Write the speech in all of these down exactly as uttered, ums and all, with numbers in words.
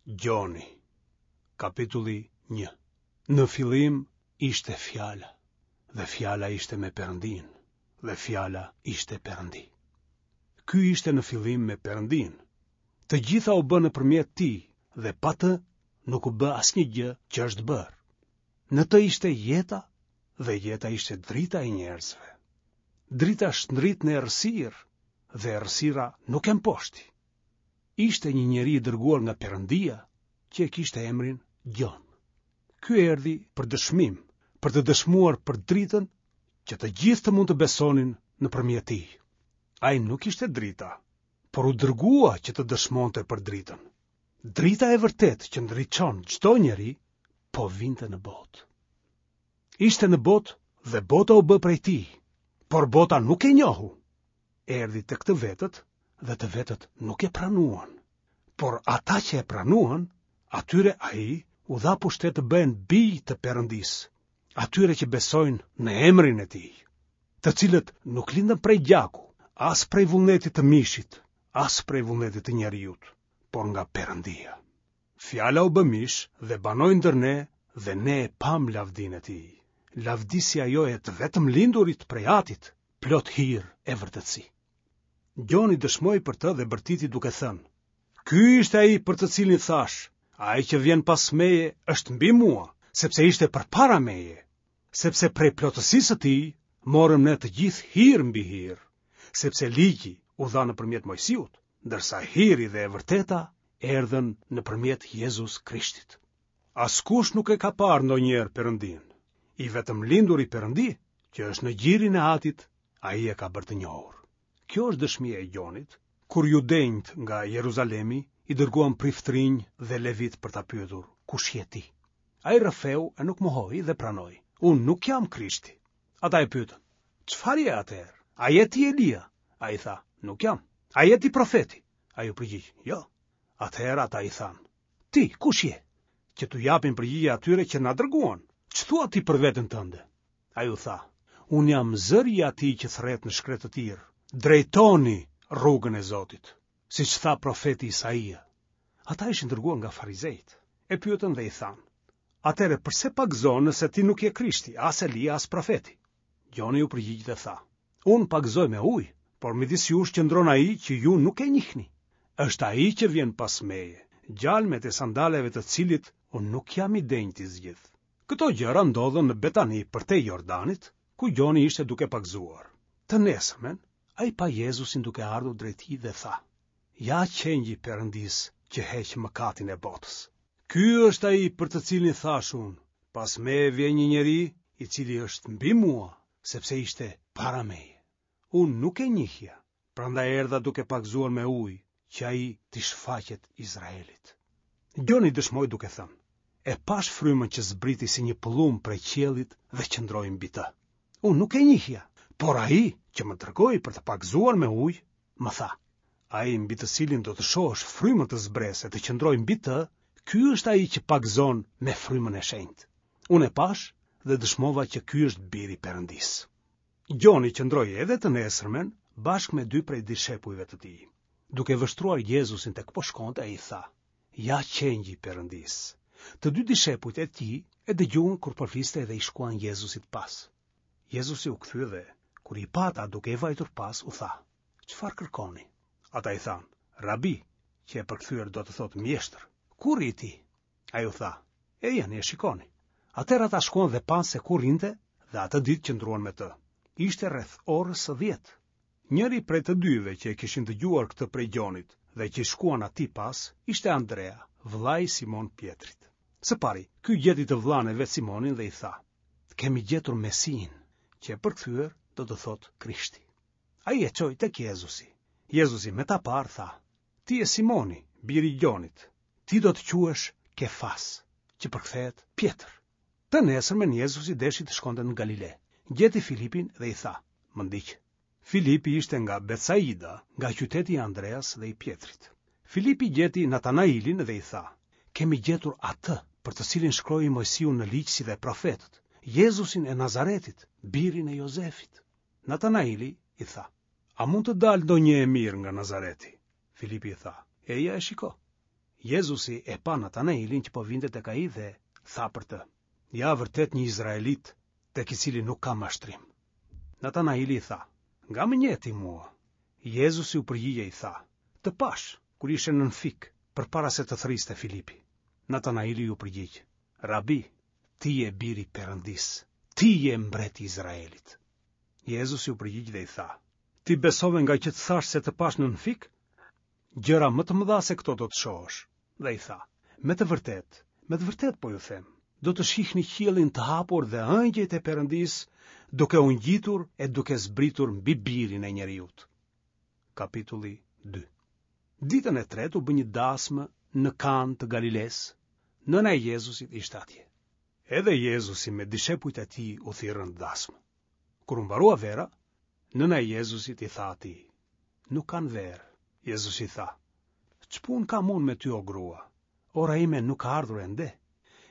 Gjoni, kapitulli një. Në fillim ishte fjala, dhe fjala ishte me Perëndinë, dhe fjala ishte Perëndi. Ky ishte në fillim me Perëndinë. Të gjitha u bënë nëpërmjet tij dhe pa të nuk u bë asnjë gjë që është bërë. Në të ishte jeta dhe jeta ishte drita e njerëzve. Drita shndrit në errësirë dhe errësira nuk e mposhti. Ishte një njeri i dërguar nga Perëndia, që e kishte emrin Gjon. Ky erdhi për dëshmim, për të dëshmuar për dritën që të gjithë të mund të besonin nëpërmjet tij. Ai nuk ishte drita, por u dërgua që të dëshmonte për dritën. Drita e vërtetë që ndriçon çdo njeri po vinte në botë. Ishte në botë dhe bota u bë prej tij, por bota nuk e njohu. Erdhi tek të vetët dhe të vetët nuk e pranuan. Por ata që e pranuan, atyre ai u dha pushtet të bëhen bij të Perëndisë, atyre që besojnë në emrin e tij, të cilët nuk lindën prej gjaku, as prej vullnetit të mishit, as prej vullnetit të njeriut, por nga Perëndia. Fjala u bë mish dhe banoi ndër ne dhe ne e pamë lavdinë e tij. Lavdi si ajo e të vetëm lindurit prej Atit, plot hir e vërtetësi. Gjoni dëshmoi për të dhe bërtiti duke thënë: Ky ishte ai për të cilin thashë, ai që vjen pas meje është mbi mua, sepse ishte përpara meje, sepse prej plotësisë së tij morëm ne të gjithë hir mbi hir, sepse ligji u dha nëpërmjet Moisiut, ndërsa hiri dhe e vërteta erdhën nëpërmjet Jezus Krishtit. Askush nuk e ka parë ndonjëherë Perëndinë. I vetëm linduri Perëndi, që është në gjirin e Atit, ai e ka bërë të njohur. Kjo është dëshmia e Gjonit, kur judenjtë nga Jeruzalemi i dërguan priftërinj dhe levit për ta pyetur, kush je ti? Ai rrëfeu e nuk mohoi dhe pranoi, unë nuk jam Krishti. Ata e pyetën, çfarë je atëherë? A je ti Elia? Ai tha, nuk jam. A je ti profeti? Ai u përgjigj, jo. Atëherë ata i thanë, ti kush je? Që t'u japin përgjigje atyre që na dërguan. Ç'thua ti për veten tënde? Ai u tha, unë jam zëri i atij që thërret në shkretëtirë. Drejtoni rrugën e Zotit, siç tha profeti Isaia. Ata ishin dërguar nga farizejt. E pyetën dhe i thanë, atëherë përse pagëzon nëse ti nuk je Krishti, as Elia, as profeti? Gjoni u përgjigj dhe tha, unë pagëzoj me ujë, por midis jush qëndron ai që ju nuk e njihni. Është ai që vjen pas meje, gjalmet e sandaleve të cilit unë nuk jam i denjë t'i zgjidh. Këto gjëra ndodhën në Betani përtej Jordanit, ku Gjoni ishte duke pagëzuar. Të nesërmen, ai pa Jezusin duke ardhur drejt tij dhe tha, ja qengji i Perëndisë që heq mëkatin e botës. Ky është ai për të cilin thashë unë, pas meje vjen një njeri i cili është mbi mua, sepse ishte para meje. Unë nuk e njihja, prandaj erdha duke pagëzuar me ujë, që ai t'i shfaqet Izraelit. Gjoni dëshmoi duke thënë, e pashë frymën që zbriti si një pëllumb prej qiellit dhe qëndroi mbi të. Unë nuk e njihja, por ai që më dërgoi për të pagëzuar me ujë, më tha, ai mbi të cilin do të shohësh frymën të zbresë e të qëndrojë mbi të, ky është ai që pagëzon me frymën e shenjtë. Unë e pashë dhe dëshmova që ky është biri i Perëndisë. Gjoni qëndroi edhe të nesërmen bashkë me dy prej dishepujve të tij. Duke vështruar Jezusin tek po shkonte, ai tha, ja qengji i Perëndisë. Të dy dishepujt e tij e dëgjuan kur po fliste dhe i shkuan Jezusit pas. Jezusi u kthye dhe, kur i pa ata duke e vajtur pas, u tha, çfarë kërkoni? Ata i thanë, Rabi, që e përkthyer do të thotë mjeshtër, ku rri ti? Ai u tha, ejani e shikoni. Atëherë ata shkuan dhe panë se ku rrinte dhe atë ditë qëndruan me të. Ishte rreth orës së dhjetë. Njëri prej të dyve që e kishin dëgjuar këtë prej Gjonit dhe që i shkuan atij pas, ishte Andrea, vëllai i Simon Pjetrit. Së pari, ky gjeti të vëllanë e vet Simonin dhe i tha, kemi gjetur Mesinë, që e përkthyer do të thotë Krishti. Ai e çoi tek Jezusi. Jezusi me ta parë tha, ti je Simoni, biri i Gjonit, ti do të quhesh Kefas, që përkthehet Pjetër. Të nesërmen Jezusi deshi të shkonte në Galile. Gjeti Filipin dhe i tha, më ndiq. Filipi ishte nga Betsaida, nga qyteti i Andreas dhe i Pjetrit. Filipi gjeti Natanailin dhe i tha, kemi gjetur atë për të cilin shkroi Moisiu në ligj si dhe profetët, Jezusin e Nazaretit, birin e Jozefit. Natanaili i tha, a mund të dalë ndonjë e mirë nga Nazareti? Filipi i tha, eja e shiko. Jezusi e pa Natanailin që po vinte tek ai dhe tha për të: Ja vërtet një izraelit, tek i cili nuk ka mashtrim. Natanaili i tha: Nga më njeh ti mua? Jezusi u përgjigj e i tha: Të pashë, kur ishe nën fik, përpara se të thërriste Filipi. Natanaili iu përgjigj: Rabi, ti je biri i Perëndisë, ti je mbreti i Izraelit. Jezusi u përgjigj dhe i tha: Ti besove ngaqë të thashë se të pashë nën fik? Gjëra më të mëdha se këto do të shohësh. Dhe i tha: Me të vërtetë, me të vërtetë po ju them, do të shihni qiellin të hapur dhe engjëjt e Perëndisë duke u ngjitur e duke zbritur mbi birin e njeriut. Kapitulli dy. Ditën e tretë u bë një dasmë në Kanë të Galilesë. Nëna e Jezusit ishte atje. Edhe Jezusi me dishepujt e tij u thirrën në dasmë. Kur u mbarua vera, nëna e Jezusit i tha atij: Nuk kanë verë. Jezusi tha: Ç'punë kam unë me ty o grua? Ora ime nuk ka ardhur ende.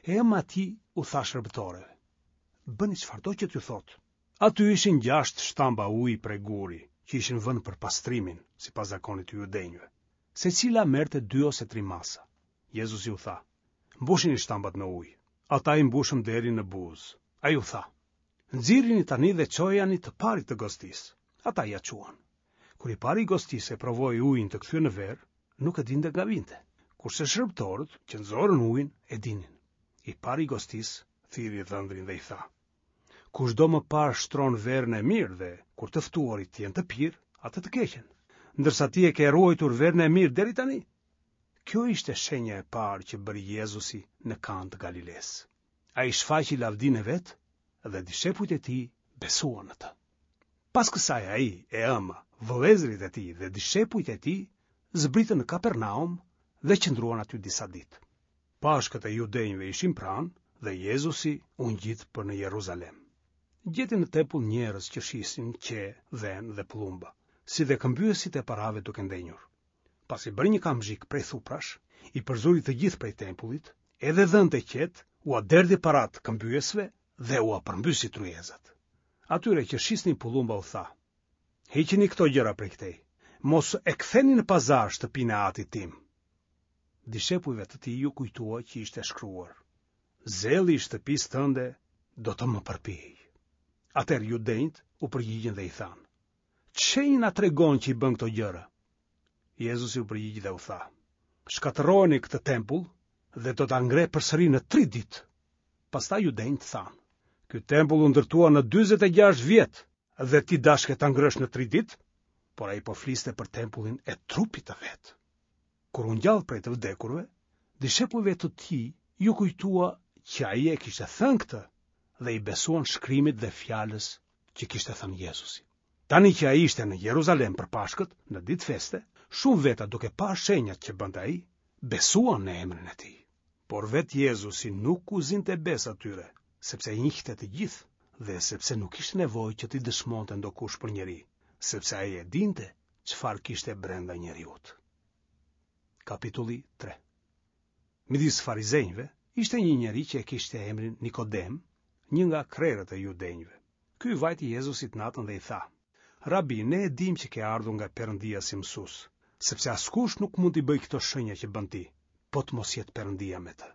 E ëma e tij u tha shërbëtoreve: Bëni çfarëdo që t'ju thotë. Aty ishin gjashtë shtamba uji prej guri, që ishin vënë për pastrimin, sipas zakonit të judenjve. Secila merrte dy ose tri masa. Jezusi u tha: Mbushini shtambat me ujë. Ata i mbushën deri në buzë. Ai u tha: Nxirrini tani dhe çojani të parit të gostisë. Ata ia çuan. Kur i pari i gostisë e provoi ujin të kthyer në verë, nuk e dinte nga vinte, kurse shërbëtorët që nxorën ujin e dinin. I pari i gostisë thirri dhëndrin dhe i tha: Kushdo më parë shtron verën e mirë dhe, kur të ftuarit të jenë të pirë, atë të keqen, ndërsa ti e ke ruajtur verën e mirë deri tani. Kjo ishte shenja e parë që bëri Jezusi në Kanë të Galilesë. Ai shfaqi lavdinë e vet dhe dishepujt e tij besuan në të. Pas kësaj ai e ëma, vëllezërit e tij dhe dishepujt e tij zbritën në Kapernaum dhe qëndruan aty disa ditë. Pashkët e judenjve ishin pranë dhe Jezusi u ngjit për në Jeruzalem. Gjeti në tempull njerëz që shisin qe, dhen dhe pëllumba, si dhe këmbyesit e parave duke ndenjur. Pasi bëri një kamzhik prej thuprash, i përzuri të gjithë prej tempullit, edhe dhentë e qetë, ua derdhi parat këmbyesve dhe ua përmbysi tryezat. Atyre që shisnin pëllumba u tha: Hiqini këto gjëra prej këtej, mos e ktheni në pazar shtëpinë e atit tim. Dishepujve të tij ju kujtua që ishte shkruar: Zelli i shtëpisë tënde do të më përpijë. Atëherë judenjt u përgjigjën dhe i thanë: Ç'shenjë na tregon që i bën këto gjëra? Jezusi u përgjigj dhe u tha: Shkatërrojeni këtë tempull dhe do ta ngre përsëri në tri ditë. Pastaj judenjt thanë: Ky tempull u ndërtua në dyzet e gjashtë vjet dhe ti dashke ta ngrësh në tri ditë? Por ai po fliste për tempullin e trupit të vet. Kur u ngjall prej të vdekurve, dishepujve të tij ju kujtua që ai e kishte thënë këtë dhe i besuan shkrimit dhe fjalës që kishte thënë Jezusi. Tani që ai ishte në Jeruzalem për Pashkët, në ditë feste, shumë veta duke parë shenjat që bënte ai, besuan në emrin e tij. Por vetë Jezusi nuk u zinte besë atyre, sepse i njihte të gjithë dhe sepse nuk kishte nevojë që t'i dëshmonte ndokush për njeri, sepse ai e dinte çfarë kishte brenda njeriut. Kapitulli tre. Midis farizenjve ishte një njeri që e kishte emrin Nikodem, një nga krerët e judenjve. Ky i vajti Jezusit natën dhe i tha: Rabi, ne e dim që ke ardhur nga Perëndia si mësues, sepse askush nuk mund t'i bëjë këto shenja që bën ti, po të mos jetë Perëndia me të.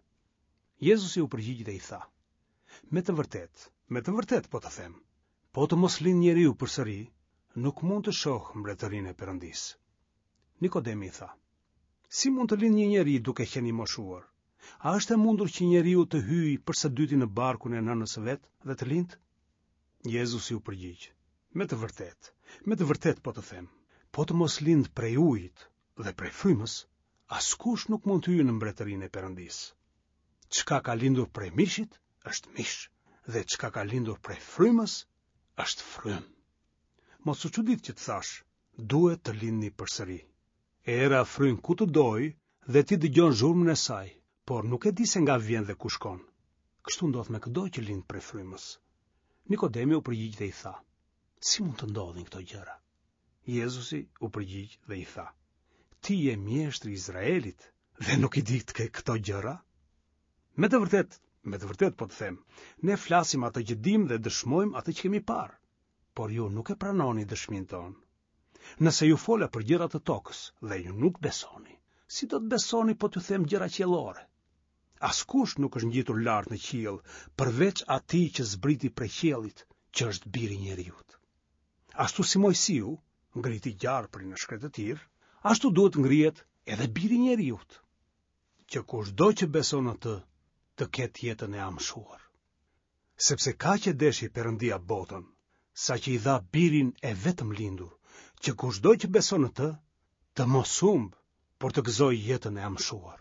Jezusi u përgjigj dhe i tha: Me të vërtetë, me të vërtetë po të them, po të mos lind njeriu përsëri, nuk mund të shohë mbretërinë e Perëndisë. Nikodemi i tha: Si mund të lind një njeri duke qenë i moshuar? A është e mundur që njeriu të hyjë për së dyti në barkun e nënës së vet dhe të lind? Jezusi u përgjigj: Me të vërtetë, me të vërtetë po të them, po të mos lind prej ujit dhe prej frymës, askush nuk mund të hyjë në mbretërinë e Perëndisë. Çka ka lindur prej mishit është mish, dhe çka ka lindur prej frymës është frymë. Mos u çudit që të thash, duhet të lindni përsëri. Era fryn ku të dojë dhe ti dëgjon zhurmën e saj, por nuk e di se nga vjen dhe ku shkon. Kështu ndodh me këdo që lind prej frymës. Nikodemi u përgjigj dhe i tha: Si mund të ndodhin këto gjëra? Jezusi u përgjigj dhe i tha: Ti je mjeshtri i Izraelit dhe nuk i di këto gjëra? Me të vërtetë, me të vërtetë po të them, ne flasim atë që dim dhe dëshmojmë atë që kemi parë, por ju nuk e pranoni dëshminë tonë. Nëse ju fola për gjëra të tokës dhe ju nuk besoni, si do të besoni po t'ju them gjëra qiellore? Askush nuk është ngjitur lart në qiell, përveç atij që zbriti prej qiellit, që është biri i njeriut. Ashtu si Moisiu ngriti gjarprin në shkretëtirë, ashtu duhet të ngrihet edhe biri i njeriut, që kushdo që beson në të, të ketë jetën e amshuar. Sepse kaq e deshi Perëndia botën, saqë i dha birin e vetëmlindur, që kushdo që beson në të, të mos humbë, por të gëzojë jetën e amshuar.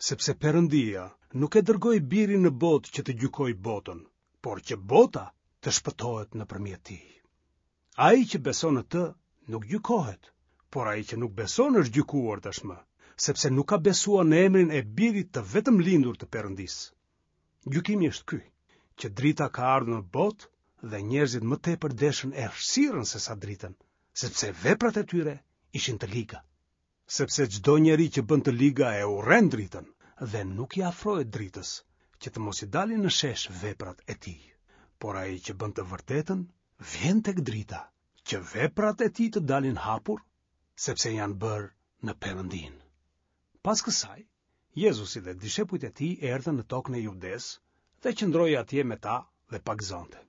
Sepse Perëndia nuk e dërgoi birin në botë që të gjykojë botën, por që bota të shpëtohet nëpërmjet tij. Ai që beson në të nuk gjykohet, por ai që nuk beson është gjykuar tashmë, sepse nuk ka besuar në emrin e birit të vetëmlindur të Perëndisë. Gjykimi është ky, që drita ka ardhur në botë dhe njerëzit më tepër deshën errësirën sesa dritën, sepse veprat e tyre ishin të liga. Sepse çdo njeri që bën të liga e urren dritën dhe nuk i afrohet dritës, që të mos i dalin në shesh veprat e tij. Por ai që bën të vërtetën, vjen tek drita, që veprat e tij të dalin hapur, sepse janë bërë në Perëndinë. Pas kësaj, Jezusi dhe dishepujt e tij erdhën në tokën e Judesë dhe qëndroi atje me ta dhe pagëzonte.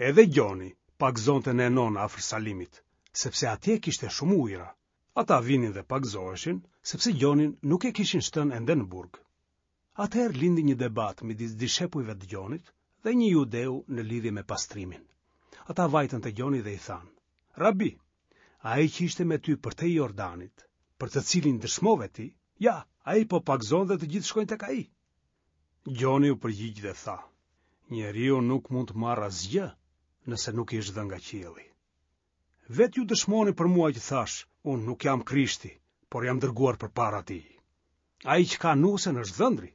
Edhe Gjoni pagëzonte në Enon afër Salimit, sepse atje kishte shumë ujëra. Ata vinin dhe pagëzoheshin, sepse Gjonin nuk e kishin shtënë ende në burg. Atëherë lindi një debat midis dishepujve të Gjonit dhe një judeu në lidhje me pastrimin. Ata vajtën te Gjoni dhe i thanë: Rabi, ai që ishte me ty përtej Jordanit, për të cilin dëshmove ti, ja, ai po pagëzon dhe të gjithë shkojnë tek ai. Gjoni u përgjigj dhe tha: Njeriu nuk mund të marrë asgjë nëse nuk i është dhënë nga qielli. Vetë ju dëshmoni për mua që thashë, unë nuk jam Krishti, por jam dërguar përpara tij. Ai që ka nusen është dhëndri,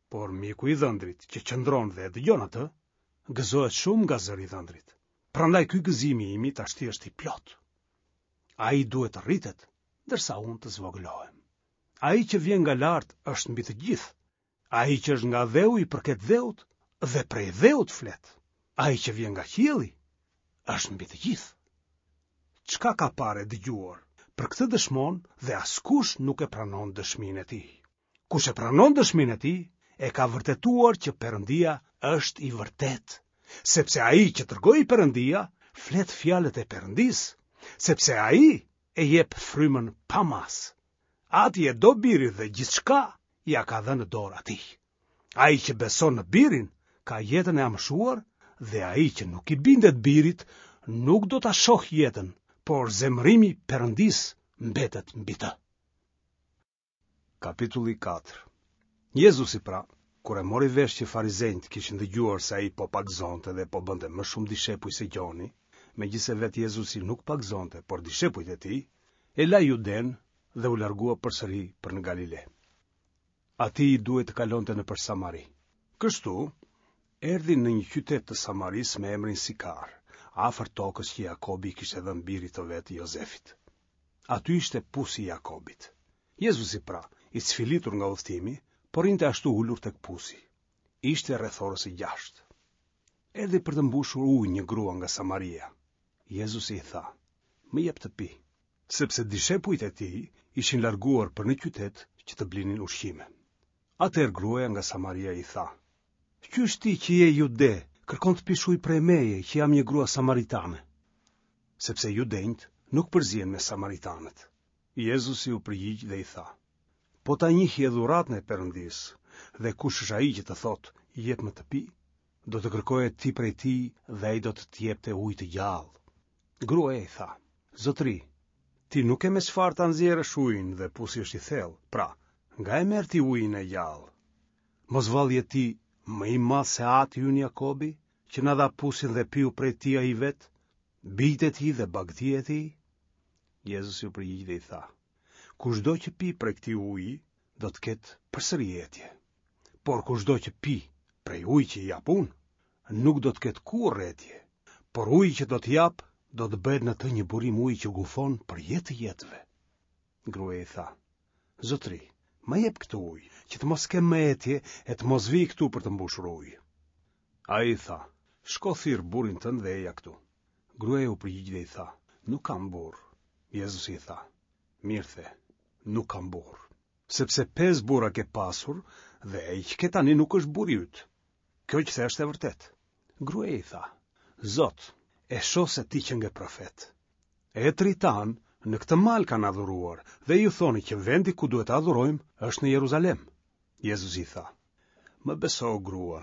por miku i dhëndrit që qëndron dhe e dëgjon atë, gëzohet shumë nga zëri i dhëndrit. Prandaj ky gëzimi imi tashti është i plotë. Ai duhet të rritet, ndërsa unë të zvogëlohem. Ai që vjen nga lart është mbi të gjithë. Ai që është nga dheu i përket dheut dhe prej dheut flet. Ai që vjen nga qielli është mbi të gjithë. Çka ka parë e dëgjuar, për këtë dëshmon dhe askush nuk e pranon dëshminë e tij. Kush e pranon dëshminë e tij, e ka vërtetuar që Perëndia është i vërtetë, sepse ai që dërgoi Perëndia flet fjalët e Perëndisë, sepse ai e jep frymën pa masë. Ati e do birin dhe gjithçka ia ka dhënë në dorë atij. Ai që beson në birin ka jetën e amshuar dhe ai që nuk i bindet birit nuk do ta shohë jetën, por zemërimi i Perëndisë mbetet mbi të. Kapitulli katër. Jezusi pra, kur e mori vesh që farizenjtë kishin dëgjuar se ai po pagëzonte dhe po bënte më shumë dishepuj se Gjoni, megjithëse vetë Jezusi nuk pagëzonte, por dishepujt e tij, e la Judenë dhe u largua përsëri për në Galile. Atij i duhej të kalonte nëpër Samari. Kështu, erdhi në një qytet të Samarisë me emrin Sikar, afër tokës që Jakobi i kishte dhënë birit të vet Jozefit. Aty ishte pusi i Jakobit. Jezusi pra, i cfilitur nga udhëtimi, po rrinte ashtu ulur tek pusi. Ishte rreth orës së gjashtë. Erdhi për të mbushur ujë një grua nga Samaria. Jezusi i tha: Më jep të pi, sepse dishepujt e tij ishin larguar për në qytet që të blinin ushqime. Atëherë gruaja nga Samaria i tha: Qysh ti që je jude, kërkon të pish ujë prej meje, që jam një grua samaritane? Sepse judenjtë nuk përzihen me samaritanët. Jezusi u përgjigj dhe i tha: Po ta njihje dhuratën e Perëndisë, dhe kush është ai që të thotë, jepmë të pi, do të kërkoje ti prej tij dhe ai do të të jepte ujë të gjallë. Gruaja i tha: Zotëri, ti nuk ke me çfarë ta nxjerrësh ujin dhe pusi është i thellë, pra, nga e merr ti ujin e gjallë? Mos vallë je ti më i madh se ati ynë Jakobi, që na dha pusin dhe piu prej tij ai vetë, bijtë e tij dhe bagëtia e tij? Jezusi u përgjigj dhe i tha: Kushdo që pi prej këtij uji, do të ketë përsëri etje. Por kushdo që pi prej ujit që i jap unë, nuk do të ketë kurrë etje, por uji që do të jap do të bëhet në të një burim uji që gufon për jetë të jetëve. Gruaja i tha: Zotëri, më jep këtë ujë, që të mos kem më etje e të mos vij këtu për të mbushur ujë. Ai i tha: Shko thirr burrin tënd dhe eja këtu. Gruaja u përgjigj dhe i tha: Nuk kam burrë. Jezusi i tha: Mirë the, nuk kam burrë. Sepse pesë burra ke pasur dhe ai që ke tani nuk është burri yt. Kjo që the është e vërtetë. Gruaja i tha: Zot, e shoh se ti qenke profet. Etërit tanë në këtë mal kanë adhuruar dhe ju thoni që vendi ku duhet të adhurojmë është në Jeruzalem. Jezusi i tha: Më beso, grua,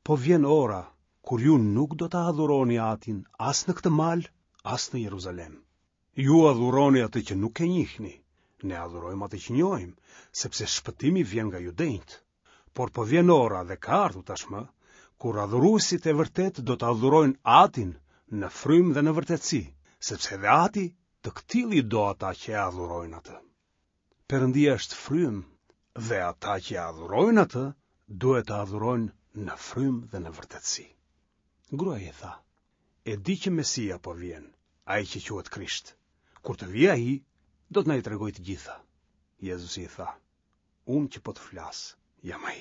po vjen ora kur ju nuk do ta adhuroni Atin as në këtë mal, as në Jeruzalem. Ju adhuroni atë që nuk e njihni, ne adhurojmë atë që njohim, sepse shpëtimi vjen nga judenjtë. Por po vjen ora dhe ka ardhur tashmë, kur adhuruesit e vërtetë do të adhurojnë Atin në frymë dhe në vërtetësi, sepse edhe Ati të këtillë i do ata që e adhurojnë atë. Perëndia është frymë dhe ata që e adhurojnë atë duhet të adhurojnë në frymë dhe në vërtetësi. Gruaja i tha: E di që Mesia po vjen, ai që quhet Krisht. Kur të vijë ai, do të na i tregojë të gjitha. Jezusi i tha: Unë që po të flas, jam ai.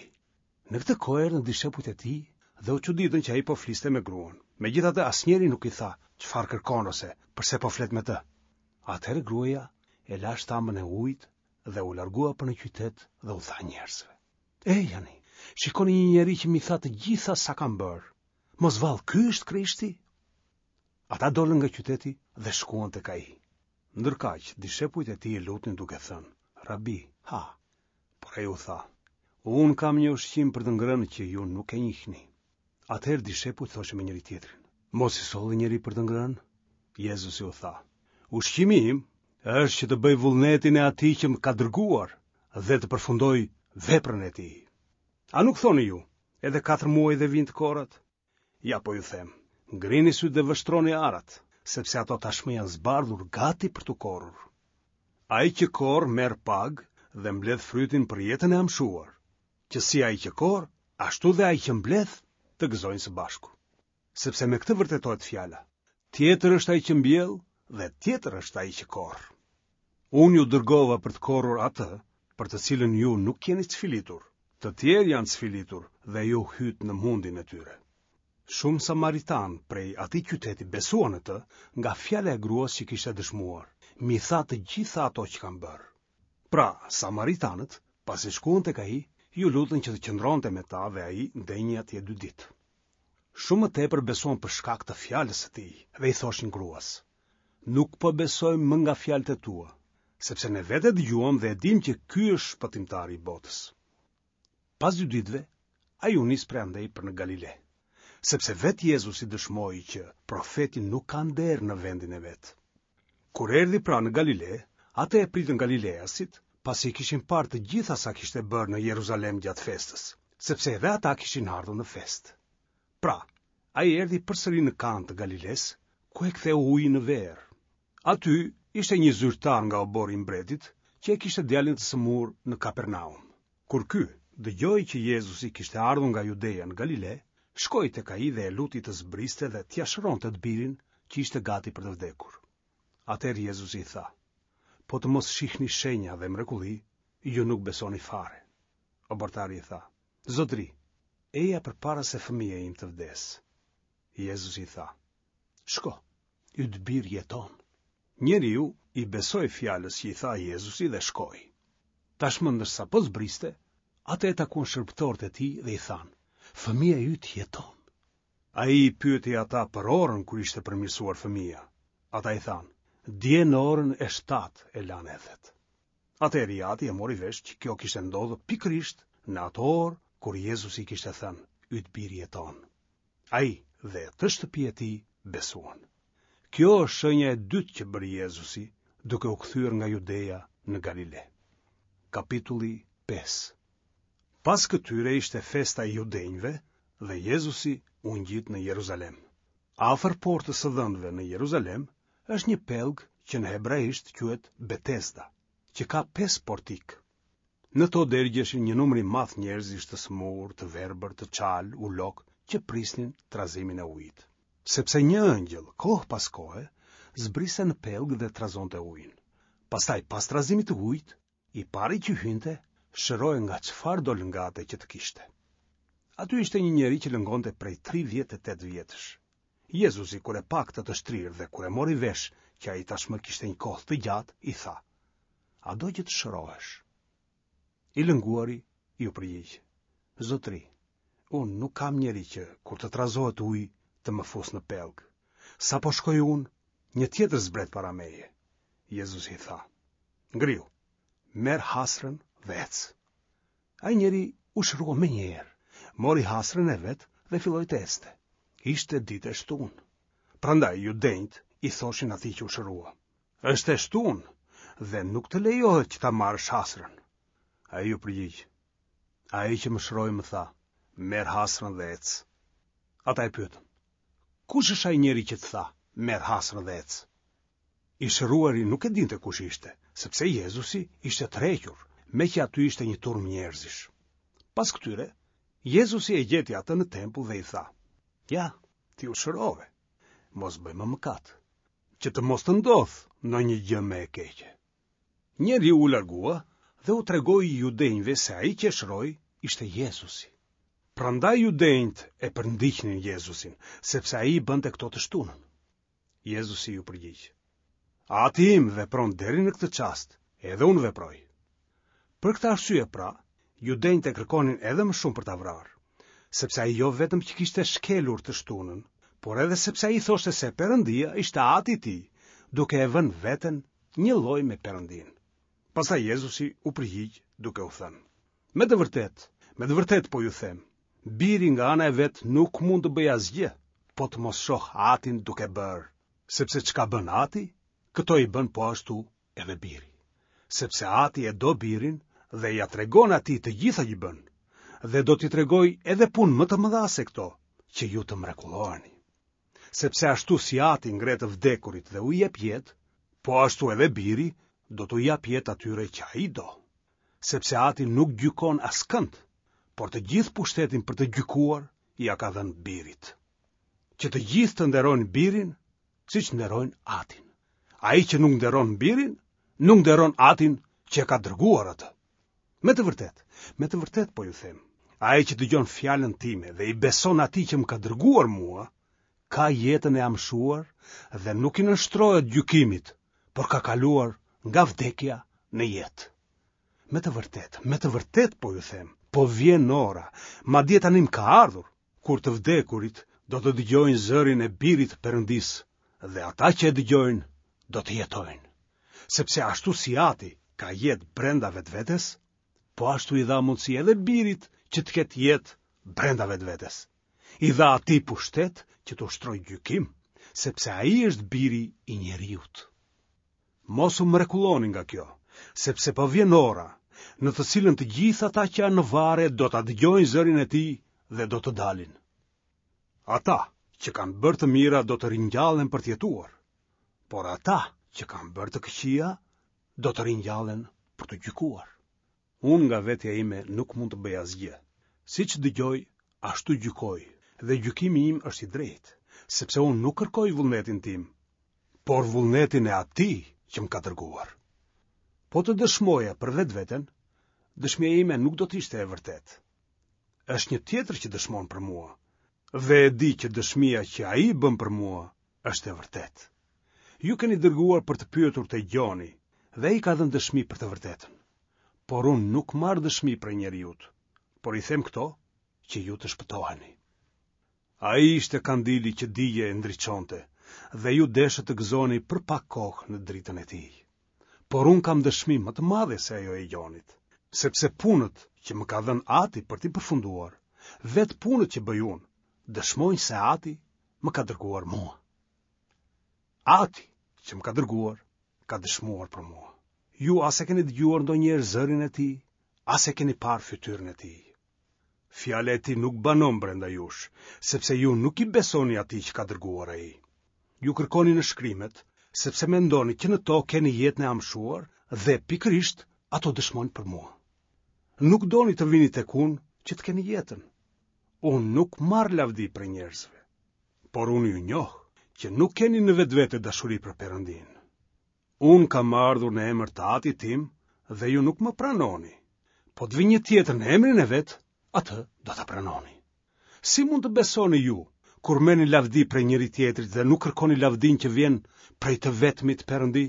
Në këtë kohë erdhën dishepujt e tij dhe u çuditën që ai po fliste me gruan. Megjithatë asnjëri nuk i tha çfarë kërkon ose përse po flet me të. Atëherë gruaja e la shtambën e ujit dhe u largua për në qytet dhe u tha njerëzve: Ejani, shikoni një njeri që m'i tha të gjitha sa kam bërë. Mos vallë ky është Krishti? Ata dolën nga qyteti dhe shkuan tek ai. Ndërkaq, dishepujt e tij e lutnin duke thënë: Rabi, ha. Por ai u tha: Unë kam një ushqim për të ngrënë që ju nuk e njihni. Atëherë dishepujt thoshin me njëri-tjetrin: Mos i solli njeri për të ngrënë? Jezusi u tha: Ushqimi im është që të bëj vullnetin e atij që më ka dërguar dhe të përfundoj veprën e tij. A nuk thoni ju, edhe katër muaj dhe vijnë të korrat? Ja po ju them, ngrini sytë dhe vështroni arat, sepse ato tashmë janë zbardhur gati për t'u korrur. Ai që korr merr pagë dhe mbledh frytin për jetën e amshuar, që si ai që korr, ashtu dhe ai që mbledh të gëzojnë së bashku. Sepse me këtë vërtetohet fjala: Tjetër është ai që mbjell dhe tjetër është ai që korr. Unë ju dërgova për të korrur atë, për të cilën ju nuk jeni cfilitur. Të tjerë janë cfilitur dhe ju hytë në mundin e tyre. Shumë samaritanë prej atij qyteti besuan në të nga fjala e gruas që kishte dëshmuar: M'i tha të gjitha ato që kam bërë. Pra, samaritanët, pasi shkuan tek ai, ju lutën që të qëndronte me ta dhe ai ndenji atje dy ditë. Shumë më tepër besuan për shkak të fjalës së tij dhe i thoshin gruas: Nuk po besojmë më nga fjalët e tua, sepse ne vetë e dëgjuam dhe e dimë që ky është shpëtimtari i botës. Pas dy ditëve, ai u nis prej andej për në Galile, sepse vetë Jezusi dëshmoi që profeti nuk ka nder në vendin e vet. Kur erdhi pra në Galile, atë e pritën galileasit, pasi i kishin parë të gjitha sa kishte bërë në Jeruzalem gjatë festës, sepse edhe ata kishin ardhur në festë. Pra, ai erdhi përsëri në Kanë të Galiles, ku e ktheu ujin në verë. Aty ishte një zyrtar nga oborri i mbretit, që e kishte djalin të sëmurë në Kapernaum. Kur ky dëgjoi që Jezusi kishte ardhur nga Judeja në Galile, shkoi tek ai dhe e luti të zbriste dhe t'ia shëronte të birin që ishte gati për të vdekur. Atëherë Jezusi i tha: Po të mos shihni shenja dhe mrekulli, ju nuk besoni fare. Obortari i tha: Zotri, eja përpara se fëmija im të vdesë. Jezusi i tha: Shko, yt bir jeton. Njeriu i besoi fjalës që i tha Jezusi dhe shkoi. Tashmë ndërsa po zbriste, atë e takuan shërbëtorët e tij dhe i thanë: Fëmija yt jeton. Ai i pyeti ata për orën kur ishte përmirësuar fëmija. Ata i thanë: Dje në orën e shtatë e lanë ethet. Atëherë i ati e mori vesh që kjo kishte ndodhur pikërisht në atë orë kur Jezusi kishte thënë: Yt bir jeton. Ai dhe të shtëpia e tij besuan. Kjo është shenja e dytë që bëri Jezusi, duke u kthyer nga Judeja në Galile. Kapitulli pesë. Pas këtyre ishte festa e judenjve dhe Jezusi u ngjit në Jeruzalem. Afër portës së dhëndëve në Jeruzalem është një pellg që në hebraisht quhet Betesda, që ka pesë portik. Në to dergjeshin një numër i madh njerëzish të sëmurë, të verbër, të çalë, ulok, që prisnin trazimin e ujit. Sepse një ëngjëll, kohë pas kohe, zbriste në pellg dhe trazonte ujin. Pastaj, pas trazimit të ujit, i pari që hynte, shërohej nga çfarëdo lëngate që të kishte. Aty ishte një njeri që lëngonte prej tridhjetë e tetë vjetësh. Jezusi, kur e pa këtë të shtrirë dhe kur e mori vesh që ai tashmë kishte një kohë të gjatë, i tha: A do që të shërohesh? I lënguari iu përgjigj: Zotëri, unë nuk kam njeri që, kur të trazohet uji, të më fusë në pellg. Sapo shkoj unë, një tjetër zbret para meje. Jezusi i tha: Ngrihu, merr hasrën dhe ec. Ai njeri u shërua menjëherë, mori hasrën e vet dhe filloi të ecte. Ishte ditë e shtunë. Prandaj judenjtë i thoshin atij që u shërua: Është e shtunë dhe nuk të lejohet që ta marrësh hasrën. Ai iu përgjigj: Ai që më shëroi më tha: Merr hasrën dhe ec. Ata e pyetën: Kush është ai njeri që të tha: Merr hasrën dhe ec? I shëruari nuk e dinte kush ishte, sepse Jezusi ishte tërhequr, meqë aty ishte një turmë njerëzish. Pas këtyre, Jezusi e gjeti atë në tempull dhe i tha: Ja, ti u shërove, mos bëj më mëkat, që të mos të ndodhë ndonjë gjë më e keqe. Njeriu u largua dhe u tregoi judenjve se ai që e shëroi ishte Jezusi. Prandaj judenjtë e përndiqnin Jezusin, sepse ai i bënte këto të shtunën. Jezusi iu përgjigj: Ati im vepron deri në këtë çast, edhe unë veproj. Për këtë arsye pra, judenjtë e kërkonin edhe më shumë për ta vrarë, sepse ai jo vetëm që kishte shkelur të shtunën, por edhe sepse ai thoshte se Perëndia ishte ati i tij, duke e vënë veten njëlloj me Perëndinë. Pastaj Jezusi u përgjigj duke u thënë: Me të vërtetë, me të vërtetë po ju them, biri nga ana e vet nuk mund të bëjë asgjë, po të mos shoh atin duke bërë, sepse çka bën ati, këto i bën po ashtu edhe biri. Sepse ati e do birin dhe ia tregon atij të gjitha që bën, dhe do t'i tregojë edhe punë më të mëdha se këto, që ju të mrekulloheni. Sepse ashtu si ati ngre të vdekurit dhe u jep jetë, po ashtu edhe biri do t'u japë jetë atyre që ai do. Sepse ati nuk gjykon askënd, por të gjithë pushtetin për të gjykuar ia ka dhënë birit. Që të gjithë të nderojnë birin, siç nderojnë atin. Ai që nuk nderon birin, nuk nderon atin që e ka dërguar atë. Me të vërtetë, me të vërtetë po ju them, ai që dëgjon fjalën time dhe i beson atij që më ka dërguar mua, ka jetën e amshuar dhe nuk i nënshtrohet gjykimit, por ka kaluar nga vdekja në jetë. Me të vërtetë, me të vërtetë po ju them, po vjen ora, madje tanimë ka ardhur, kur të vdekurit do të dëgjojnë zërin e birit të Perëndisë, dhe ata që e dëgjojnë do të jetojnë. Sepse ashtu si ati ka jetë brenda vetvetes, po ashtu i dha mundësi edhe birit që të ketë jetë brenda vetvetes. I dha atij pushtet që të ushtrojë gjykim, sepse ai është biri i njeriut. Mos u mrekulloni nga kjo, sepse po vjen ora, në të cilën të gjithë ata që janë në varre do ta dëgjojnë zërin e tij dhe do të dalin. Ata që kanë bërë të mira do të ringjallen për të jetuar, por ata që kanë bërë të këqija do të ringjallen për të gjykuar. Unë nga vetja ime nuk mund të bëj asgjë. Siç dëgjoj, ashtu gjykoj, dhe gjykimi im është i drejtë, sepse unë nuk kërkoj vullnetin tim, por vullnetin e atij që më ka dërguar. Po të dëshmoja për vetveten, dëshmia ime nuk do të ishte e vërtetë. Është një tjetër që dëshmon për mua, dhe e di që dëshmia që ai bën për mua është e vërtetë. Ju keni dërguar për të pyetur te Gjoni, dhe ai ka dhënë dëshmi për të vërtetën. Por unë nuk marr dëshmi prej njeriut, por i them këto që ju të shpëtoheni. Ai ishte kandili që digjej e ndriçonte, dhe ju deshët të gëzoni për pak kohë në dritën e tij. Por unë kam dëshmi më të madhe se ajo e Gjonit, sepse punët që më ka dhënë Ati për t'i përfunduar, vetë punët që bëj unë, dëshmojnë se Ati më ka dërguar mua. Ati që më ka dërguar, ka dëshmuar për mua. Ju as e keni dëgjuar ndonjëherë zërin e tij, as e keni parë fytyrën e tij. Fjala e tij nuk banon brenda jush, sepse ju nuk i besoni atij që ka dërguar ai. Ju kërkoni në shkrimet, sepse mendoni që në to keni jetën e amshuar dhe pikërisht ato dëshmojnë për mua. Nuk doni të vini tek unë që të keni jetën. Unë nuk marr lavdi prej njerëzve, por unë ju njoh që nuk keni në vetvete dashuri për Perëndinë. Unë kam ardhur në emër të Atit tim dhe ju nuk më pranoni. Po të vi një tjetër në emrin e vet, atë do ta pranoni. Si mund të besoni ju, kur merrni lavdi prej njëri tjetrit dhe nuk kërkoni lavdinë që vjen prej të vetmit Perëndi?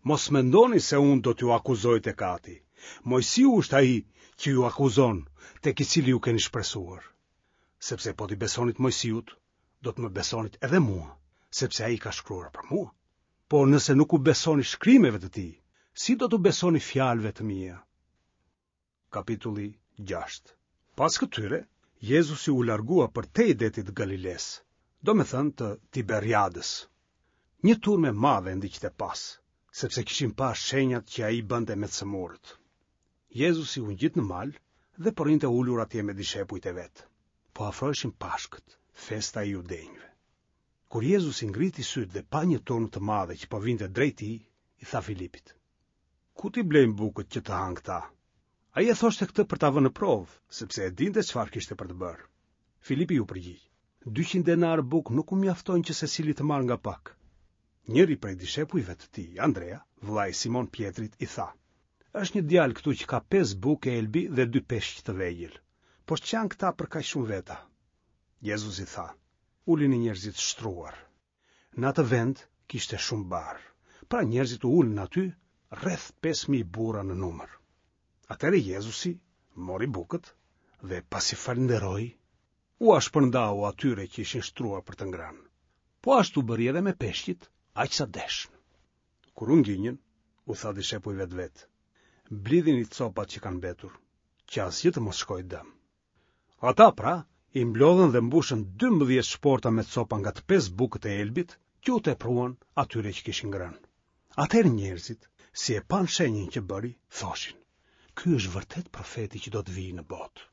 Mos mendoni se unë do t'ju akuzoj tek Ati. Moisiu është ai që ju akuzon, tek i cili ju keni shpresuar. Sepse po t'i besonit Moisiut, do të më besonit edhe mua, sepse ai ka shkruar për mua. Por nëse nuk u besoni shkrimeve të tij, si do t'u besoni fjalëve të mia? Kapitulli gjashtë. Pas këtyre, Jezusi u largua përtej detit të Galilesë, domethënë të Tiberiadës. Një turmë e madhe e ndiqte pas, sepse kishin parë shenjat që ai bënte me të sëmurët. Jezusi u ngjit në mal dhe po rrinte ulur atje me dishepujt e vet. Po afroheshin Pashkët, festa e judenjve. Kur Jezusi ngriti sytë dhe pa një turmë të madhe që po vinte drejt tij, i tha Filipit: Ku t'i blejmë bukët që të hanë këta? Ai e thoshte këtë për ta vënë në provë, sepse e dinte çfarë kishte për të bërë. Filipi iu përgjigj: Dyqind denarë bukë nuk u mjaftojnë që secili të marrë nga pak. Njëri prej dishepujve të tij, Andrea, vëllai i Simon Pjetrit, i tha: Është një djalë këtu që ka pesë bukë elbi dhe dy peshq të vegjël. Por ç'janë këta për kaq shumë veta? Jezusi tha: Ulini njerëzit shtruar. Në atë vend kishte shumë bar. Pra njerëzit u ulën aty, rreth pesë mijë burra në numër. Atëherë Jezusi mori bukët dhe pasi falënderoi, ua shpërndau atyre që ishin shtruar për të ngrënë. Po ashtu bëri edhe me peshqit, aq sa deshën. Kur u nginjën, u tha dishepujve të vet: Mblidhini copat që kanë mbetur, që asgjë të mos shkojë dëm. Ata pra i mblodhën dhe mbushën dymbëdhjetë shporta me copa nga të pesë bukët e elbit që u tepruan atyre që kishin ngrënë. Atëherë njerëzit, si e panë shenjën që bëri, thoshin: Ky është vërtet profeti që do të vijë në botë.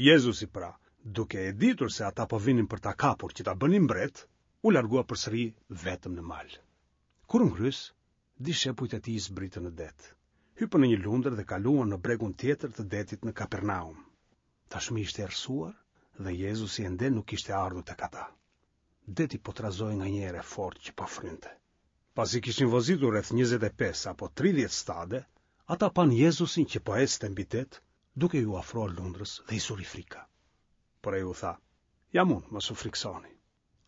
Jezusi pra, duke e ditur se ata po vinin për ta kapur që ta bënin mbret, u largua përsëri vetëm në mal. Kur u ngrys, dishepujt e tij zbritën në det. Hypën në një lundër dhe kaluan në bregun tjetër të detit në Kapernaum. Tashmë ishte errësuar dhe Jezusi ende nuk kishte ardhur tek ata. Deti po trazohej nga një erë e fortë që po frynte. Pasi kishin vozitur rreth njëzet e pesë apo tridhjetë stade, ata panë Jezusin që po ecte mbi det, duke iu afruar lundrës dhe i zuri frika. Por ai u tha: Jam unë, mos u friksoni.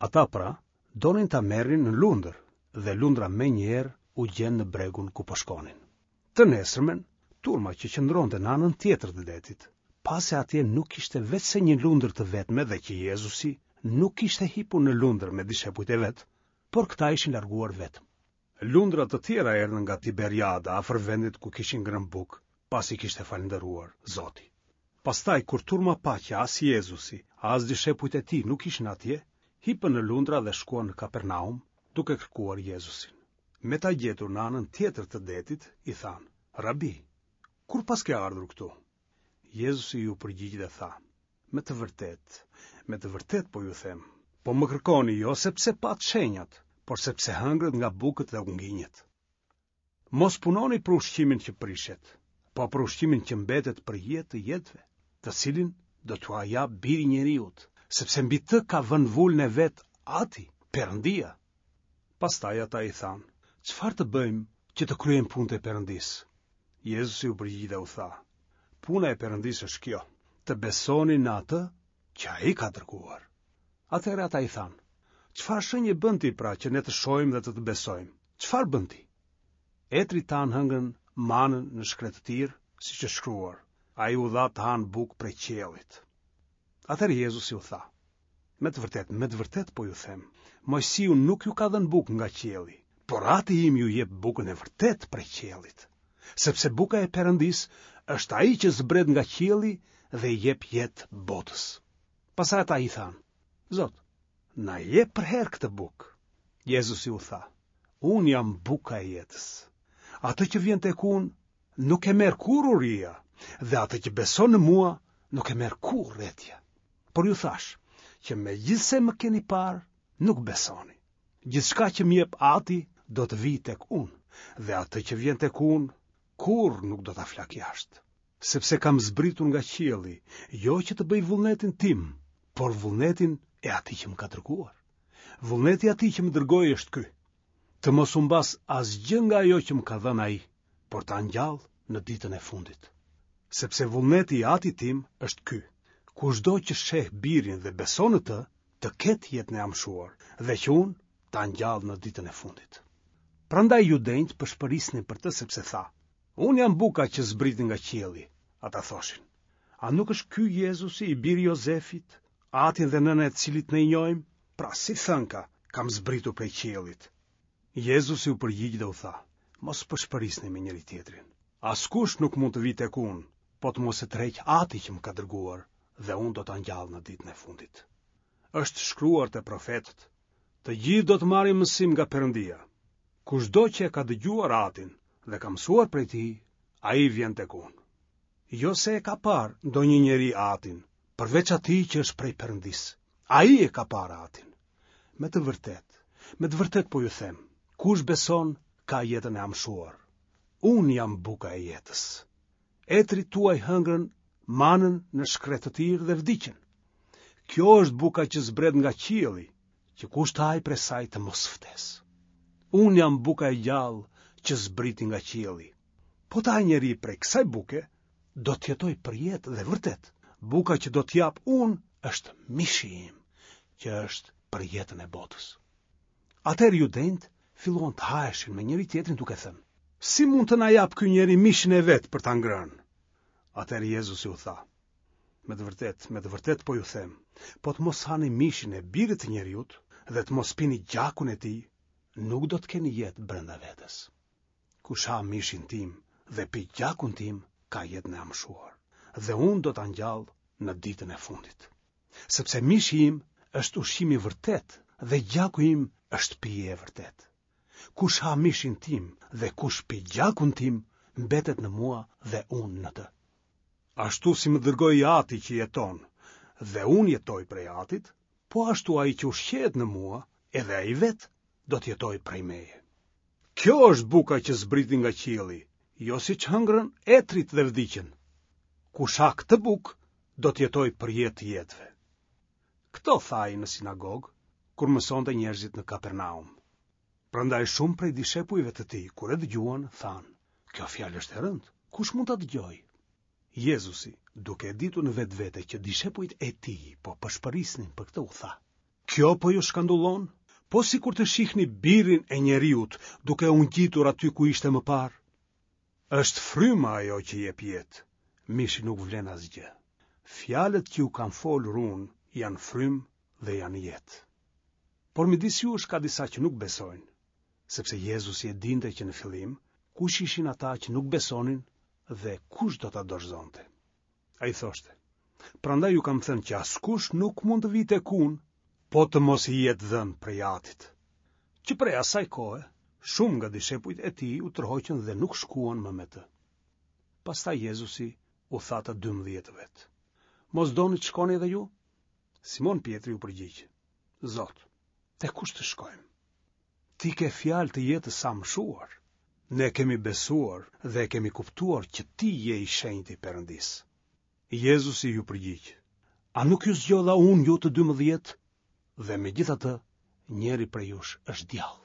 Ata pra donin ta merrnin në lundër dhe lundra menjëherë u gjend në bregun ku po shkonin. Të nesërmen, turma që qëndronte në anën tjetër të detit, pa se atje nuk kishte veçse një lundër të vetme dhe që Jezusi nuk kishte hipur në lundër me dishepujt e vet, por këta ishin larguar vetëm. Lundra të tjera erdhën nga Tiberiada, afër vendit ku kishin ngrënë bukë, pasi kishte falënderuar Zoti. Pastaj kur turma pa që as Jezusi, as dishepujt e tij nuk ishin atje, hipën në lundra dhe shkuan në Kapernaum, duke kërkuar Jezusin. Me ta gjetur në anën tjetër të detit, i thanë: Rabi, kur paske ardhur këtu? Jezusi iu përgjigj dhe tha: Me të vërtetë, me të vërtetë po ju them, po më kërkoni jo sepse patë shenjat, por sepse hëngrët nga bukët dhe u nginjët. Mos punoni për ushqimin që prishet, po për ushqimin që mbetet për jetë të jetëve, të cilin do t'ua jap biri njeriut, sepse mbi të ka vënë vulën e vet Ati, Perëndia. Pastaj ata i thanë: Çfarë të bëjmë që të kryejmë punët e Perëndisë? Jezusi u përgjigj dhe u tha: Puna e Perëndisë është kjo, të besoni në atë që ai ka dërguar. Atëherë ata i thanë: Çfarë shenje bën ti pra që ne të shohim dhe të të besojmë? Çfarë bën ti? Etrit tanë hëngën manën në shkretëtirë, siç është shkruar, ai u dha të hanë bukë prej qiellit. Atëherë Jezusi u tha: Me të vërtetë, me të vërtetë po ju them, Moisiu nuk ju ka dhënë bukë nga qielli, por Ati im ju jep bukën e vërtetë prej qiellit, sepse buka e Perëndisë është ai që zbret nga qielli dhe i jep jetë botës. Pastaj ata i thanë: Zot, na jep përherë këtë bukë. Jezusi u tha: Unë jam buka e jetës. Atë që vjen tek unë nuk e merr kurrë uria, dhe atë që beson në mua nuk e merr kurrë etja. Por ju thash që megjithse më keni parë, nuk besoni. Gjithçka që më jep Ati do të vijë tek unë, dhe atë që vjen tek unë kurrë nuk do ta flak jashtë. Sepse kam zbritur nga qielli, jo që të bëj vullnetin tim, por vullnetin e atij që më ka dërguar. Vullneti i atij që më dërgoi është ky: të mos humbas asgjë nga ajo që më ka dhënë ai, por ta ngjall në ditën e fundit. Sepse vullneti i Atit tim është ky: kushdo që sheh birin dhe beson në të, të ketë jetën e amshuar, dhe që unë ta ngjall në ditën e fundit. Prandaj judenjtë pëshpërisnin për të sepse tha: Unë jam buka që zbriti nga qielli, ata thoshin. A nuk është ky Jezusi i biri i Jozefit, atin dhe nënën e të cilit ne i njohim? Pra si thënka, kam zbritur prej qiellit. Jezusi u përgjigj dhe u tha, mos pëshpërisni me njëri-tjetrin. Askush nuk mund të vijë tek unë, po të mos e tërheqë Ati që më ka dërguar, dhe unë do ta ngjall në ditën e fundit. Është shkruar te profetët, të gjithë do të marrin mësim nga Perëndia. Kushdo që e ka dëgjuar Atin dhe ka mësuar prej tij, ai vjen tek unë. Jo se e ka parë ndonjë njeri Atin, përveç atij që është prej Perëndisë. Ai e ka parë Atin. Me të vërtetë, me të vërtetë po ju them, kush beson ka jetën e amshuar. Unë jam buka e jetës. Etërit tuaj hëngrën manën në shkretëtirë dhe vdiqën. Kjo është buka që zbret nga qielli, që kush të hajë prej saj të mos vdesë. Unë jam buka e gjallë që zbriti nga qielli. Po të hajë njeri prej kësaj buke, do të jetojë përjetë dhe vërtet. Buka që do të jap unë është mishi im, që është për jetën e botës. Atëherë judenjtë filluan të haheshin me njëri-tjetrin duke thënë, si mund të na japë ky njeri mishin e vet për ta ngrënë? Atëherë Jezusi u tha, me të vërtetë, me të vërtetë po ju them, po të mos hani mishin e birit të njeriut dhe të mos pini gjakun e tij, nuk do të keni jetë brenda vetes. Kush ha mishin tim dhe pi gjakun tim, ka jetën e amshuar, dhe unë do ta ngjall në ditën e fundit. Sepse mishi im është ushqim i vërtetë dhe gjaku im është pije e vërtetë. Kush ha mishin tim dhe kush pi gjakun tim, mbetet në mua dhe unë në të. Ashtu si më dërgoi Ati që jeton dhe unë jetoj prej Atit, po ashtu ai që ushqehet në mua, edhe ai vetë do të jetojë prej meje. Kjo është buka që zbriti nga qielli, jo siç hëngrën etërit dhe vdiqën. Kush ha këtë bukë, do të jetojë për jetë të jetëve. Këto tha ai në sinagogë, kur mësonte njerëzit në Kapernaum. Prandaj shumë prej dishepujve të tij, kur e dëgjuan, thanë, kjo fjalë është e rëndë, kush mund ta dëgjojë? Jezusi, duke e ditur në vetvete që dishepujt e tij po pëshpërisnin për këtë, u tha, kjo po ju shkandullon? Po sikur të shihni birin e njeriut duke u ngjitur aty ku ishte më parë? Është fryma ajo që jep jetë, mishi nuk vlen asgjë. Fjalët që ju kam folur unë janë frymë dhe janë jetë. Por midis jush ka disa që nuk besojnë, sepse Jezusi e dinte që në fillim kush ishin ata që nuk besonin dhe kush do ta dorëzonte. Ai thoshte, prandaj ju kam thënë që askush nuk mund të vijë tek unë, po të mos i jetë dhënë prej Atit. Që prej asaj kohe, shumë nga dishepujt e tij u tërhoqën dhe nuk shkuan më me të. Pastaj Jezusi u tha të dymbëdhjetëve, mos doni të shkoni edhe ju? Simon Pjetri u përgjigj, Zot, te kush të shkojmë? Ti ke fjalë të jetës së amshuar. Ne kemi besuar dhe e kemi kuptuar që ti je i shenjti i Perëndisë. Jezusi iu përgjigj, a nuk ju zgjodha unë ju të dymbëdhjetë? Dhe megjithatë, njëri prej jush është djall.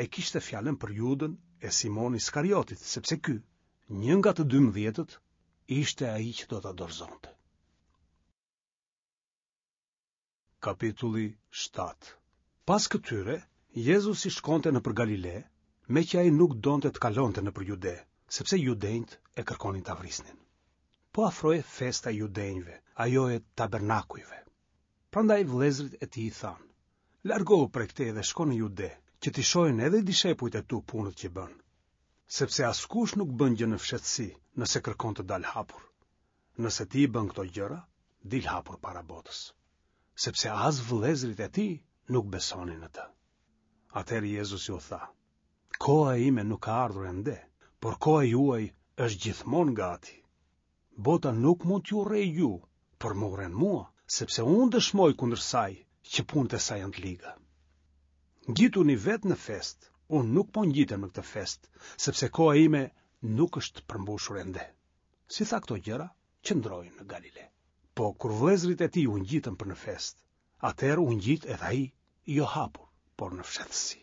E kishte fjalën për Judën e Simon Iskariotit, sepse ky, një nga të dymbëdhjetët, ishte ai që do ta dorëzonte. Kapitulli shtatë. Pas këtyre, Jezusi shkonte nëpër Galile, meqë ai nuk donte të kalonte nëpër Jude, sepse judenjtë e kërkonin ta vrisnin. Po afrohej festa e judenjve, ajo e tabernakujve. Prandaj vëllezërit e tij i thanë, largohu prej këtej dhe shko në Jude, që t'i shohin edhe dishepujt e tu punët që bën. Sepse askush nuk bën gjë në fshehtësi, nëse kërkon të dalë hapur. Nëse ti i bën këto gjëra, dil hapur para botës. Sepse as vëllezërit e tij nuk besonin në të. Atëherë Jezusi u tha, koha ime nuk ka ardhur ende, por koha juaj është gjithmonë gati. Bota nuk mund t'ju urrejë ju, por më urren mua, sepse unë dëshmoj kundër saj që punët e saj janë të liga. Ngjituni vetë në festë, unë nuk po ngjitem në këtë festë, sepse koha ime nuk është përmbushur ende. Si tha këto gjëra, qëndroi në Galile. Po kur vëllezërit e tij u ngjitën për në festë, atëherë u ngjit edhe ai, jo hapur, por në fshehtësi.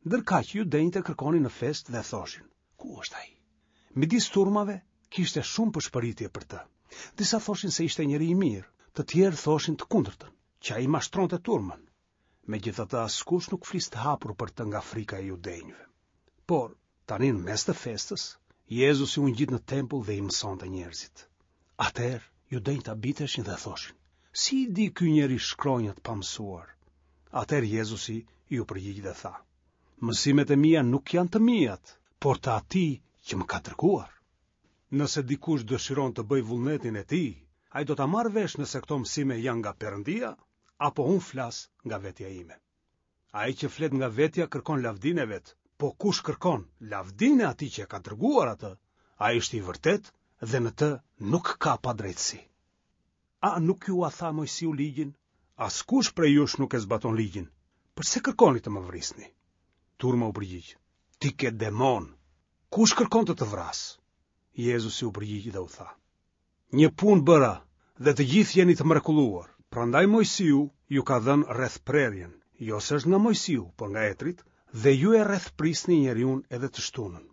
Ndërkaq judenjtë e kërkonin në festë dhe thoshin, ku është ai? Midis turmave kishte shumë pëshpëritje për të. Disa thoshin se ishte njeri i mirë, të tjerë thoshin të kundërtën, që ai mashtronte turmën. Megjithatë askush nuk fliste hapur për të nga frika e judenjve. Por tani në mes të festës, Jezusi u ngjit në tempull dhe i mësonte njerëzit. Atëherë judenjtë habiteshin dhe thoshin: Si i di ky njeri shkronjat pa mësuar? Atëherë Jezusi iu përgjigj dhe tha: Mësimet e mia nuk janë të miat, por të atij që më ka dërguar. Nëse dikush dëshiron të bëjë vullnetin e tij, ai do ta marrë vesh nëse këto mësime janë nga Perëndia apo unë flas nga vetja ime. Ai që flet nga vetja kërkon lavdinë e vet, po kush kërkon lavdinë e atij që e ka dërguar atë, ai është i vërtetë dhe në të nuk ka padrejtësi. A nuk jua tha Moisiu ligjin? Askush prej jush nuk e zbaton ligjin. Përse kërkoni të më vrisni? Turma u përgjigj: Ti ke demon. Kush kërkon të të vrasë? Jezusi u përgjigj dhe u tha: Një punë bëra dhe të gjithë jeni të mrekulluar. Prandaj Moisiu ju ka dhënë rrethprerjen, jo se është nga Moisiu, por nga etërit, dhe ju e rrethprisni njeriun edhe të shtunën.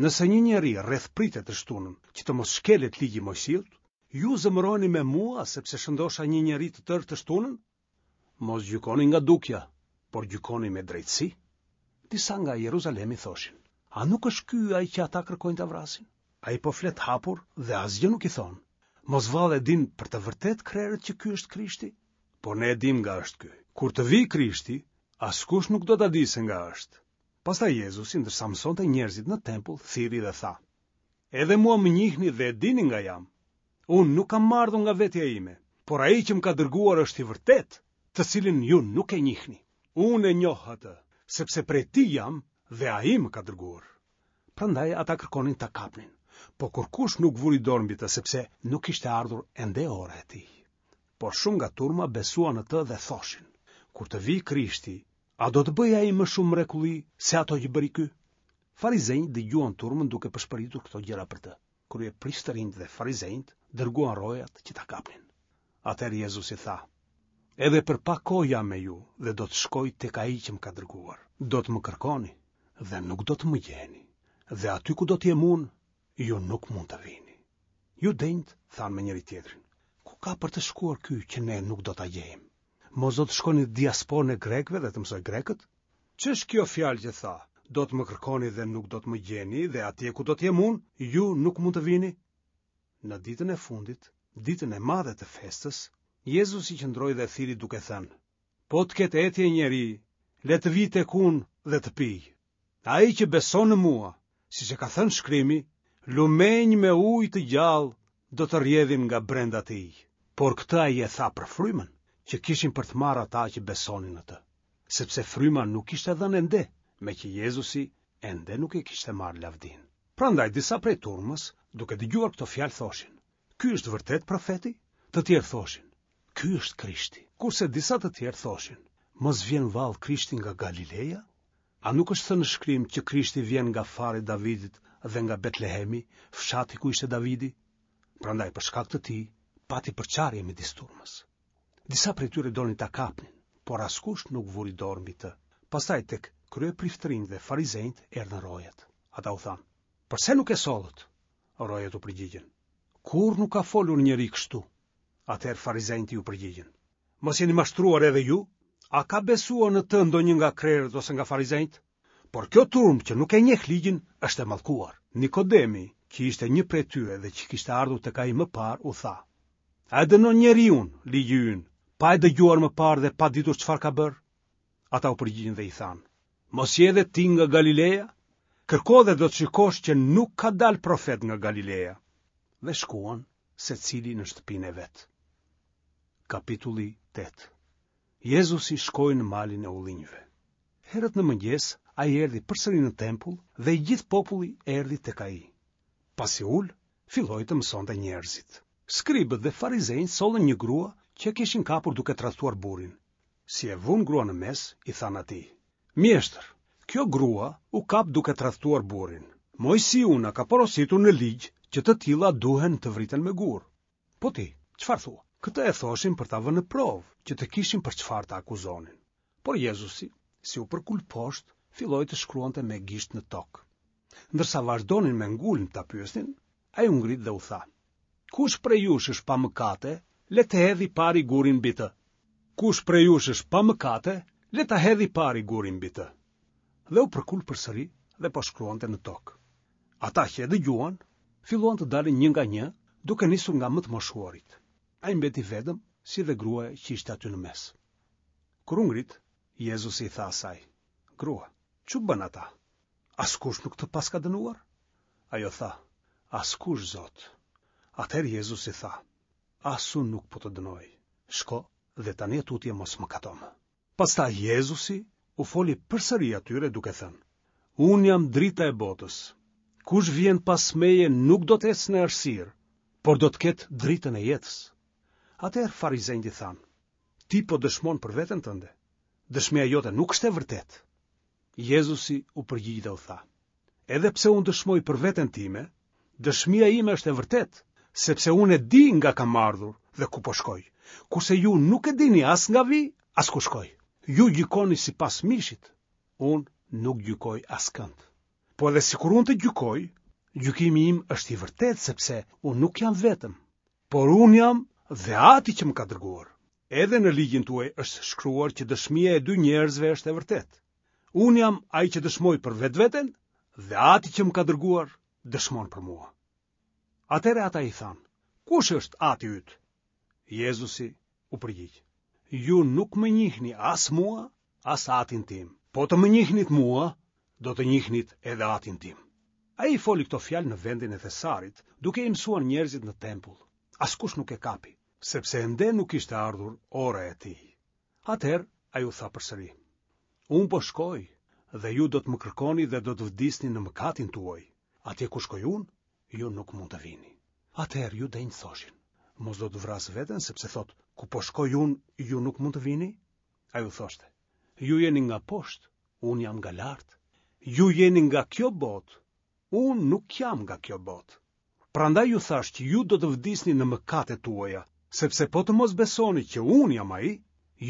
Nëse një njeri rrethpritet të shtunën, që të mos shkelet ligji i Moisiut, ju zemëroheni me mua sepse shëndosha një njeri të tërë të shtunën? Mos gjykoni nga dukja, por gjykoni me drejtësi. Disa nga Jeruzalemi thoshin: A nuk është ky ai që ata kërkojnë ta vrasin? Ai po flet hapur dhe asgjë nuk i thonë. Mos vallë e dinë për të vërtetë krerët që ky është Krishti? Por ne e dimë nga është ky. Kur të vijë Krishti, askush nuk do ta dijë se nga është. Pastaj Jezusi, ndërsa mësonte njerëzit në tempull, thirri dhe tha: Edhe mua më njihni dhe e dini nga jam. Unë nuk kam ardhur nga vetja ime, por ai që më ka dërguar është i vërtetë, të cilin ju nuk e njihni. Unë e njoh atë, sepse prej tij jam dhe ai më ka dërguar. Prandaj ata kërkonin ta kapnin, po kurkush nuk vuri dorë mbi të, sepse nuk ishte ardhur ende ora e tij. Por shumë nga turma besuan në të dhe thoshin: Kur të vijë Krishti, a do të bëjë ai më shumë mrekulli se ato që bëri ky? Farizenjtë dëgjuan turmën duke pëshpëritur këto gjëra për të. Kryepriftërinjtë dhe farizenjtë dërguan rojat që ta kapnin. Atëherë Jezusi tha: Edhe për pak kohë jam me ju dhe do të shkoj tek ai që më ka dërguar. Do të më kërkoni dhe nuk do të më gjeni. Dhe aty ku do të jem unë, ju nuk mund të vini. Judenjtë thanë me njëri tjetrin: Ku ka për të shkuar ky që ne nuk do ta gjejmë? Mos do të shkojë në diasporën e grekëve dhe të mësojë grekët? Ç'është kjo fjalë që tha: Do të më kërkoni dhe nuk do të më gjeni, dhe atje ku do të jem unë, ju nuk mund të vini? Në ditën e fundit, ditën e madhe të festës, Jezusi qëndroi dhe thirri duke thënë: Po të ketë etje njeri, le të vijë tek unë dhe të pijë. Ai që beson në mua, siç e ka thënë shkrimi, lumenj me ujë të gjallë do të rrjedhin nga brenda tij. Por këtë ai e tha për frymën, që kishin për të marrë ata që besonin në të, sepse fryma nuk ishte dhënë ende, meqë Jezusi ende nuk e kishte marrë lavdinë. Prandaj disa prej turmës, duke dëgjuar këto fjalë thoshin: Ky është vërtet profeti? Të tjerë thoshin: Ky është Krishti. Kurse disa të tjerë thoshin: Mos vjen vallë Krishti nga Galileja? A nuk është thënë në shkrim që Krishti vjen nga fari i Davidit dhe nga Betlehemi, fshati ku ishte Davidi? Prandaj për shkak të tij pati përçarje midis turmës. Disa prej tyre donin ta kapnin, por askush nuk vuri dorë mbi të. Pastaj tek kryepriftërinjtë dhe farizenjtë erdhën rojat. Ata u thanë: Përse nuk e sollët? Rojat u përgjigjën: Kur nuk ka folur njeri kështu? Atëherë farizenjtë iu përgjigjën: Mos jeni mashtruar edhe ju? A ka besuar në të ndonjë nga krerët ose nga farizenjtë? Por kjo turmë që nuk e njeh ligjin është e mallkuar. Nikodemi, që ishte një prej tyre dhe që kishte ardhur tek ai më parë, u tha: A e dënon njeriun ligji ynë, pa e dëgjuar më parë dhe pa ditur çfarë ka bërë? Ata u përgjigjën dhe i thanë: Mos je edhe ti nga Galileja? Kërko dhe do të shikosh që nuk ka dalë profet nga Galileja. Dhe shkuan secili në shtëpinë e vet. Kapitulli tetë. Jezusi shkoi në malin e ullinjve. Herët në mëngjes ai erdhi përsëri në tempull dhe i gjithë populli erdhi tek ai. Pasi ul, filloi të mësonte njerëzit. Skribët dhe farizenjtë sollën një grua që e kishin kapur duke tradhtuar burrin. Si e vunë gruan në mes, i thanë atij: Mjeshtër, kjo grua u kap duke tradhtuar burrin. Moisiu na ka porositur në ligj që të tilla duhen të vriten me gur. Po ti, çfarë thua? Këtë e thoshin për ta vënë në provë, që të kishin për çfarë ta akuzonin. Por Jezusi, si u përkul poshtë, filloi të shkruante me gisht në tokë. Ndërsa vazhdonin me ngulm ta pyesnin, ai u ngrit dhe u tha: Kush prej jush është pa mëkate, le të hedhë i pari gurin mbi të. Kush prej jush është pa mëkate, le ta hedhë i pari gurin mbi të. Dhe u përkul përsëri dhe po shkruante në tokë. Ata që e dëgjuan, filluan të dalin një nga një, duke nisur nga më të moshuarit. Ai mbeti vetëm, si dhe gruaja që ishte aty në mes. Kur u ngrit, Jezusi i tha asaj: "Grua, ç'u bënë ata? Askush nuk të paska dënuar?" Ajo tha: "Askush, Zot." Atëherë Jezusi tha: "As unë nuk po të dënoj. Shko dhe tani e tutje mos mëkato më." Pastaj Jezusi u foli përsëri atyre duke thënë: "Unë jam drita e botës. Kush vjen pas meje nuk do të ecë në errësirë, por do të ketë dritën e jetës." Atëherë farizenjtë i thanë: "Ti po dëshmon për veten tënde. Dëshmia jote nuk është e vërtetë." Jezusi u përgjigj dhe u tha: "Edhe pse unë dëshmoj për veten time, dëshmia ime është e vërtetë, sepse unë e di nga kam ardhur dhe ku po shkoj, kurse ju nuk e dini as nga vij, as ku shkoj. Ju gjykoni sipas mishit, unë nuk gjykoj askënd. Po edhe sikur unë të gjykoj, gjykimi im është i vërtetë sepse unë nuk jam vetëm, por unë jam dhe Ati që më ka dërguar. Edhe në ligjin tuaj është shkruar që dëshmia e dy njerëzve është e vërtetë. Unë jam ai që dëshmoj për vetveten dhe Ati që më ka dërguar dëshmon për mua." Atëherë ata i thanë: "Kush është Ati yt?" Jezusi u përgjigj: "Ju nuk më njihni as mua, as Atin tim. Po të më njihnit mua, do të njihnit edhe Atin tim." Ai i foli këto fjalë në vendin e thesarit, duke i mësuar njerëzit në tempull. Askush nuk e kapi, sepse ende nuk ishte ardhur ora e tij. Atëherë ai u tha përsëri: "Unë po shkoj dhe ju do të më kërkoni dhe do të vdisni në mëkatin tuaj. Atje ku shkoj unë, ju nuk mund të vini." Atëherë judenjtë thoshin: "Mos do të vrasë veten, sepse thotë, ku po shkoj unë, ju nuk mund të vini?" Ai u thoshte: "Ju jeni nga poshtë, unë jam nga lart. Ju jeni nga kjo botë, unë nuk jam nga kjo botë. Prandaj ju thashë që ju do të vdisni në mëkatet tuaja, sepse po të mos besoni që unë jam ai,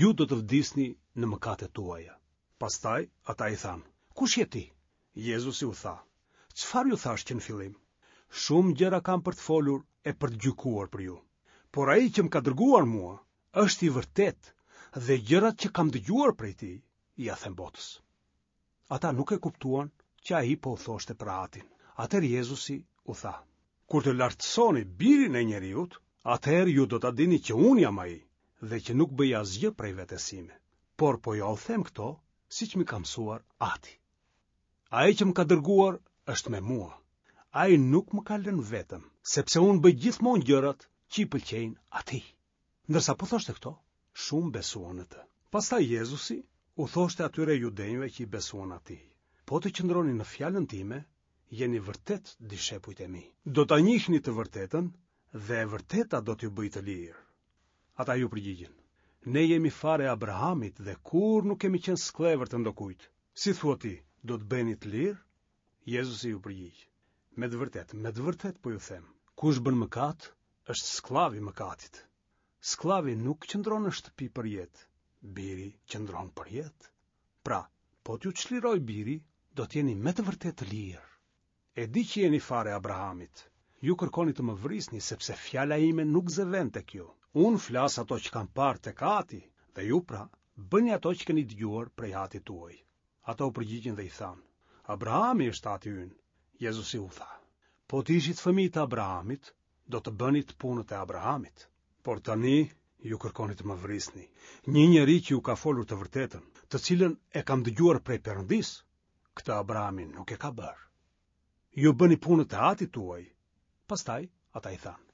ju do të vdisni në mëkatet tuaja." Pastaj ata i thanë: "Kush je ti?" Jezusi u tha: "Çfarë ju thashë që në fillim? Shumë gjëra kam për të folur e për të gjykuar për ju. Por ai që më ka dërguar mua është i vërtetë dhe gjërat që kam dëgjuar prej tij ia them botës." Ata nuk e kuptuan që ai po u thoshte për Atin. Atëherë Jezusi u tha: "Kur të lartësoni birin e njeriut, atëherë ju do ta dini që unë jam ai dhe që nuk bëj asgjë prej vetes sime, por po jua them këto siç më ka mësuar Ati. Ai që më ka dërguar është me mua. Ai nuk më ka lënë vetëm, sepse unë bëj gjithmonë gjërat që i pëlqejnë atij." Ndërsa po thoshte këto, shumë besuan në të. Pastaj Jezusi u thoshte atyre judenjve që i besuan atij: "Po të qëndroni në fjalën time, jeni vërtet dishepujt e mi. Do ta njihni të vërtetën dhe e vërteta do t'ju bëjë të lirë." Ata ju përgjigjën: "Ne jemi fare e Abrahamit dhe kur nuk kemi qenë skllevër të ndokujt. Si thua ti, do të bëheni të lirë?" Jezusi ju përgjigj: "Me të vërtetë, me të vërtetë po ju them, kush bën mëkat, është skllav i mëkatit. Skllavi nuk qëndron në shtëpi për jetë, biri qëndron për jetë. Pra, po t'ju çliroj biri, do t'jeni me të vërtetë të lirë. E di që jeni fare Abrahamit. Ju kërkoni të më vrisni, sepse fjala ime nuk zë vend tek ju. Unë flas ato që kam parë tek Ati, dhe ju pra, bëni ato që keni dëgjuar prej Atit tuaj." Ata u përgjigjën dhe i thanë: "Abrahami është Ati ynë." Jezusi u tha: "Po të ishit fëmijë të Abrahamit, do të bënit punët e Abrahamit. Por tani ju kërkoni të më vrisni, një njeri që ju ka folur të vërtetën, të cilën e kam dëgjuar prej Perëndisë. Këtë Abrahami nuk e ka bërë. Ju bëni punët e Atit tuaj." Pastaj ata i thanë: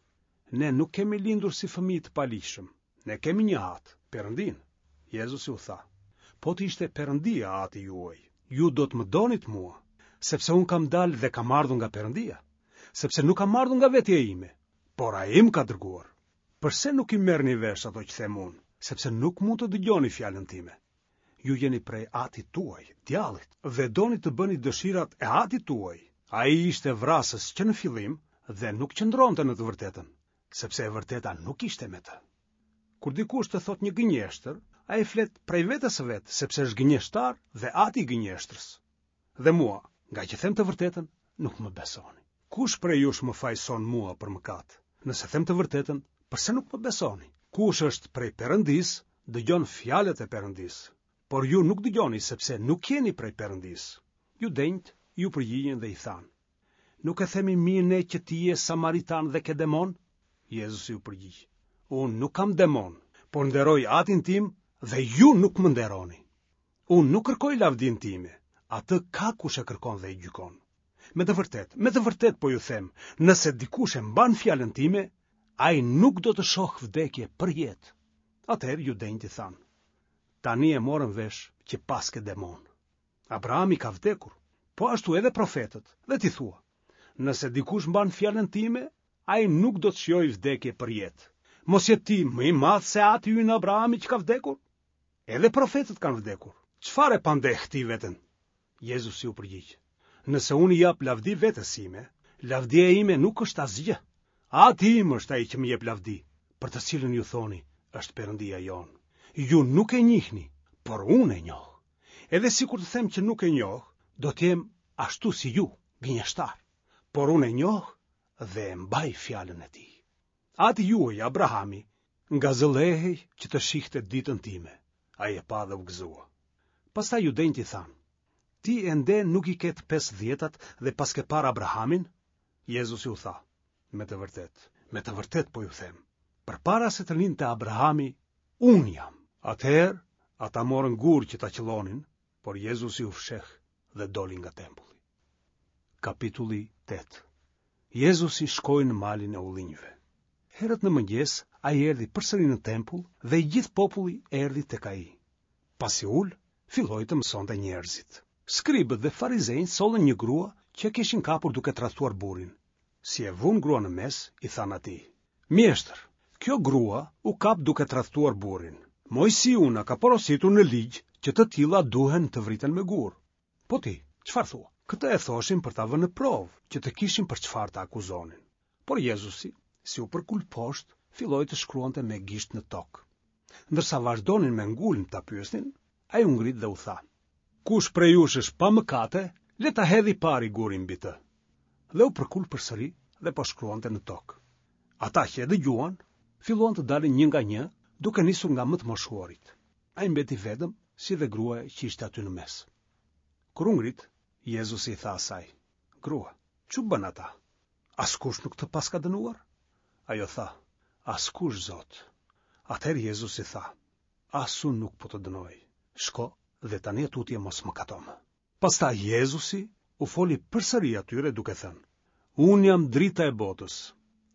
"Ne nuk kemi lindur si fëmijë të paligjshëm. Ne kemi një Atë, Perëndin." Jezusi u tha: "Po të ishte Perëndia Ati juaj, ju do të më donit mua, sepse unë kam dalë dhe kam ardhur nga Perëndia, sepse nuk kam ardhur nga vetja ime, por ai më ka dërguar. Përse nuk i merrni vesh ato që them unë, sepse nuk mund të dëgjoni fjalën time? Ju jeni prej Atit tuaj, djallit, dhe doni të bëni dëshirat e Atit tuaj. Ai ishte vrasës që në fillim dhe nuk qëndronte në të vërtetën, sepse e vërteta nuk ishte me të. Kur dikush të thotë një gënjeshtër, ai flet prej vetes së vet, sepse është gënjeshtar dhe ati i gënjeshtrës. Dhe mua, nga që them të vërtetën, nuk më besoni. Kush prej jush më fajson mua për mëkat? Nëse them të vërtetën, përse nuk më besoni? Kush është prej Perëndisë, dëgjon fjalët e Perëndisë. Por ju nuk dëgjoni sepse nuk jeni prej Perëndisë. Judenjtë ju përgjigjen dhe i thanë: Nuk e themi mirë ne që ti je samaritan dhe ke demon? Jezusi u përgjigj, Unë nuk kam demon, por nderoj atin tim dhe ju nuk më nderoni. Unë nuk kërkoj lavdinë time, atë ka kush e kërkon dhe e gjykon. Me të vërtetë, me të vërtetë po ju them, nëse dikush e mban fjalën time, ai nuk do të shohë vdekje përjetë. Atëherë judenjtë i thanë, tani e morëm vesh që paske demon. Abrahami ka vdekur, po ashtu edhe profetët, dhe ti thua, nëse dikush mban fjalën time, ai nuk do të shijojë vdekje përjetë. Mos je ti më i madh se ati ynë Abrahami që ka vdekur? Edhe profetët kanë vdekur. Çfarë e pandeh ti veten? Jezusi u përgjigj, nëse unë i jap lavdi vetes sime, lavdia ime nuk është asgjë. Ati im është ai që më jep lavdi, për të cilin ju thoni, është Perëndia jonë. Ju nuk e njihni, por unë e njoh. Edhe sikur të them që nuk e njoh, do të jem ashtu si ju, gënjeshtar. Por unë e njoh dhe e mbaj fjalën e tij. Ati juaj, Abrahami, ngazëllehej që të shihte ditën time. Ai e pa dhe u gëzua. Pastaj judenjtë i thanë, ti ende nuk i ke të pesëdhjetat dhe paske parë Abrahamin? Jezusi u tha, me të vërtetë, me të vërtetë po ju them, përpara se të lindte Abrahami, unë jam. Atëherë, ata morën gurë që ta qëllonin, por Jezusi u fsheh dhe doli nga tempulli. Kapitulli tetë. Jezusi shkoi në malin e ullinjve. Herët në mëngjes, ai erdhi përsëri në tempull dhe i gjithë populli erdhi tek ai. Pasi u ul, filloi të mësonte njerëzit. Skribët dhe farizenjtë sollën një grua që e kishin kapur duke tradhtuar burrin. Si e vunë gruan në mes, i thanë atij: Mjeshtër, kjo grua u kap duke tradhtuar burrin. Moisiu na ka porositur në ligj që të tilla duhen të vriten me gurë. Po ti, çfarë thua? Këtë e thoshin për ta vënë në provë, që të kishin për çfarë ta akuzonin. Por Jezusi, si u përkul poshtë, filloi të shkruante me gisht në tokë. Ndërsa vazhdonin me ngulm ta pyesnin, ai u ngrit dhe u tha: Kush prej jush është pa mëkate, le ta hedhë i pari gurin mbi të. Dhe u përkul përsëri dhe po shkruante në tokë. Ata që e dëgjuan, filluan të dalin një nga një, duke nisur nga më të moshuarit. Ai mbeti vetëm, si dhe gruaja që ishte aty në mes. Kur u ngrit, Jezusi i tha asaj: Grua, ç'u bënë ata? Askush nuk të paska dënuar? Ajo tha: Askush, Zot. Atëherë Jezusi tha: As unë nuk po të dënoj. Shko dhe tani e tutje mos mëkato më. Pastaj Jezusi u foli përsëri atyre duke thënë: Unë jam drita e botës.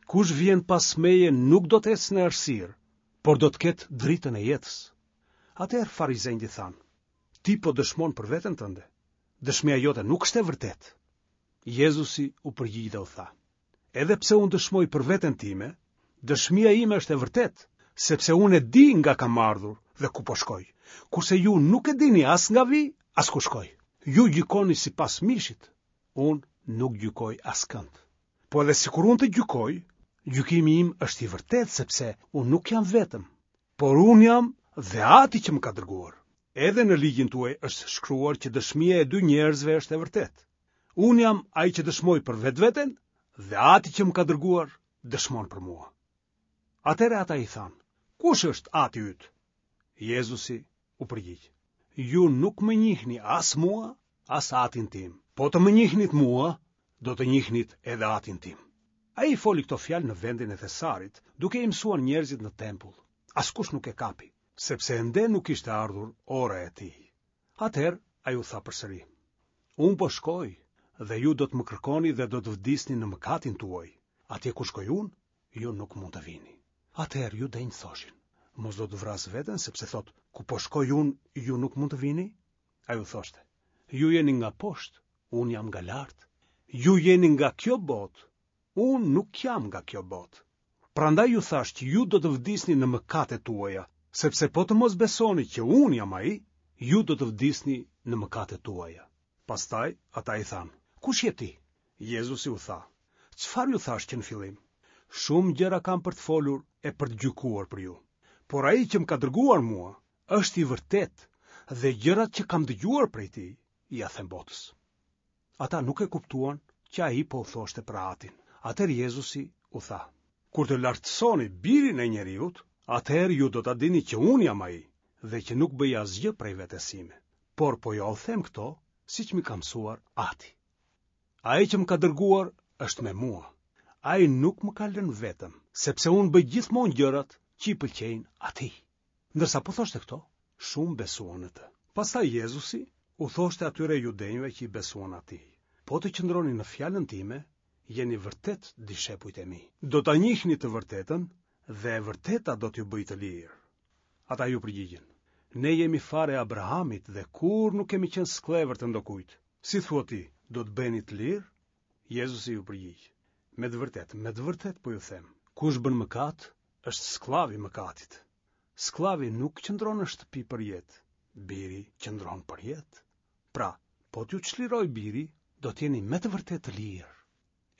Kush vjen pas meje nuk do të ecë në errësirë, por do të ketë dritën e jetës. Atëherë farizenjtë i thanë: Ti po dëshmon për veten tënde. Dëshmia jote nuk është e vërtetë. Jezusi u përgjigj dhe u tha: Edhe pse unë dëshmoj për veten time, dëshmia ime është e vërtetë, sepse unë e di nga kam ardhur dhe ku po shkoj, kurse ju nuk e dini as nga vij, as ku shkoj. Ju gjykoni sipas mishit, unë nuk gjykoj askënd. Po edhe sikur unë të gjykoj, gjykimi im është i vërtetë, sepse unë nuk jam vetëm, por unë jam dhe Ati që më ka dërguar. Edhe në ligjin tuaj është shkruar që dëshmia e dy njerëzve është e vërtetë. Unë jam ai që dëshmoj për vetveten dhe Ati që më ka dërguar dëshmon për mua. Atëherë ata i thanë: Kush është Ati yt? Jezusi u përgjigj: Ju nuk më njihni as mua, as Atin tim. Po të më njihnit mua, do të njihnit edhe Atin tim. Ai i foli këto fjalë në vendin e Thesarit, duke i mësuar njerëzit në tempull. Askush nuk e kapi, sepse ende nuk ishte ardhur ora e tij. Atëherë ai u tha përsëri: Unë po shkoj dhe ju do të më kërkoni dhe do të vdisni në mëkatin tuaj. Atje ku shkoj unë, ju nuk mund të vini. Atëherë judenjtë thoshin: Mos do të vrasë veten, sepse thotë, ku po shkoj unë, ju nuk mund të vini? Ai u thoshte: Ju jeni nga poshtë, unë jam nga lart. Ju jeni nga kjo botë, unë nuk jam nga kjo botë. Prandaj ju thash që ju do të vdisni në mëkatet tuaja, sepse po të mos besoni që unë jam ai, ju do të vdisni në mëkatet tuaja. Pastaj ata i thanë: Kush je ti? Jezusi u tha: Çfarë ju thash që në fillim? Shumë gjëra kam për të folur e për të gjykuar për ju. Por ai që më ka dërguar mua është i vërtetë dhe gjërat që kam dëgjuar prej tij ia them botës. Ata nuk e kuptuan që ai po u thoshte për Atin. Atëherë Jezusi u tha: Kur të lartësoni birin e njeriut, atëherë ju do ta dini që unë jam ai dhe që nuk bëj asgjë prej vetes sime, por po jua them këto siç m'i ka mësuar Ati. Ai që më ka dërguar është me mua. Ai nuk më ka lënë vetëm, sepse unë bëj gjithmonë gjërat që i pëlqejnë atij. Ndërsa po thoshte këto, shumë besuan në të. Pastaj Jezusi u thoshte atyre judenjve që i besuan atij: Po të qëndroni në fjalën time, jeni vërtet dishepujt e mi. Do ta njihni të vërtetën dhe e vërteta do t'ju bëjë të lirë. Ata iu përgjigjën: Ne jemi farë e Abrahamit dhe kurrë nuk kemi qenë skllevër të ndokujt. Si thua ti, do të bëheni të lirë? Jezusi iu përgjigj: Me të vërtetë, me të vërtetë po ju them, kush bën mëkat, është skllav i mëkatit. Skllavi nuk qëndron në shtëpi për jetë, biri qëndron për jetë. Pra, po t'ju çlirojë biri, do të jeni me të vërtetë të lirë.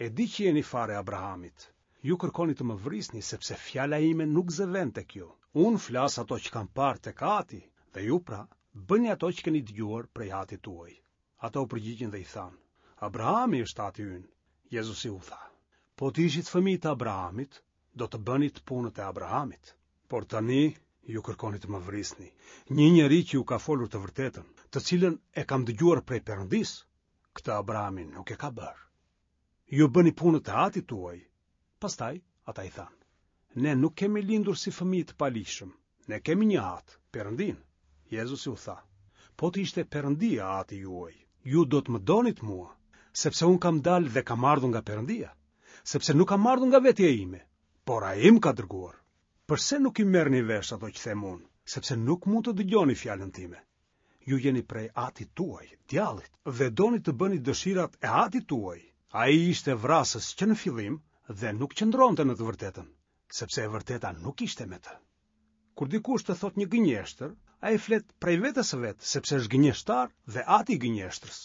E di që jeni farë e Abrahamit. Ju kërkoni të më vrisni sepse fjala ime nuk zë vend tek ju. Unë flas ato që kam parë tek Ati, dhe ju pra bëni ato që keni dëgjuar prej Atit tuaj. Ata u përgjigjën dhe i thanë: Abrahami është ati ynë. Jezusi u tha: Po të ishit fëmijë të Abrahamit, do të bënit punët e Abrahamit. Por tani ju kërkoni të më vrisni, një njeri që ju ka folur të vërtetën, të cilën e kam dëgjuar prej Perëndisë. Këtë Abrahami nuk e ka bërë. Ju bëni punët e atit tuaj. Pastaj ata i thanë: Ne nuk kemi lindur si fëmijë të paligjshëm. Ne kemi një atë, Perëndinë. Jezusi u tha: Po të ishte Perëndia ati juaj, ju do të më donit mua, sepse unë kam dalë dhe kam ardhur nga Perëndia, sepse nuk kam ardhur nga vetja ime, por ai më ka dërguar. Përse nuk i merrni vesh ato që them unë, sepse nuk mund të dëgjoni fjalën time? Ju jeni prej atit tuaj, djallit, dhe doni të bëni dëshirat e atit tuaj. Ai ishte vrasës që në fillim dhe nuk qëndronte në të vërtetën, sepse e vërteta nuk ishte me të. Kur dikush të thotë një gënjeshtër, ai flet prej vetes së vet, sepse është gënjeshtar dhe ati i gënjeshtrës.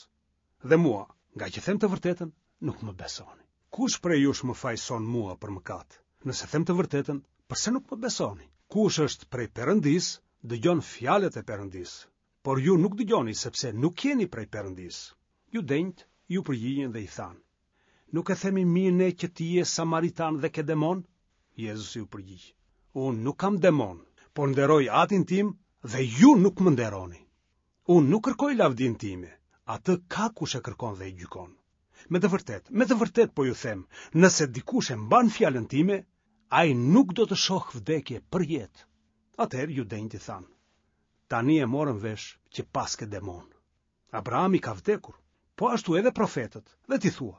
Dhe mua, nga që them të vërtetën, nuk më besoni. Kush prej jush më fajson mua për mëkat? Nëse them të vërtetën, përse nuk më besoni? Kush është prej Perëndisë, dëgjon fjalët e Perëndisë. Por ju nuk dëgjoni sepse nuk jeni prej Perëndisë. Judenjtë iu përgjigjën dhe i thanë: Nuk e themi mirë ne që ti je samaritan dhe ke demon? Jezusi u përgjigj: Unë nuk kam demon, por nderoj atin tim dhe ju nuk më nderoni. Unë nuk kërkoj lavdinë time, atë ka kush e kërkon dhe e gjykon. Me të vërtetë, me të vërtetë po ju them, nëse dikush e mban fjalën time, ai nuk do të shohë vdekje për jetë. Atëherë judenjtë i thanë: Tani e morëm vesh që paske demon. Abrahami ka vdekur, po ashtu edhe profetët, dhe ti thua: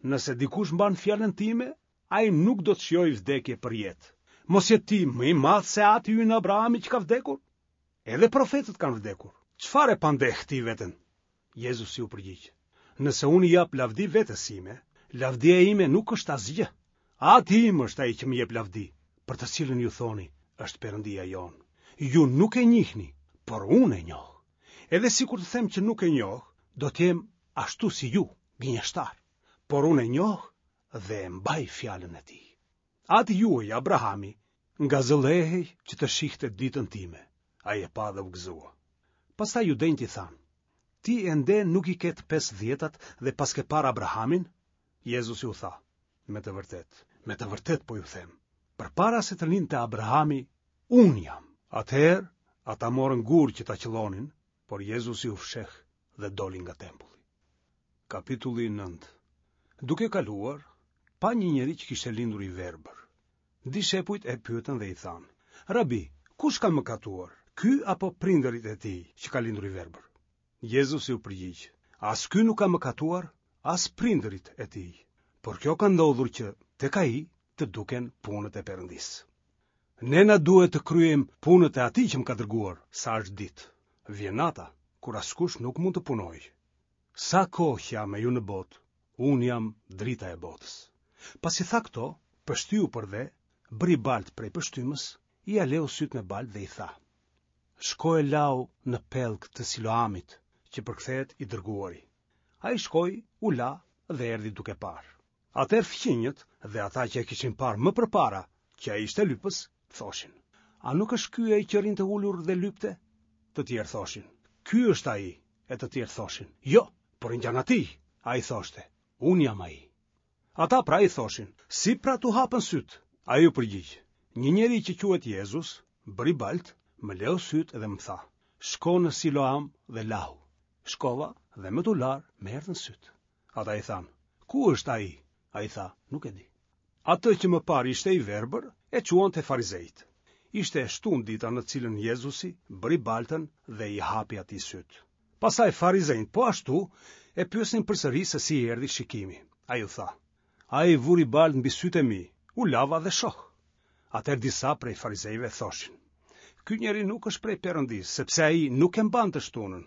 Nëse dikush mban fjalën time, ai nuk do të shijojë vdekje për jetë. Mos je ti më i madh se ati ynë Abrahami që ka vdekur? Edhe profetët kanë vdekur. Çfarë e pandeh ti veten? Jezusi u përgjigj: Nëse unë i jap lavdi vetes sime, lavdia ime nuk është asgjë. Ati im është ai që më jep lavdi, për të cilën ju thoni, është Perëndia jonë. Ju nuk e njihni, por unë e njoh. Edhe sikur të them që nuk e njoh, do të jem ashtu si ju, gënjeshtar. Por unë e njoh dhe e mbaj fjalën e tij. Ati juaj, Abrahami, ngazëllehej që të shihte ditën time. Ai e pa dhe u gëzua. Pastaj judenjtë i thanë: Ti ende nuk i ke të pesëdhjetat dhe paske parë Abrahamin? Jezusi u tha: Me të vërtetë, me të vërtetë po ju them, përpara se të lindte Abrahami, unë jam. Atëherë ata morën gurë që ta qëllonin, por Jezusi u fsheh dhe doli nga tempulli. Kapitulli nëntë. Duke kaluar, pa një njeri që kishte lindur i verbër. Dishepujt e pyetën dhe i thanë: Rabi, kush ka mëkatuar, ky apo prindërit e tij që ka lindur i verbër? Jezusi u përgjigj: As ky nuk ka mëkatuar, as prindërit e tij, por kjo ka ndodhur që tek ai të duken punët e Perëndisë. Ne na duhet të kryejmë punët e atij që më ka dërguar, sa është ditë. Vjen nata, kur askush nuk mund të punojë. Sa kohë që jam me ju në botë, unë jam drita e botës. Pasi tha këto, pështyu për dhe, bëri baltë prej pështymës, ia leu sytë me baltë dhe i tha: Shko e lau në pellg të Siloamit, që përkthehet i dërguari. Ai shkoi, u la dhe erdhi duke parë. Atëherë fqinjët dhe ata që e kishin parë më përpara, që ai ishte lypës, thoshin: A nuk është ky ai që rrinte ulur dhe lypte? Të tjerë thoshin: Ky është ai, e të tjerë thoshin: Jo, por i ngjan atij. Ai thoshte: Unë jam ai. Ata pra i thoshin: Si pra t'u hapën sytë? Ai u përgjigj: Një njeri që quhet Jezus bëri baltë, më leu sytë dhe më tha: Shko në Siloam dhe lahu. Shkova dhe me t'u larë më erdhën sytë. Ata i thanë: Ku është ai? Ai tha, nuk e di. Atë që më parë ishte i verbër, e çuan te farizejtë. Ishte e shtunë dita në të cilën Jezusi bëri baltën dhe i hapi atij sytë. Pastaj farizenjtë po ashtu e pyesnin përsëri se si i erdhi shikimi. Ai u tha, ai vuri baltë mbi sytë e mi, u lava dhe shoh. Atëherë disa prej farizejve thoshin, ky njeri nuk është prej Perëndisë, sepse ai nuk e mban të shtunën.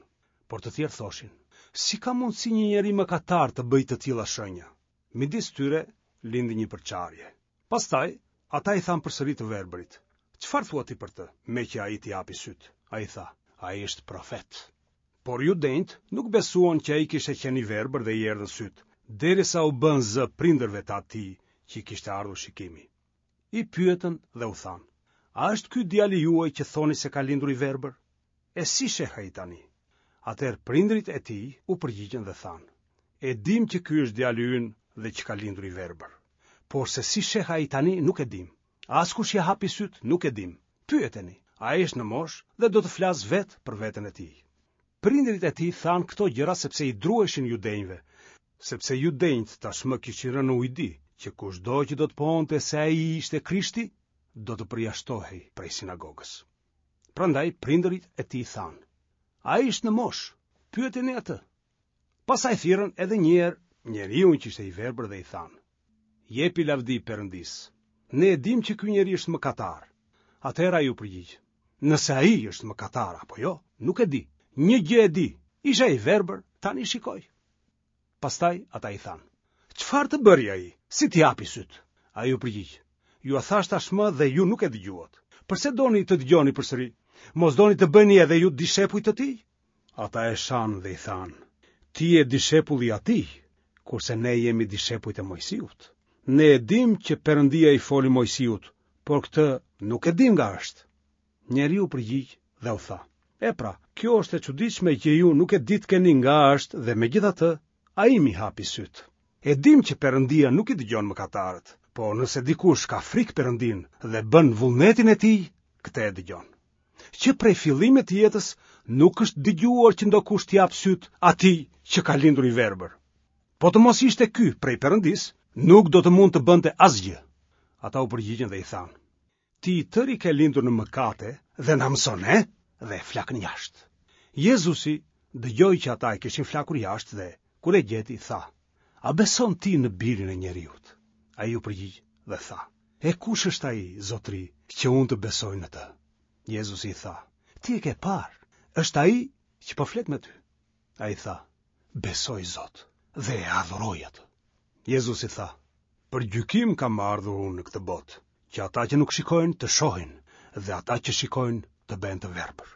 Por të tjerë thoshin, si ka mundësi një njeri mëkatar të bëjë të tilla shenja? Midis tyre lindi një përçarje. Pastaj ata i thanë përsëri të verbërit, çfarë thua ti për të, meqë ai t'i hapi sytë? Ai tha, ai është profet. Por judenjtë nuk besuan që ai kishte qenë i verbër dhe i erdhën sytë, derisa u bën zë prindërve të atij që i kishte ardhur shikimi. I pyetën dhe u thanë, a është ky djali juaj që thoni se ka lindur i verbër? E si sheh ai tani? Atëherë prindërit e tij u përgjigjën dhe thanë, e dim që ky është djali ynë dhe që ka lindur i verbër. Por se si sheh ai tani nuk e dim. As kush ia hapi sytë nuk e dim. Pyeteni, ai është në moshë dhe do të flasë vetë për veten e tij. Prindërit e tij thanë këto gjëra sepse i druheshin judenjve, sepse judenjtë tashmë kishin rënë në ujdi, që kushdo që do të pohonte se ai ishte Krishti, do të përjashtohej prej sinagogës. Prandaj prindërit e tij thanë, ai është në moshë, pyeteni atë. Pastaj thirrën edhe një herë njeriun që ishte i verbër dhe i thanë, jepi lavdi Perëndisë. Ne e dim që ky njeri është mëkatar. Atëherë ai u përgjigj, nëse ai është mëkatar apo jo, nuk e di. Një gjë e di, isha i verbër, tani shikoj. Pastaj ata i thanë, çfarë të bëri ai? Si t'i hapi sytë? Ai u përgjigj, jua thashë tashmë dhe ju nuk e dëgjuat. Përse doni të dëgjoni përsëri? Mos doni të bëni edhe ju dishepuj të tij? Ata e shanë dhe i thanë, ti je dishepulli i atij, kurse ne jemi dishepujt e Moisiut. Ne e dim që Perëndia i foli Moisiut, por këtë nuk e dim nga është. Njeriu u përgjigj dhe u tha, e pra, kjo është e çuditshme që ju nuk e ditkeni nga është dhe megjithatë ai m'i hapi sytë. E dim që Perëndia nuk i dëgjon mëkatarët, por nëse dikush ka frikë Perëndinë dhe bën vullnetin e tij, këtë e dëgjon. Që prej fillimit të jetës nuk është dëgjuar që ndokush t'i japë sytë atij që ka lindur i verbër. Po të mos ishte ky prej Perëndisë, nuk do të mund të bënte asgjë. Ata u përgjigjën dhe i thanë, ti i tëri ke lindur në mëkate dhe na mëson ne, dhe e flakën jashtë. Jezusi dëgjoi që ata e kishin flakur jashtë dhe, kur e gjeti, tha, a beson ti në birin e njeriut? Ai u përgjigj dhe tha, e kush është ai, zotri, që unë të besoj në të? Jezusi i tha, ti e ke parë, është ai që po flet me ty. Ai tha, besoj Zot, dhe e adhuroj atë. Jezusi tha, për gjykim kam ardhur unë në këtë botë, që ata që nuk shikojnë të shohin, dhe ata që shikojnë të bëhen të verbër.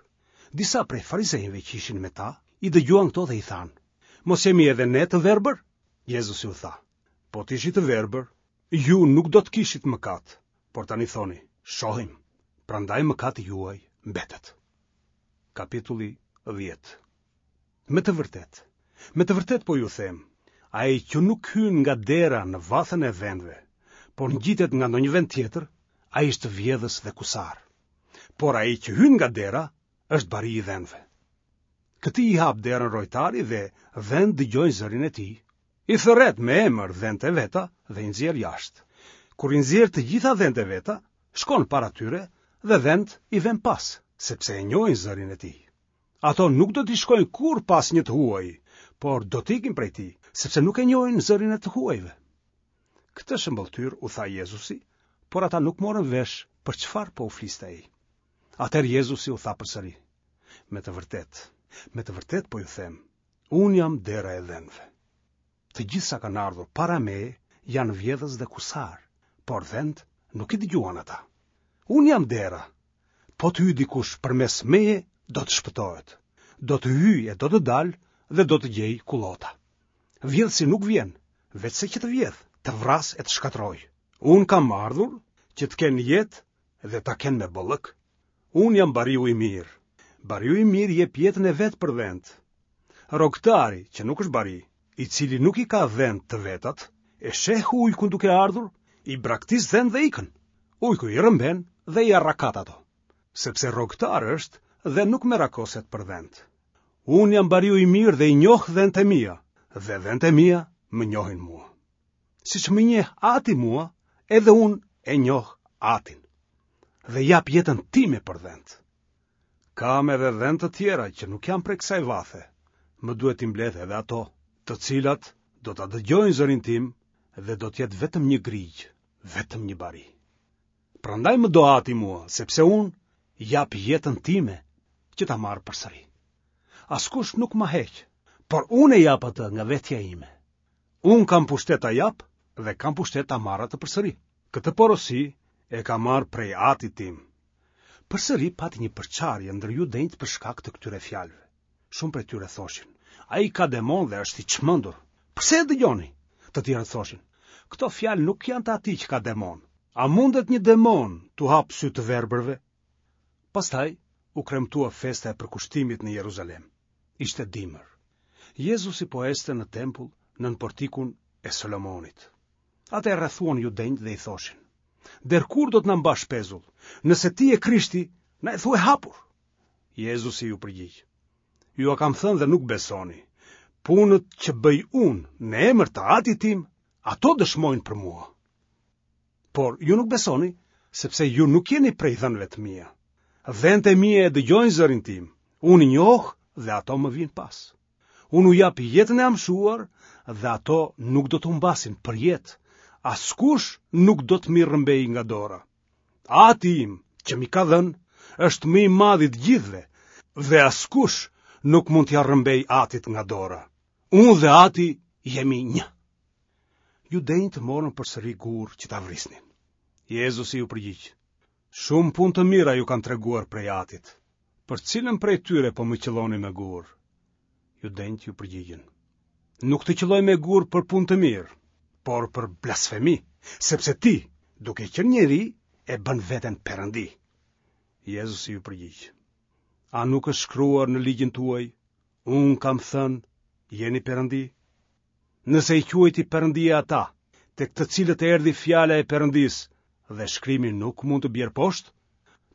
Disa prej farizejve që ishin me ta, i dëgjuan këto dhe i thanë, mos jemi edhe ne të verbër? Jezusi u tha, po të ishit të verbër, ju nuk do të kishit mëkat, por tani thoni, shohim, prandaj mëkati juaj mbetet. Kapitulli dhjetë. Me të vërtetë, me të vërtetë po ju them, ai që nuk hyn nga dera në vathën e dhenve, por ngjitet nga ndonjë vend tjetër, ai është vjedhës dhe kusar. Por ai që hyn nga dera është bari i dhenve. Këtij i hap derën rojtari dhe dhentë dëgjojnë zërin e tij. I thërret me emër dhentë e veta dhe i nxjerr jashtë. Kur i nxjerr të gjitha dhentë e veta, shkon para tyre dhe dhentë i vën pas, sepse e njohin zërin e tij. Ato nuk do t'i shkojnë kurrë pas një të huaji, por do t'ikin prej tij, sepse nuk e njohin zërin e të huajve. Këtë shëmbëlltyrë u tha Jezusi, por ata nuk morën vesh për çfarë po u fliste ai. Atëherë Jezusi u tha përsëri, me të vërtetë, me të vërtetë po ju them, unë jam dera e dhenve. Të gjithë sa kanë ardhur para meje janë vjedhës dhe kusar, por dhentë nuk i dëgjuan ata. Unë jam dera. Po të hyjë dikush përmes meje, do të shpëtohet. Do të hyjë e do të dalë dhe do të gjejë kullota. Vjedhësi nuk vjen, veçse që të vjedh, të vrasë e të shkatërrojë. Unë kam ardhur që të kenë jetë dhe ta kenë me bollëk. Unë jam bariu i mirë. Bariu i mirë jep jetën e vet për dhentë. Rrogtari, që nuk është bari, i cili nuk i ka dhentë të vetat, e sheh ujkun duke ardhur, i braktis dhentë dhe ikën. Ujku i rrëmben dhe i arrakat ato, sepse rrogtar është dhe nuk merakoset për dhentë. Unë jam bariu i mirë dhe i njoh dhentë e mia, dhe dhentë e mia më njohin mua. Siç më njeh Ati mua, edhe unë e njoh Atin. Dhe jap jetën time për dhentë. Kam edhe dhen të tjera që nuk janë prej kësaj vathe. Më duhet t'i mbledh edhe ato, të cilat do ta dëgjojnë zërin tim dhe do të jetë vetëm një grigjë, vetëm një bari. Prandaj më do Ati mua, sepse unë jap jetën time që ta marr përsëri. Askush nuk ma heq, por unë e jap atë nga vetja ime. Unë kam pushtet ta jap dhe kam pushtet ta marr atë përsëri. Këtë porosi e kam marrë prej Atit tim. Përsëri pati një përçarje ndër judenjtë për shkak të këtyre fjalëve. Shumë prej tyre thoshin, ai ka demon dhe është i çmendur. Përse e dëgjoni? Të tjerët thoshin, këto fjalë nuk janë të atij që ka demon. A mundet një demon t'u hapë sytë të verbërve? Pastaj u kremtua festa e përkushtimit në Jeruzalem. Ishte dimër. Jezusi po ecte në tempull nën portikun e Solomonit. Atë e rrethuan judenjtë dhe i thoshin, Der kur do të na mbash pezull? Nëse ti je Krishti, na e thuaj hapur. Jezusi iu përgjigj, Jua kam thënë dhe nuk besoni. Punët që bëj unë në emër të Atit tim, ato dëshmojnë për mua. Por ju nuk besoni, sepse ju nuk jeni prej dhenve të mia. Dhentë e mia e dëgjojnë zërin tim, unë i njoh dhe ato më vijnë pas. Unë u jap jetën e amshuar dhe ato nuk do të humbasin përjetë. Askush nuk do të m'i rrëmbejë nga dora. Ati im, që m'i ka dhënë, është më i madhi i të gjithëve dhe askush nuk mund t'ia rrëmbejë Atit nga dora. Unë dhe Ati jemi një. Judenjtë morën përsëri gurë që ta vrisnin. Jezusi iu përgjigj, Shumë punë të mira ju kam treguar prej Atit. Për cilën prej tyre po më qëlloni me gurë? Judenjtë iu përgjigjën, Nuk të qëllojmë me gurë për punë të mirë, por për blasfemi, sepse ti, duke qenë njeri, e bën veten perëndi. Jezusi iu përgjigj, A nuk është shkruar në ligjin tuaj, unë kam thënë, jeni perëndi? Nëse i quajti perëndi ata, tek të cilët erdhi fjala e Perëndisë, dhe shkrimi nuk mund të bjerë poshtë,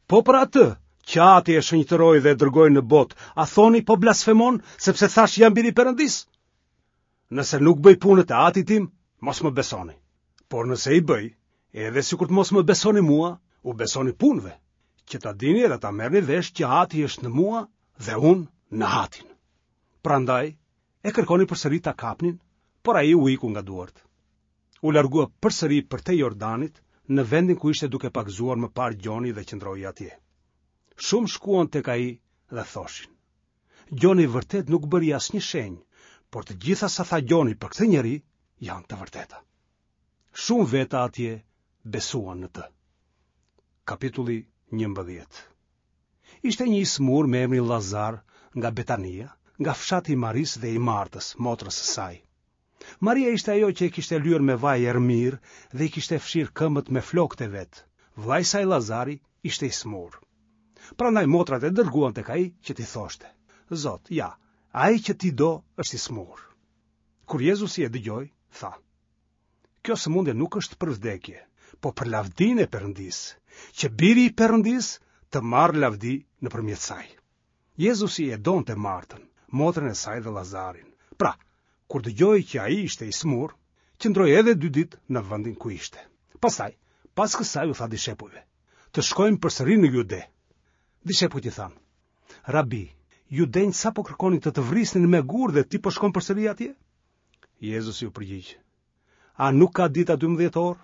po për atë që Ati e shenjtëroi dhe e dërgoi në botë, a thoni po blasfemon, sepse thashë jam biri i Perëndisë? Nëse nuk bëj punët e Atit tim, mos më besoni. Por nëse i bëj, edhe sikur të mos më besoni mua, u besoni punëve, që ta dini dhe ta merrni vesh që Ati është në mua dhe unë në Atin. Prandaj, e kërkonin përsëri ta kapnin, por ai u iku nga duart. U largua përsëri përtej Jordanit, në vendin ku ishte duke pagëzuar më parë Gjoni dhe qëndroi atje. Shumë shkuan tek ai dhe thoshin, Gjoni vërtet nuk bëri asnjë shenjë, por të gjitha sa tha Gjoni për këtë njeri janë të vërteta. Shumë veta atje besuan në të. Kapitulli njëmbëdhjetë. Ishte një i sëmurë me emrin Lazar nga Betania, nga fshati i Marisë dhe i Martës, motrës së saj. Maria ishte ajo që e kishte lyer me vaj erëmirë dhe i kishte fshirë këmbët me flokët e vet. Vëllai i saj Lazari ishte i sëmurë. Prandaj motrat e dërguan tek ai që t'i thoshte: Zot, ja, ai që ti do është i sëmurë. Kur Jezusi e dëgjoi, tha: Kjo sëmundje nuk është për vdekje, po për lavdinë e Perëndisë, që biri i Perëndisë të marrë lavdi nëpërmjet saj. Jezusi e donte Martën, motrën e saj dhe Lazarin. Pra, kur dëgjoi që ai ishte i sëmurë, qëndroi edhe dy ditë në vendin ku ishte. Pastaj, pas kësaj u tha dishepujve: Të shkojmë përsëri në Jude. Dishepujt i thanë: Rabi, judenjtë sapo kërkonin të të vrisnin me gurë dhe ti po shkon përsëri atje? Jezusi u përgjigj: A nuk ka dita dymbëdhjetë orë?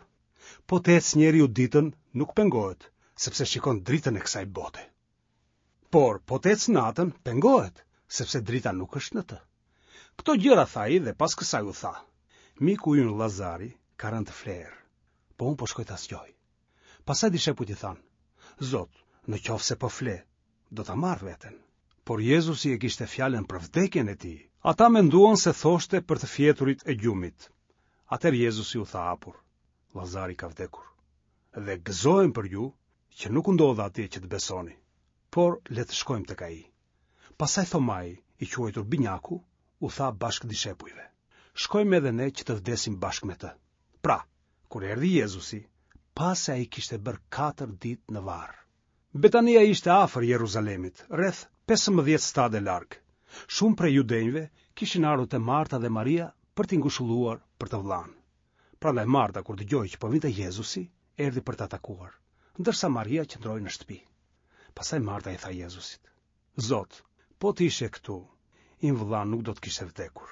Po të ecë njeriu ditën, nuk pengohet, sepse shikon dritën e kësaj bote. Por po të ecë natën, pengohet, sepse drita nuk është në të. Këto gjëra tha ai dhe pas kësaj u tha: Miku ynë Lazari ka rënë të flerë, po unë po shkoj ta zgjoj. Pastaj dishepujt i thanë: Zot, në qoftë se po fle, do ta marrë veten. Por Jezusi e kishte fjalën për vdekjen e tij. Ata menduan se thoshte për të fjeturit e gjumit. Atëherë Jezusi u tha hapur: Lazari ka vdekur. Dhe gëzohem për ju që nuk u ndodha atje që të besoni, por le të shkojmë tek ai. Pastaj Thomai, i quajtur Binjaku, u tha bashkëdishepujve: Shkojmë edhe ne që të vdesim bashkë me të. Pra, kur erdhi Jezusi, pa se ai kishte bërë katër ditë në varr. Betania ishte afër Jeruzalemit, rreth pesëmbëdhjetë stade larg. Shumë prej judenjve kishin ardhur te Marta dhe Maria për t'i ngushëlluar për të vëllanë. Prandaj Marta kur dëgjoi që po vinte Jezusi, erdhi për ta takuar, ndërsa Maria qëndroi në shtëpi. Pastaj Marta i tha Jezusit: Zot, po të ishe këtu, im vëlla nuk do të kishte vdekur.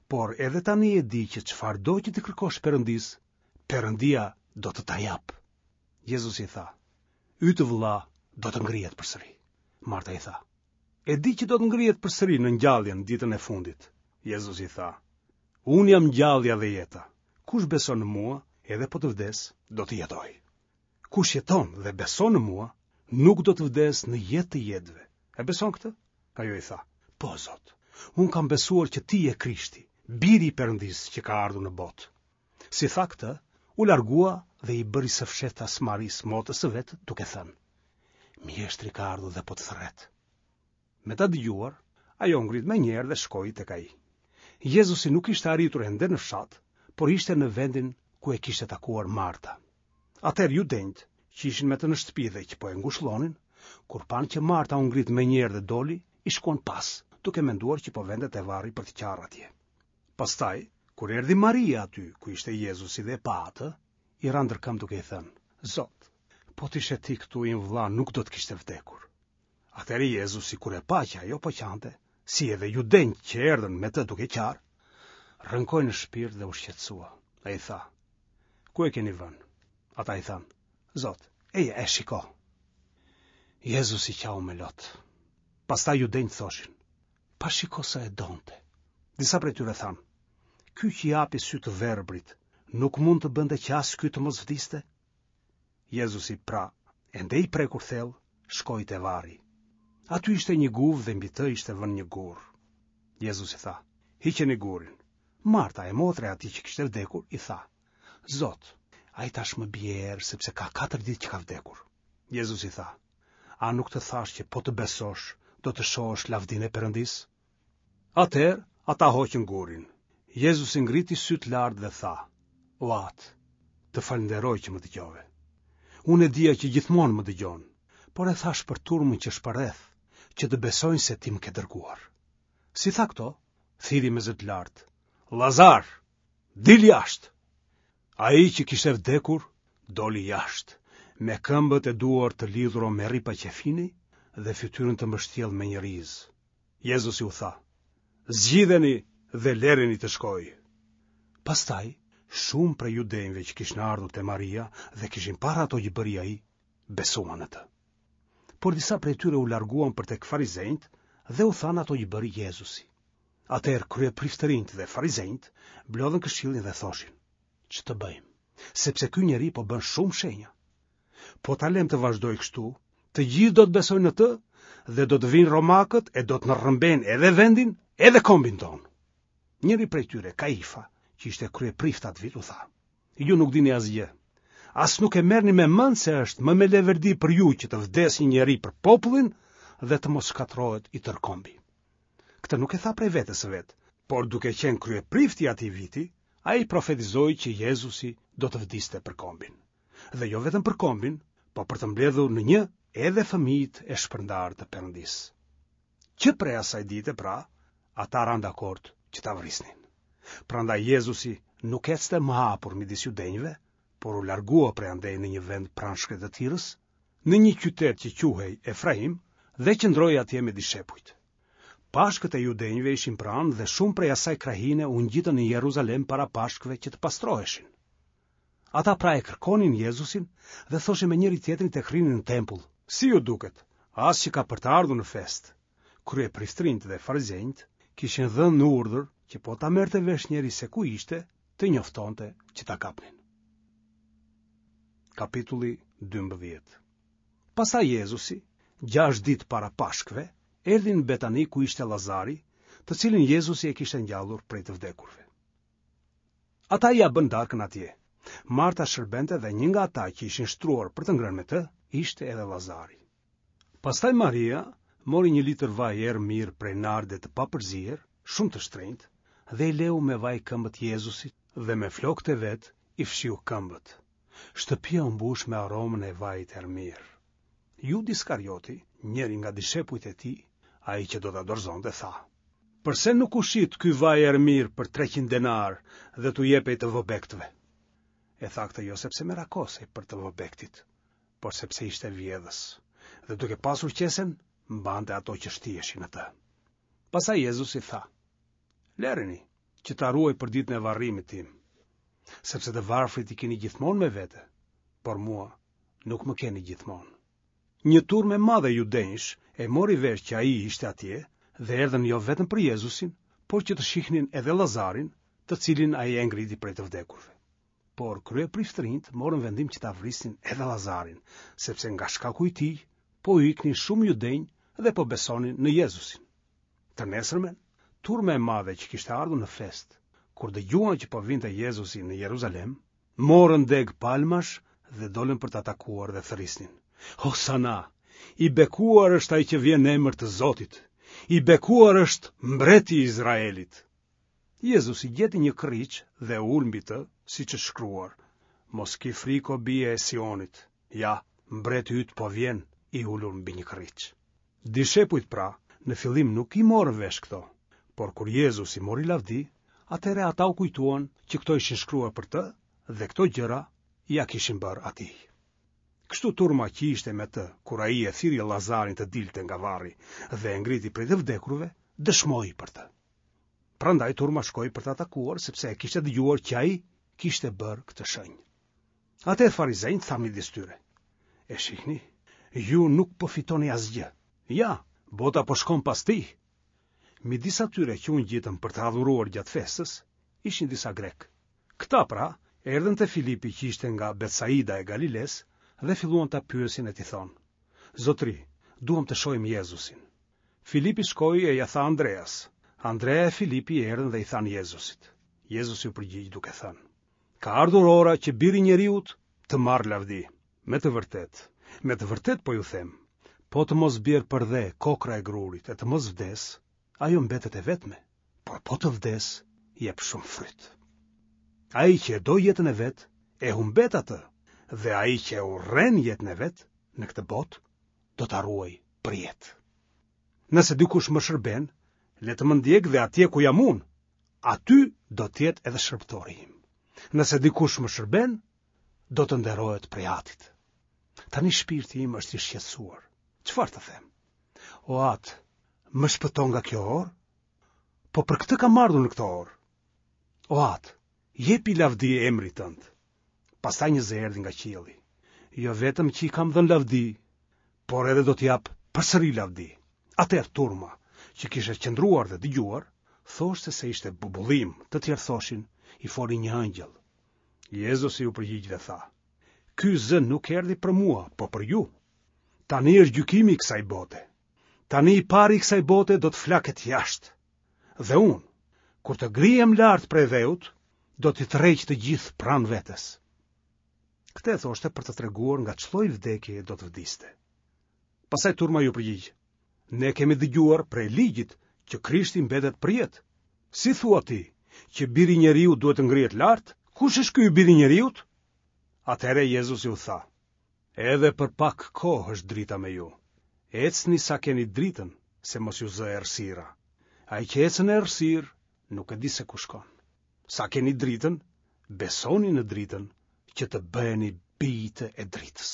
Por edhe tani e di që çfarëdo që t'i kërkosh Perëndisë, Perëndia do të ta japë. Jezusi i tha: Yt vëlla do të ngrihet përsëri. Marta i tha: E di që do të ngrihet përsëri në ngjalljen ditën e fundit. Jezusi i tha: Unë jam ngjallja dhe jeta. Kush beson në mua, edhe po të vdesë, do të jetojë. Kush jeton dhe beson në mua, nuk do të vdesë në jetë të jetëve. E beson këtë? Ajo i tha: Po, Zot, unë kam besuar që ti je Krishti, biri i Perëndisë që ka ardhur në botë. Si tha këtë, u largua dhe i bëri së fshehtas Marisë, motrës së vet, duke thënë: Mjeshtri ka ardhur dhe po të thërret. Me ta dëgjuar, ajo u ngrit menjëherë dhe shkoi tek ai. Jezusi nuk ishte arritur ende në fshat, por ishte në vendin ku e kishte takuar Marta. Atëherë judenjtë, që ishin me të në shtëpi dhe që po e ngushëllonin, kur panë që Marta u ngrit menjëherë dhe doli, i shkuan pas, duke menduar që po vente te varri për të qarë atje. Pastaj, kur erdhi Maria aty ku ishte Jezusi dhe e pa atë, i ra ndër këmbë duke i thënë: Zot, po të ishe ti këtu, im vëlla nuk do të kishte vdekur. Atëherë Jezusi, kur e pa që ajo po qante, si edhe judenjtë që erdhën me të duke qarë, rënkoi në shpirt dhe u shqetësua. Ai tha: Ku e keni vënë? Ata i thanë: Zot, eja e shiko. Jezusi qau me lot. Pastaj judenjtë thoshin: Pa shiko sa e donte. Disa prej tyre thanë: Ky që i hapi sytë të verbrit, nuk mund të bënte që as ky të mos vdiste? Jezusi pra, ende i prekur thellë, shkoi te varri. Aty ishte një guvë dhe mbi të ishte vënë një gur. Jezusi tha: Hiqeni gurin. Marta, e motra e atij që kishte vdekur, i tha: Zot, ai tashmë bie erë sepse ka katër ditë që ka vdekur. Jezusi tha: A nuk të thashë që po të besosh, do të shohësh lavdinë e Perëndisë? Atëherë ata hoqën gurin. Jezusi ngriti sytë lart dhe tha: O Atë, të falënderoj që më dëgjove. Unë e dija që gjithmonë më dëgjon, por e thashë për turmën që është përreth, që të besojnë se ti më ke dërguar. Si tha këto, thirri me zë të lartë: Lazar, dil jashtë! Ai që kishte vdekur, doli jashtë, me këmbët e duart të lidhura me rripa qefini dhe fytyrën të mbështjellë me një rizë. Jezusi u tha: Zgjidheni dhe lereni të shkojë. Pastaj, shumë prej judenjve që kishin ardhur te Maria dhe kishin parë ato që bëri ai, besuan në të. Por disa prej tyre u larguan për tek farizenjtë dhe u thanë ato që bëri Jezusi. Atëherë kryepriftërinjtë dhe farizenjtë mblodhën këshillin dhe thoshin: Ç'të bëjmë? Sepse ky njeri po bën shumë shenja. Po ta lëmë të vazhdojë kështu, të gjithë do të besojnë në të dhe do të vinë romakët e do të na rrëmbejnë edhe vendin, edhe kombin tonë. Njëri prej tyre, Kaifa, që ishte kryeprift atë vit, u tha: Ju nuk dini asgjë. As nuk e merrni me mend se është më me leverdi për ju që të vdesë një njeri për popullin dhe të mos shkatërrohet i tërë kombi. Këtë nuk e tha prej vetes së vet, por duke qenë kryeprifti i atij viti, ai profetizoi që Jezusi do të vdiste për kombin. Dhe jo vetëm për kombin, po për të mbledhur në një edhe fëmijët e shpërndarë të Perëndisë. Që prej asaj dite pra, ata ranë dakord që ta vrisnin. Prandaj Jezusi nuk ecte më hapur midis judenjve, por u largua prej andej në një vend pranë shkretëtirës, në një qytet që quhej Efraim, dhe qëndroi atje me dishepujt. Pashkët e judenjve ishin pranë dhe shumë prej asaj krahine u ngjitën në Jeruzalem para Pashkëve që të pastroheshin. Ata pra e kërkonin Jezusin dhe thoshin me njëri tjetrin tek rrinin në tempull: Si ju duket, as që ka për të ardhur në festë. Kryepriftërinjtë dhe farizenjtë kishin dhënë në urdhër që po ta merrte vesh njeri se ku ishte, të njoftonte që ta kapnin. Kapitulli dymbëdhjetë. Pastaj Jezusi, gjashtë ditë para Pashkëve, erdhi në Betani ku ishte Lazari, të cilin Jezusi e kishte ngjallur prej të vdekurve. Ata ia bënë darkën atje. Marta shërbente dhe një nga ata që ishin shtruar për të ngrënë me të, ishte edhe Lazari. Pastaj Maria mori një litër vaj erë mirë prej narde të papërzier, shumë të shtrenjtë, dhe i leu me vaj këmbët Jezusit dhe me flokët e vet i fshiu këmbët. Shtëpia u mbush me aromën e vajit erë mirë. Judi Iskarioti, njëri nga dishepujt e tij, ai që do ta dorëzonte, tha: Përse nuk u shit ky vaj erë mirë për treqind denar dhe t'u jepej të vobektëve? E tha këtë jo sepse merakosej për të vobektit, por sepse ishte vjedhës, dhe duke pasur qesen, mbante ato që shtiheshin në të. Pastaj Jezusi tha, Lëreni, që ta ruajë për ditën e varrimit tim, sepse të varfrit i keni gjithmonë me vete, por mua nuk më keni gjithmonë. Një turmë e madhe judenjsh e mori vesh që ai ishte atje dhe erdhën jo vetëm për Jezusin, por që të shihnin edhe Lazarin, të cilin ai e ngriti prej të vdekurve. Por kryepriftërinjtë morën vendim që ta vrisnin edhe Lazarin, sepse nga shkaku i tij po u iknin shumë judenj dhe po besonin në Jezusin. Të nesërmen, turma e madhe që kishte ardhur në festë, kur dëgjuan që po vinte Jezusi në Jeruzalem, morën degë palmash dhe dolën për ta takuar dhe thërrisnin: Hosana, i bekuar është ai që vjen në emër të Zotit, i bekuar është mbreti i Izraelit. Jezusi gjeti një kërriç dhe u ul mbi të, siç është shkruar: Mos ki frikë o bije e Sionit, ja, mbreti yt po vjen i ulur mbi një kërriç. Dishepujt pra, në fillim nuk i morën vesh këto, por kur Jezusi mori lavdi, atëherë ata u kujtuan që këto ishin shkruar për të dhe këto gjëra ia kishin bërë atij. Kështu turma që ishte me të, kur ai e thirri Lazarin të dilte nga varri dhe e ngriti prej të vdekurve, dëshmoi për të. Prandaj turma shkoi për ta takuar, sepse e kishte dëgjuar që ai kishte bërë këtë shenjë. Atëherë farizenjtë thanë midis tyre: E shihni, ju nuk po fitoni asgjë. Ja, bota po shkon pas tij. Midis atyre që u ngjitën për të adhuruar gjatë festës, ishin disa grekë. Këta pra erdhën te Filipi që ishte nga Betsaida e Galilesë dhe filluan ta pyesin e t'i thonë: Zotri, duam të shohim Jezusin. Filipi shkoi e ia tha Andreas. Andrea e Filipi erdhën dhe i thanë Jezusit. Jezusi u përgjigj duke thënë: Ka ardhur ora që biri i njeriut të marrë lavdi. Me të vërtetë, me të vërtetë po ju them, po të mos bjerë përdhe kokrra e grurit e të mos vdesë, ajo mbetet e vetme, por po të vdesë, jep shumë fryt. Ai që e do jetën e vet, e humbet atë, dhe ai që e urren jetën e vet në këtë botë, do ta ruajë për jetë. Nëse dikush më shërben, le të më ndjekë dhe atje ku jam unë, aty do të jetë edhe shërbëtori im. Nëse dikush më shërben, do të nderohet prej Atit. Tani shpirti im është i shqetësuar. Çfarë të them? O Atë, më shpëto nga kjo orë? Po për këtë kam ardhur në këtë orë. O Atë, jepi lavdi emrit tënd. Pastaj një zë erdhi nga qielli. Jo vetëm që i kam dhënë lavdi, por edhe do t'i jap përsëri lavdi. Atëherë turma, që kishte qëndruar dhe dëgjuar, thoshte se ishte bubullimë, të tjerë thoshin, i foli një engjëll. Jezusi u përgjigj dhe tha: Ky zë nuk erdhi për mua, po për ju. Tani është gjykimi i kësaj bote. Tani i pari i kësaj bote do të flaket jashtë. Dhe unë, kur të ngrihem lart prej dheut, do t'i tërheq të gjithë pranë vetes. Këtë e thoshte për të treguar nga ç'lloj vdekje do të vdiste. Pastaj turma iu përgjigj: Ne kemi dëgjuar prej ligjit që Krishti mbetet përjetë. Si thua ti që biri i njeriut duhet të ngrihet lart? Kush është ky biri i njeriut? Atëherë Jezusi u tha: Edhe për pak kohë është drita me ju. Ecni sa keni dritën, se mos ju zë errësira. Ai që ecën në errësirë nuk e di se ku shkon. Sa keni dritën, besoni në dritën, që të bëheni bijtë e dritës.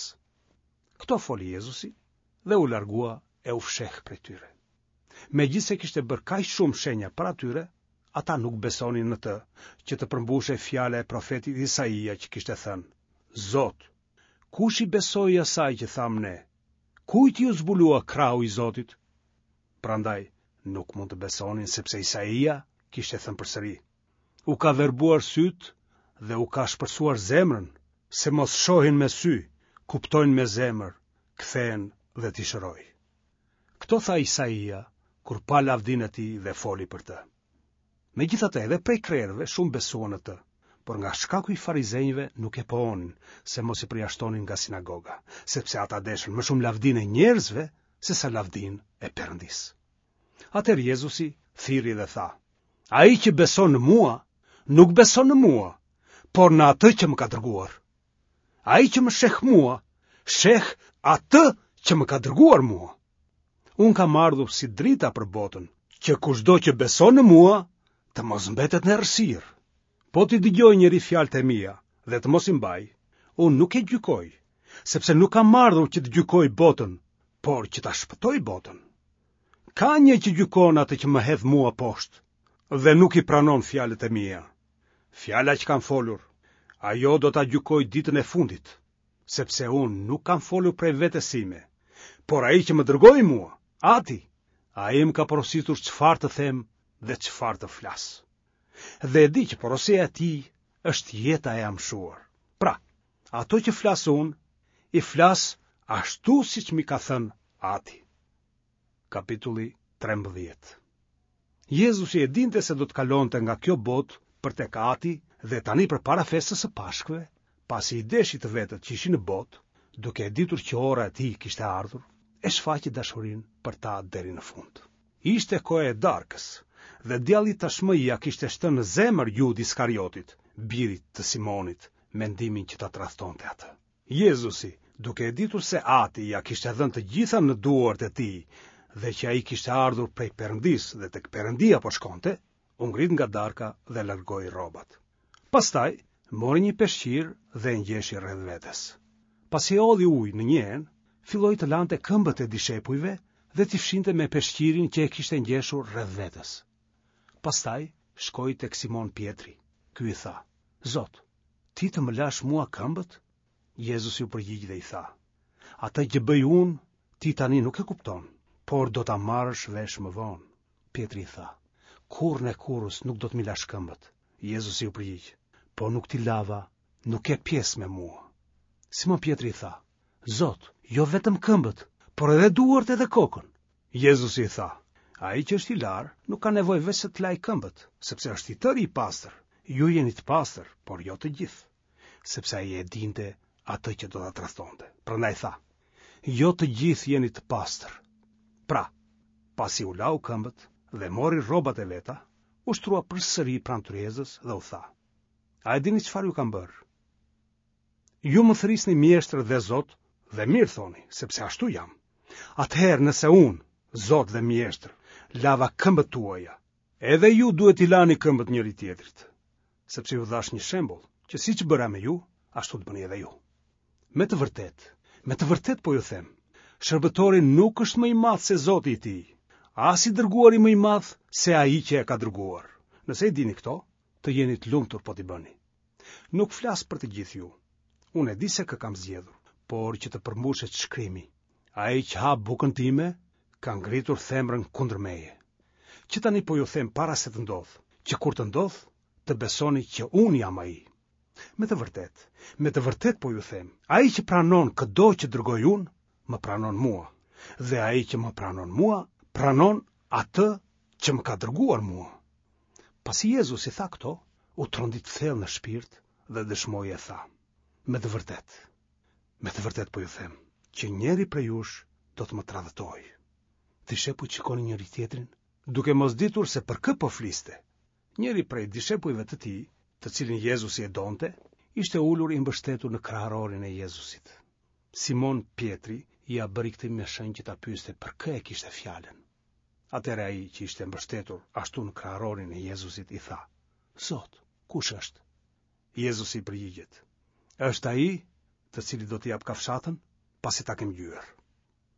Këto foli Jezusi dhe u largua e u fsheh prej tyre. Megjithëse kishte bërë kaq shumë shenja para tyre, ata nuk besonin në të, që të përmbushej fjala e profetit Isaia që kishte thënë: Zot, kush i besoi asaj që thamë ne? Kujt iu zbulua krahu i Zotit? Prandaj nuk mund të besonin, sepse Isaia kishte thënë përsëri: U ka verbuar sytë dhe u ka shpërsuar zemrën, se mos shohin me sy, kuptojnë me zemër, kthehen dhe t'i shëroj. Këto tha Isaia kur pa lavdinë e tij dhe foli për të. Megjithatë edhe prej krerëve shumë besuan në të, por nga shkaku i farizenjve nuk e pohonin, se mos i përjashtonin nga sinagoga, sepse ata deshën më shumë lavdinë e njerëzve se sa lavdinë e Perëndisë. Atëherë Jezusi thirri dhe tha: Ai që beson në mua, nuk beson në mua, por në atë që më ka dërguar. Ai që më sheh mua, sheh atë që më ka dërguar mua. Unë kam ardhur si drita për botën, që kushdo që beson në mua, të mos mbetet në errësirë. Po t'i dëgjojë njeri fjalët e mia dhe të mos i mbajë, unë nuk e gjykoj, sepse nuk kam ardhur që të gjykoj botën, por që ta shpëtoj botën. Ka një që gjykon atë që më hedh mua poshtë dhe nuk i pranon fjalët e mia. Fjala që kam folur, ajo do ta gjykoj ditën e fundit, sepse unë nuk kam folur prej vetes sime, por ai që më dërgoi mua, Ati, ai më ka porositur çfarë të them dhe çfarë të flas. Dhe e di që porosia e tij është jeta e amshuar. Pra, ato që flas unë, i flas ashtu siç m'i ka thënë Ati. Kapitulli trembëdhjetë. Jezusi e dinte se do të kalonte nga kjo botë për tek Ati dhe tani përpara festës së Pashkëve, pasi i deshi të vetët që ishin në botë, duke e ditur që ora e tij kishte ardhur, e shfaqi dashurinë për ta deri në fund. Ishte koha e darkës dhe djalli tashmë ia kishte shtënë në zemër Judë Iskariotit, birit të Simonit, mendimin që ta tradhtonte atë. Jezusi, duke e ditur se Ati ia kishte dhënë të gjitha në duart e tij dhe që ai kishte ardhur prej Perëndisë dhe tek Perëndia po shkonte, u ngrit nga darka dhe largoi rrobat. Pastaj mori një peshqir dhe e ngjeshi rreth vetes. Pasi hodhi ujë në një enë, filloi të lante këmbët e dishepujve dhe t'i fshinte me peshqirin që e kishte ngjeshur rreth vetes. Pastaj shkoi tek Simon Pjetri. Ky i tha: Zot, ti të më lash mua këmbët? Jezusi u përgjigj dhe i tha: Atë që bëj unë, ti tani nuk e kupton, por do ta marrësh vesh më vonë. Pjetri i tha: Kurrën e kurrës nuk do të m'i lash këmbët. Jezusi u përgjigj: Po nuk t'i lava, nuk ke pjesë me mua. Simon Pjetri i tha: Zot, jo vetëm këmbët, por edhe duart edhe kokën. Jezusi i tha: Ai që është i larë nuk ka nevojë veçse të lajë këmbët, sepse është i tëri i pastër. Ju jeni të pastër, por jo të gjithë, sepse ai e dinte atë që do ta tradhtonte. Prandaj tha: Jo të gjithë jeni të pastër. Pra, pasi u lau këmbët dhe mori rrobat e veta, u shtrua përsëri pranë tryezës dhe u tha: A e dini çfarë ju kam bërë? Ju më thërrisni mjeshtër dhe Zot dhe mirë thoni, sepse ashtu jam. Atëherë nëse unë, Zot dhe mjeshtër, lava këmbët tuaja, edhe ju duhet t'i lani këmbët njëri tjetrit, sepse ju dhashë një shembull, që siç bëra me ju, ashtu të bëni edhe ju. Me të vërtetë, me të vërtetë po ju them, shërbëtori nuk është më i madh se Zoti i tij, as i dërguari më i madh se ai që e ka dërguar. Nëse i dini këto, të jeni të lumtur po t'i bëni. Nuk flas për të gjithë ju. Unë e di se kë kam zgjedhur, por që të përmbushet shkrimi, ai që ha bukën time ka ngritur thembrën kundër meje. Që tani po ju them para se të ndodhë, që kur të ndodhë, të besoni që unë jam ai. Me të vërtetë, me të vërtetë po ju them, ai që pranon këdo që dërgoj unë, më pranon mua, dhe ai që më pranon mua, pranon atë që më ka dërguar mua. Pasi Jezusi tha këto, u trondit thellë në shpirt dhe dëshmoi e tha: Me të vërtetë, me të vërtetë po ju them, që njëri prej jush do të më tradhtojë. Dishepujt shikonin njëri tjetrin, duke mos ditur se për kë po fliste. Njëri prej dishepujve të tij, të cilin Jezusi e donte, ishte ulur i mbështetur në kraharorin e Jezusit. Simon Pjetri ia bëri këtë me shenjë që ta pyeste për kë e kishte fjalën. Atëherë ai që ishte mbështetur ashtu në kraharorin e Jezusit i tha: Zot, kush është? Jezusi i përgjigjet: Është ai të cilit do t'i jap kafshatën, pasi ta kem ngjyer.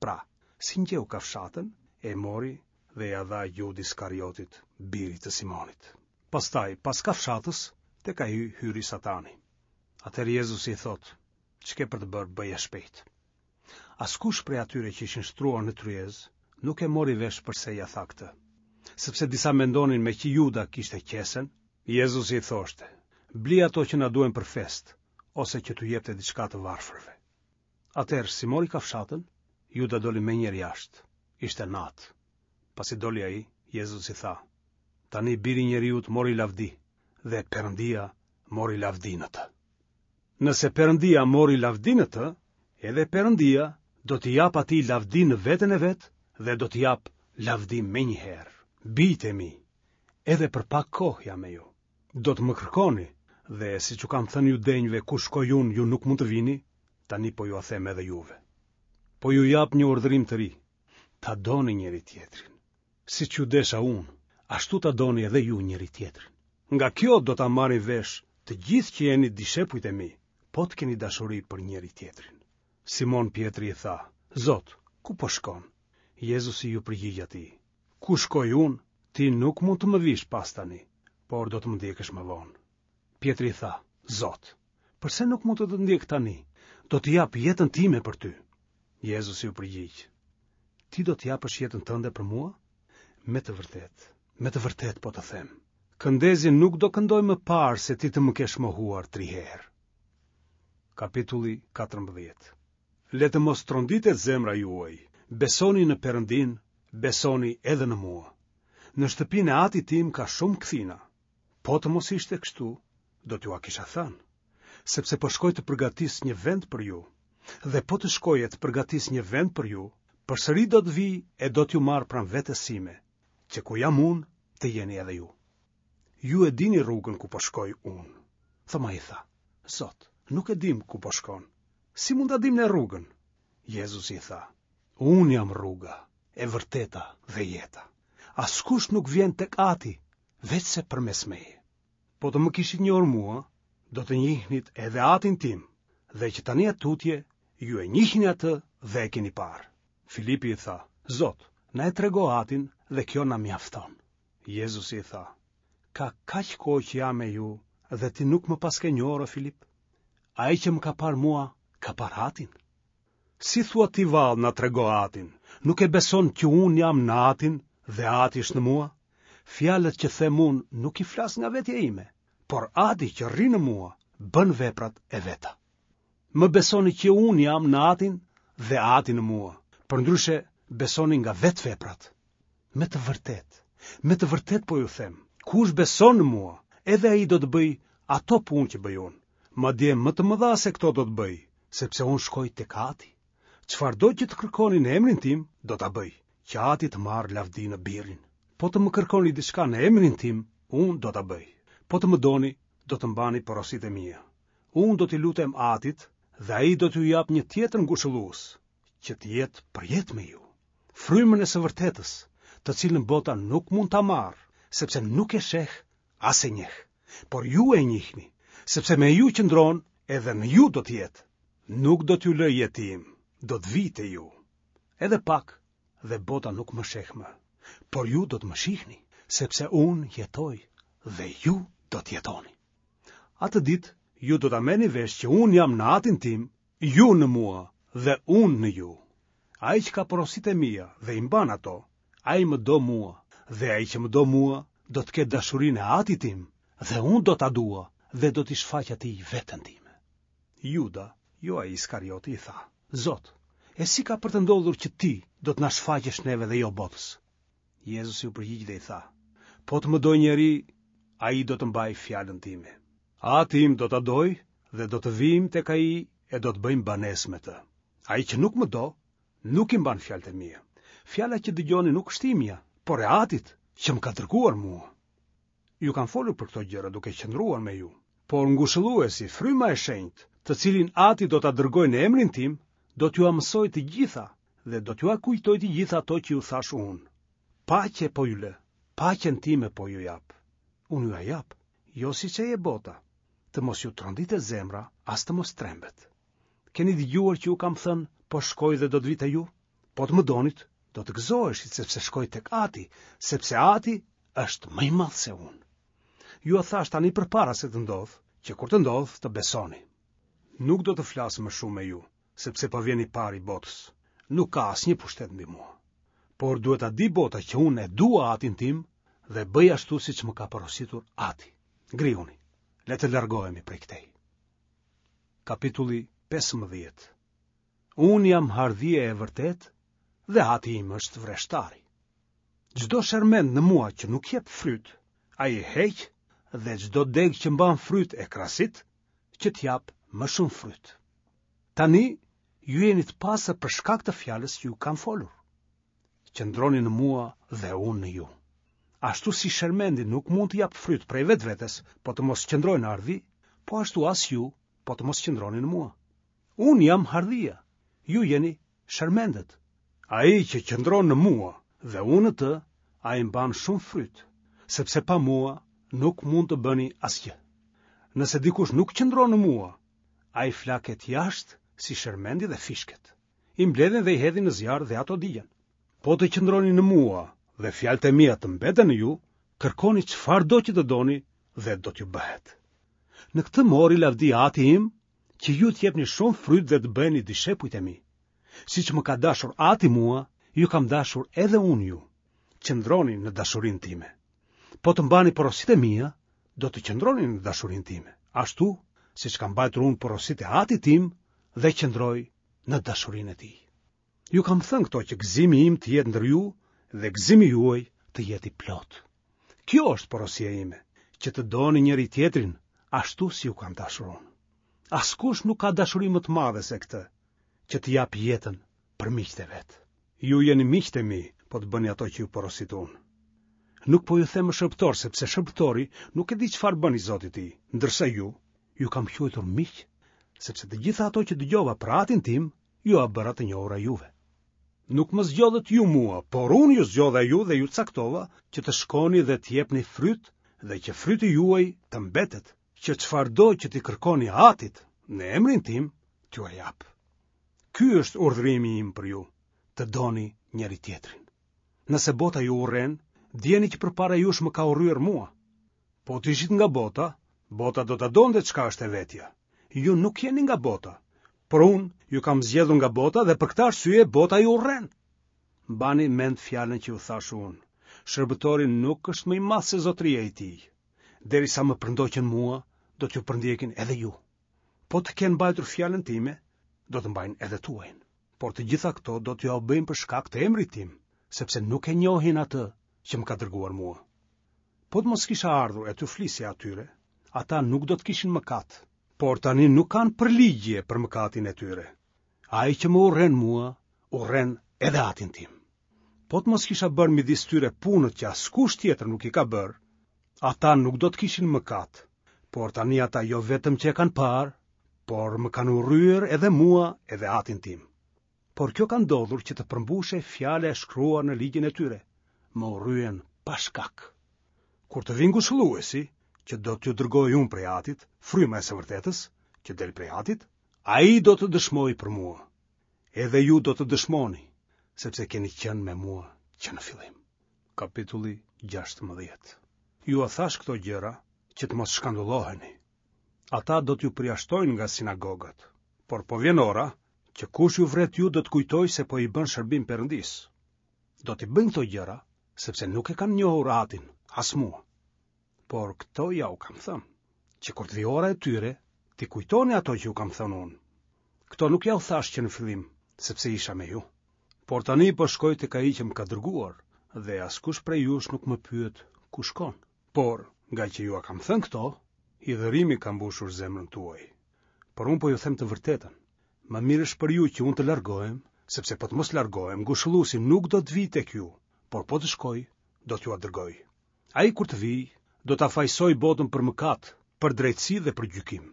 Pra, si ngjeu kafshatën, e mori dhe ia dha Judë Iskariotit, birit të Simonit. Pastaj, pas kafshatës, tek ai hyri Satani. Atëherë Jezusi i thotë: Ç'ke për të bërë, bëje shpejt. Askush prej atyre që ishin shtruar në tryezë nuk e mori vesh përse ia tha këtë, sepse disa mendonin me që Juda kishte qesen. Jezusi i thoshte: Bli ato që na duhen për festë, ose që t'u jepte diçka të varfërve. Atëherë, si mori kafshatën, Juda doli menjëherë jashtë. Ishte natë. Pasi doli ai, Jezusi tha: Tani biri i njeriut mori lavdi dhe Perëndia mori lavdi në të. Nëse Perëndia mori lavdi në të, edhe Perëndia do t'i japë atij lavdi në veten e vet dhe do t'i japë lavdi menjëherë. Bijtë e mi, edhe për pak kohë jam me ju. Do të më kërkoni dhe siç u kam thënë judenjve ku shkoj unë, ju nuk mund të vini, tani po jua them edhe juve. Po ju jap një urdhërim të ri, ta doni njëri tjetrin. Siç ju desha unë, ashtu ta doni edhe ju njëri tjetrin. Nga kjo do ta marrin vesh të gjithë që jeni dishepujt e mi, po të keni dashuri për njëri-tjetrin. Simon Pjetri i tha, Zot, ku po shkon? Jezusi iu përgjigj atij, Ku shkoj unë, ti nuk mund të më vish pas tani, por do të më ndjekësh më vonë. Pjetri i tha, Zot, përse nuk mund të të ndjek tani? Do të jap jetën time për ty. Jezusi iu përgjigj, Ti do të japësh jetën tënde për mua? Me të vërtetë, me të vërtetë po të them, këndezi nuk do këndojë më parë se ti të më kesh mohuar tri herë. Kapitulli katërmbëdhjetë. Le të mos tronditet zemra juaj, besoni në Perëndinë, besoni edhe në mua. Në shtëpinë e atit tim ka shumë kthina. Po të mos ishte kështu, do t'jua kisha thënë, sepse po shkoj të përgatis një vend për ju. Dhe po të shkoj e të përgatis një vend për ju, përsëri do të vij e do t'ju marr pranë vetes sime, që ku jam unë, të jeni edhe ju. Ju e dini rrugën ku po shkoj unë. Thomai i tha, Zot, nuk e dimë ku po shkon. Si mund ta dimë ne rrugën? Jezusi i tha, Unë jam rruga, e vërteta dhe jeta. Askush nuk vjen tek Ati, veçse përmes meje. Po të më kishit njohur mua, do të njihnit edhe Atin tim, dhe që tani e tutje, ju e njihni atë dhe e keni parë. Filipi i tha, Zot, na e trego Atin dhe kjo na mjafton. Jezusi i tha, Ka kaq kohë që jam me ju dhe ti nuk më paske njohur, o Filip? Ai që më ka parë mua, ka parë Atin. Si thua ti vallë na trego Atin, nuk e beson që unë jam në Atin dhe Ati është në mua? Fjalët që them unë nuk i flas nga vetja ime, por Ati që rri në mua bën veprat e veta. Më besoni që unë jam në Atin dhe Ati në mua, përndryshe besoni nga vetë veprat. Me të vërtetë, me të vërtetë po ju them, kush beson në mua, edhe ai do të bëjë ato punë që bëj unë, madje më të mëdha se këto do të bëjë, sepse unë shkoj tek Ati. Çfarëdo që të kërkoni në emrin tim, do ta bëj, që Ati të marrë lavdi në Birin. Po të më kërkoni diçka në emrin tim, unë do ta bëj. Po të më doni, do të mbani porositë e mia. Unë do t'i lutem Atit dhe ai do t'ju japë një tjetër ngushëllues, që të jetë përjetë me ju. Frymën e së vërtetës, të cilën bota nuk mund ta marrë, sepse nuk e sheh as e njeh. Por ju e njihni, sepse me ju qëndron edhe në ju do të jetë. Nuk do t'ju lë jetim, do të vij te ju. Edhe pak dhe bota nuk më sheh më, por ju do të më shihni, sepse unë jetoj dhe ju do të jetoni. Atë ditë ju do ta merrni vesh që unë jam në Atin tim, ju në mua dhe unë në ju. Ai që ka porositë e mia dhe i mban ato, ai më do mua, dhe ai që më do mua do të ketë dashurinë e Atit tim, dhe unë do ta dua dhe do t'i shfaq atij veten time. Juda, jo ai Iskarioti, i tha, Zot, e si ka për të ndodhur që ti do të na shfaqesh neve dhe jo botës? Jezusi u përgjigj dhe i tha, Po të më dojë njeri, ai do të mbajë fjalën time. Ati im do ta dojë dhe do të vijmë tek ai e do të bëjmë banesë me të. Ai që nuk më do, nuk i mban fjalët e mia. Fjala që dëgjoni nuk është imja, por e Atit që më ka dërguar mua. Ju kam folur për këto gjëra duke qëndruar me ju. Por ngushëlluesi, fryma e shenjtë, të cilin Ati do ta dërgojë në emrin tim, do t'jua mësojë të gjitha dhe do t'jua kujtojë të gjitha ato që ju thashë unë. Paqe po ju lë, paqen time po ju jap. Unë jua jap, jo siç e jep bota. Të mos ju tronditet zemra, as të mos trembet. Keni dëgjuar që ju kam thënë, po shkoj dhe do të vij te ju? Po të më donit, do të gëzoheshit sepse shkoj tek Ati, sepse Ati është më i madh se unë. Jua thashë tani përpara se të ndodhë, që kur të ndodhë të besoni. Nuk do të flas më shumë me ju, sepse po vjen i pari i botës. Nuk ka asnjë pushtet mbi mua. Por duhet ta di bota që unë e dua Atin tim dhe bëj ashtu siç më ka porositur Ati. Ngrihuni, le të largohemi prej këtej. Kapitulli pesëmbëdhjetë. Unë jam hardhia e vërtetë dhe Ati im është vreshtari. Çdo shermend në mua që nuk jep fryt, ai e heq dhe çdo degë që mban fryt e krasit, që të japë më shumë fryt. Tani ju jeni të pastër për shkak të fjalës që ju kam folur. Qëndroni në mua dhe unë në ju. Ashtu si shermendi nuk mund të japë fryt prej vetvetes, po të mos qëndrojë në hardhi, po ashtu as ju, po të mos qëndroni në mua. Unë jam hardhia, ju jeni shermendet. Ai që qëndron në mua dhe unë në të, ai mban shumë fryt, sepse pa mua nuk mund të bëni asgjë. Nëse dikush nuk qëndron në mua, ai flaket jashtë si shermendi dhe fishket. I mbledhin dhe i hedhin në zjarr dhe ato digjen. Po të qëndroni në mua dhe fjalët e mia të mbeten në ju, kërkoni çfarëdo që të doni dhe do t'ju bëhet. Në këtë mori lavdi Ati im, që ju të jepni shumë fryt dhe të bëheni dishepujt e mi. Siç më ka dashur Ati mua, ju kam dashur edhe unë ju. Qëndroni në dashurinë time. Po të mbani porositë e mia, do të qëndroni në dashurinë time, ashtu siç kam mbajtur unë porositë e Atit tim dhe qëndroj në dashurinë e tij. Ju kam thënë këto që gëzimi im të jetë ndër ju dhe gëzimi juaj të jetë i plotë. Kjo është porosia ime, që të doni njëri-tjetrin ashtu si ju kam dashur unë. Askush nuk ka dashuri më të madhe se këtë, që të japë jetën për miqtë e vet. Ju jeni miqtë e mi, po të bëni ato që ju porosit unë. Nuk po ju them më shërbëtor, sepse shërbëtori nuk e di çfarë bën i zoti i tij, ndërsa ju, ju kam quajtur miq, sepse të gjitha ato që dëgjova për atin tim, jua bëra të njohura juve. Nuk më zgjodhët ju mua, por unë ju zgjodha ju dhe ju caktova që të shkoni dhe të jepni fryt dhe që fryti juaj të mbetet, që çfarëdo që t'i kërkoni atit në emrin tim, t'jua jap. Ky është urdhërimi im për ju, të doni njëri-tjetrin. Nëse bota ju urren, dijeni që përpara jush më ka urryer mua. Po të ishit nga bota, bota do ta donte çka është e vetja. Ju nuk jeni nga bota, por unë ju kam zgjedhur nga bota dhe për këtë arsye bota ju urren. Mbani mend fjalën që ju thashë unë. Shërbëtori nuk është më i madh se zotëria i tij. Derisa më përndoqën mua, do t'ju përndjekin edhe ju. Po të kenë mbajtur fjalën time, do të mbajnë edhe tuajën. Por të gjitha këto do t'jua bëjnë për shkak të emrit tim, sepse nuk e njohin atë që më ka dërguar mua. Po të mos kisha ardhur e t'u flisja atyre, ata nuk do të kishin mëkat, por tani nuk kanë përligjje për mëkatin e tyre. Ai që më urren mua, urren edhe atin tim. Po të mos kisha bërë midis tyre punët që askush tjetër nuk i ka bërë, ata nuk do të kishin mëkat, por tani ata jo vetëm që e kanë parë, por më kanë urryer edhe mua edhe atin tim. Por kjo ka ndodhur që të përmbushej fjala e shkruar në ligjin e tyre, më urryen pa shkak. Kur të vijë ngushëlluesi, që do t'ju dërgoj unë prej atit, fryma e së vërtetës, që del prej atit, ai do të dëshmojë për mua. Edhe ju do të dëshmoni, sepse keni qenë me mua që në fillim. Kapitulli gjashtëmbëdhjetë. Jua thashë këto gjëra që të mos shkandulloheni. Ata do t'ju përjashtojnë nga sinagogat, por po vjen ora që kush ju vret ju do të kujtojë se po i bën shërbim Perëndisë. Do t'i bëjnë këto gjëra, sepse nuk e kanë njohur atin, as mua. Por këto ja u kam thënë, që kur të vijë ora e tyre, t'i kujtoni ato që ju kam thënë unë. Këto nuk ja u thashë që në fillim, sepse isha me ju. Por tani po shkoj tek ai që më ka dërguar, dhe askush prej jush nuk më pyet ku shkon. Por, nga që jua kam thënë këto, hidhërimi ka mbushur zemrën tuaj. Por unë po ju them të vërtetën. Më mirë është për ju që unë të largohem, sepse po të mos largohem, ngushëlluesi nuk do të vijë tek ju, por po të shkoj, do t'jua dërgoj. Ai kur të vijë, do ta fajësojë botën për mëkat, për drejtësi dhe për gjykim.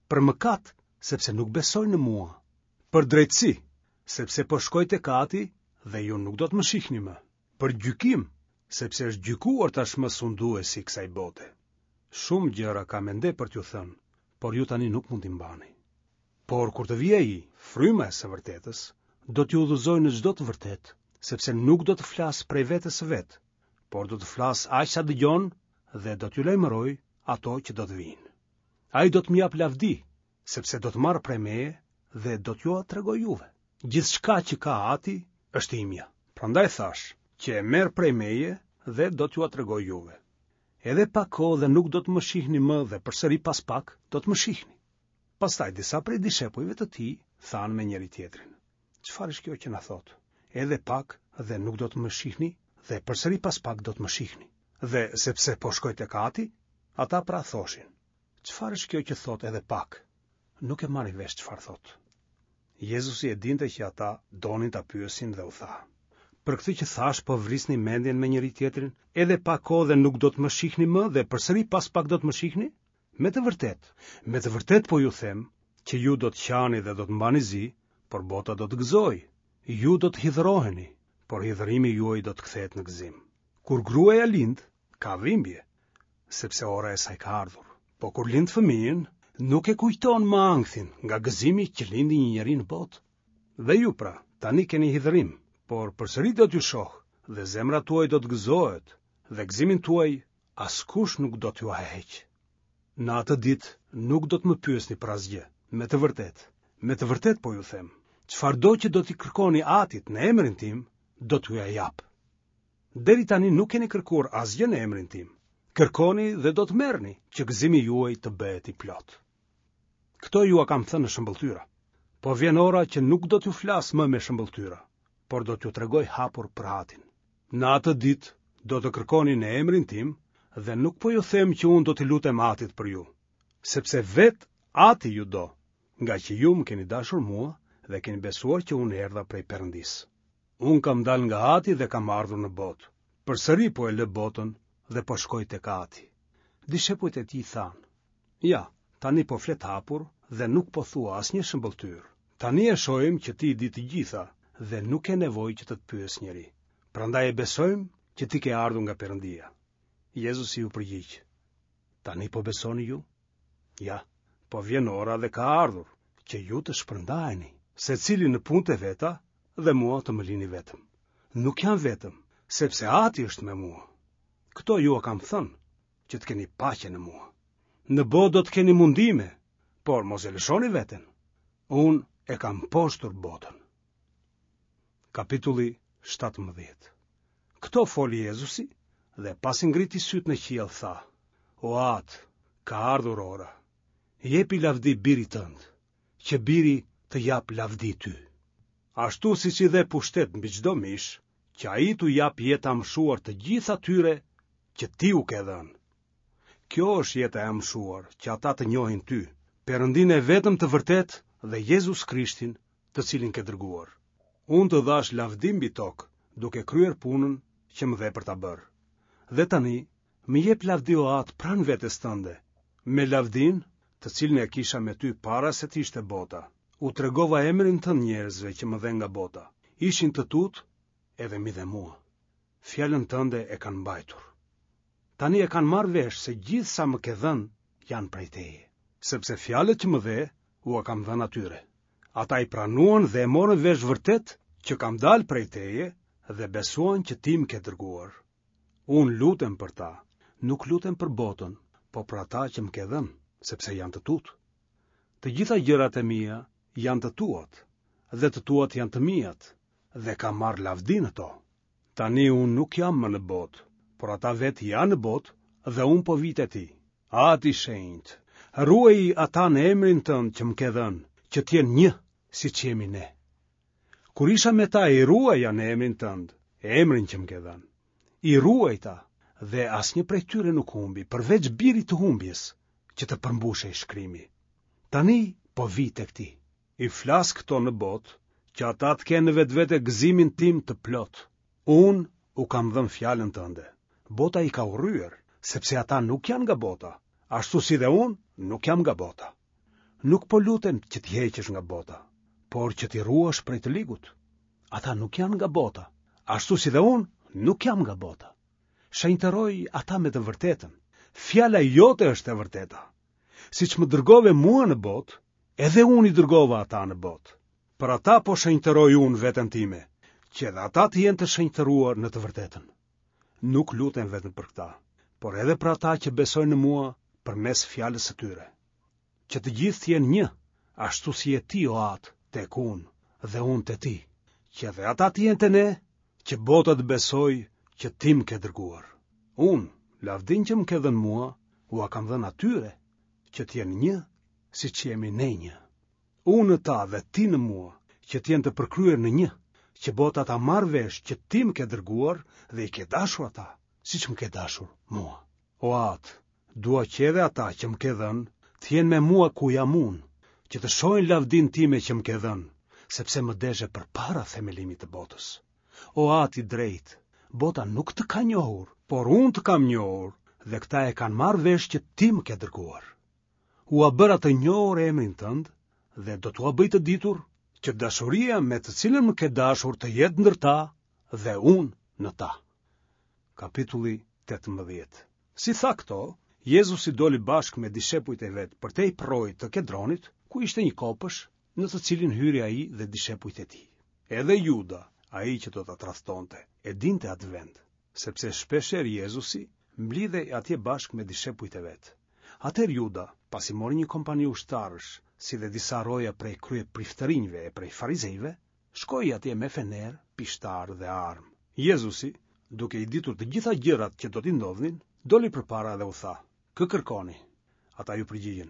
Për mëkat, sepse nuk besojnë në mua. Për drejtësi, sepse po shkoj tek Ati dhe ju nuk do të më shihni më. Për gjykim, sepse është gjykuar tashmë sunduesi i kësaj bote. Shumë gjëra kam ende për t'ju thënë, por ju tani nuk mund t'i mbani. Por kur të vijë ai, fryma e së vërtetës, do t'ju udhëzojë në çdo të vërtetë, sepse nuk do të flasë prej vetes së vet, por do të flasë aq sa dëgjon dhe do t'ju lajmërojë ato që do të vijnë. Ai do të më japë lavdi, sepse do të marrë prej meje dhe do t'jua tregojë juve. Gjithçka që ka Ati është imja. Prandaj thashë që e merr prej meje dhe do t'jua tregojë juve. Edhe pak kohë dhe nuk do të më shihni më dhe përsëri pas pak do të më shihni. Pastaj disa prej dishepujve të tij thanë me njëri tjetrin: Çfarë është kjo që na thotë? Edhe pak dhe nuk do të më shihni dhe përsëri pas pak do të më shihni. Dhe sepse po shkoj tek Ati, ata pra thoshin: Çfarë është kjo që thotë edhe pak? Nuk e marrin vesh çfarë thotë. Jezusi e dinte që ata donin ta pyesin dhe u tha: Për këtë që thashë po vrisni mendjen me njëri tjetrin, edhe pak kohë dhe nuk do të më shihni më dhe përsëri pas pak do të më shihni? Me të vërtetë, me të vërtetë po ju them që ju do të qani dhe do të mbani zi, por bota do të gëzojë. Ju do të hidhroheni, por hidhërimi juaj do të kthehet në gëzim. Kur gruaja lind, ka dhimbje, sepse ora e saj ka ardhur. Po kur lind fëmijën, nuk e kujton më ankthin nga gëzimi që lindi një njeri në botë. Dhe ju pra, tani keni hidhërim, por përsëri do t'ju shoh dhe zemra tuaj do të gëzohet dhe gëzimin tuaj askush nuk do t'jua heqë. Në atë ditë nuk do të më pyesni për asgjë, me të vërtetë. Me të vërtetë po ju them, çfarëdo që do t'i kërkoni Atit në emrin tim, do t'jua jap. Deri tani nuk keni kërkuar asgjë në emrin tim. Kërkoni dhe do të merrni, që gëzimi juaj të bëhet i plotë. Këto jua kam thënë në shëmbëlltyra. Po vjen ora që nuk do t'ju flas më me shëmbëlltyra, por do t'ju tregoj hapur për Atin. Në atë ditë do të kërkoni në emrin tim dhe nuk po ju them që unë do t'i lutem Atit për ju, sepse vetë Ati ju do, ngaqë ju më keni dashur mua dhe keni besuar që unë erdha prej Perëndisë. Unë kam dalë nga Ati dhe kam ardhur në botë. Përsëri po e lë botën dhe po shkoj tek Ati. Dishepujt e tij thanë: Ja, tani po flet hapur dhe nuk po thua asnjë shëmbëlltyrë. Tani e shohim që ti i di të gjitha dhe nuk ke nevojë që të të pyesë njeri. Prandaj e besojmë që ti ke ardhur nga Perëndia. Jezusi iu përgjigj: Tani po besoni ju? Ja, po vjen ora dhe ka ardhur që ju të shpërndaheni, secili në punët e veta dhe mua të më lini vetëm. Nuk jam vetëm, sepse Ati është me mua. Këto jua kam thënë, që të keni paqe në mua. Në botë do të keni mundime, por mos e lëshoni veten. Unë e kam mposhtur botën. Kapitulli shtatëmbëdhjetë. Këto foli Jezusi dhe pasi ngriti sytë në qiell tha: O Atë, ka ardhur ora. Jepi lavdi birit tënd, që biri të jap lavdi ty. Ashtu siç i dhe pushtet mbi çdo mish, që ai t'u jap jetë të amshuar të gjithë atyre që ti u ke dhënë. Kjo është jeta e amshuar, që ata të njohin ty, Perëndinë e vetëm të vërtetë dhe Jezus Krishtin, të cilin ke dërguar. Unë të dhashë lavdi mbi tokë, duke kryer punën që më dhe për ta bërë. Dhe tani, më jep lavdi o Atë pranë vetes tënde, me lavdinë, të cilën e kisha me ty para se të ishte bota. U tregova emrin tënd njerëzve që më dhe nga bota. Ishin të tutë edhe m'i dhe mua. Fjalën tënde e kanë mbajtur. Tani e kanë marrë vesh se gjithë sa më ke dhënë janë prej teje, sepse fjalët që më dhe ua kam dhënë atyre. Ata i pranuan dhe e morën vesh vërtet që kam dalë prej teje dhe besuan që ti më ke dërguar. Unë lutem për ta, nuk lutem për botën, po për ata që më ke dhënë, sepse janë të tutë. Të gjitha gjërat e mia janë të tuat, dhe të tuat janë të miat, dhe kam marrë lavdi në to. Tani unë nuk jam më në botë, por ata vetë janë në botë dhe unë po vij te ti. Ati i shenjtë, ruaji ata në emrin tënd që më ke dhënë, që të jenë një, siç jemi ne. Kur isha me ta i ruaja në emrin tënd, emrin që më ke dhënë. I ruajta dhe asnjë prej tyre nuk humbi, përveç birit të humbjes, që të përmbushej shkrimi. Tani po vij tek ti. I flas këto në botë, që ata të kenë në vetvete gëzimin tim të plotë. Unë u kam dhënë fjalën tënde. Bota i ka urryer, sepse ata nuk janë nga bota, ashtu si dhe unë nuk jam nga bota. Nuk po lutem që t'i heqësh nga bota, por që t'i ruash prej të ligut. Ata nuk janë nga bota, ashtu si dhe unë nuk jam nga bota. Shenjtëroj ata me të vërtetën. Fjala jote është e vërteta. Siç më dërgove mua në botë, edhe unë i dërgova ata në botë. Për ata po shenjtëroj unë veten time, që edhe ata të jenë të shenjtëruar në të vërtetën. Nuk lutem vetëm për këta, por edhe për ata që besojnë në mua përmes fjalës së tyre. Që të gjithë të jenë një, ashtu si je ti, o Atë, tek unë dhe unë te ti, që edhe ata të jenë te ne, që bota të besojë që ti më ke dërguar. Unë, lavdinë që më ke dhënë mua, ua kam dhënë atyre, që të jenë një, siç jemi ne një. Unë në ta dhe ti në mua, që të jenë të përkryer në një, që bota ta marrë vesh që ti më ke dërguar dhe i ke dashur ata, siç më ke dashur mua. O Atë, dua që edhe ata që më ke dhënë, të jenë me mua ku jam unë, që të shohin lavdinë time që më ke dhënë, sepse më deshe përpara themelimit të botës. O Atë i drejtë, bota nuk të ka njohur, por unë të kam njohur, dhe këta e kanë marrë vesh që ti më ke dërguar. Ua bëra të njohur emrin tënd dhe do t'ua bëj të ditur që dashuria me të cilën më ke dashur të jetë ndër ta dhe unë në ta. Kapitulli tetëmbëdhjetë. Si tha këto, Jezusi doli bashkë me dishepujt e vet përtej përroit të Kedronit, ku ishte një kopësht, në të cilin hyri ai dhe dishepujt e tij. Edhe Juda, ai që do ta tradhtonte, e dinte atë vend, sepse shpeshherë Jezusi mblidhej atje bashkë me dishepujt e vet. Atëherë Juda, pasi mori një kompani ushtarësh, si dhe disa roja prej kryepriftërinjve e prej farizejve, shkoi atje me fenerë, pishtarë dhe armë. Jezusi, duke i ditur të gjitha gjërat që do t'i ndodhnin, doli përpara dhe u tha: Kë kërkoni? Ata iu përgjigjën: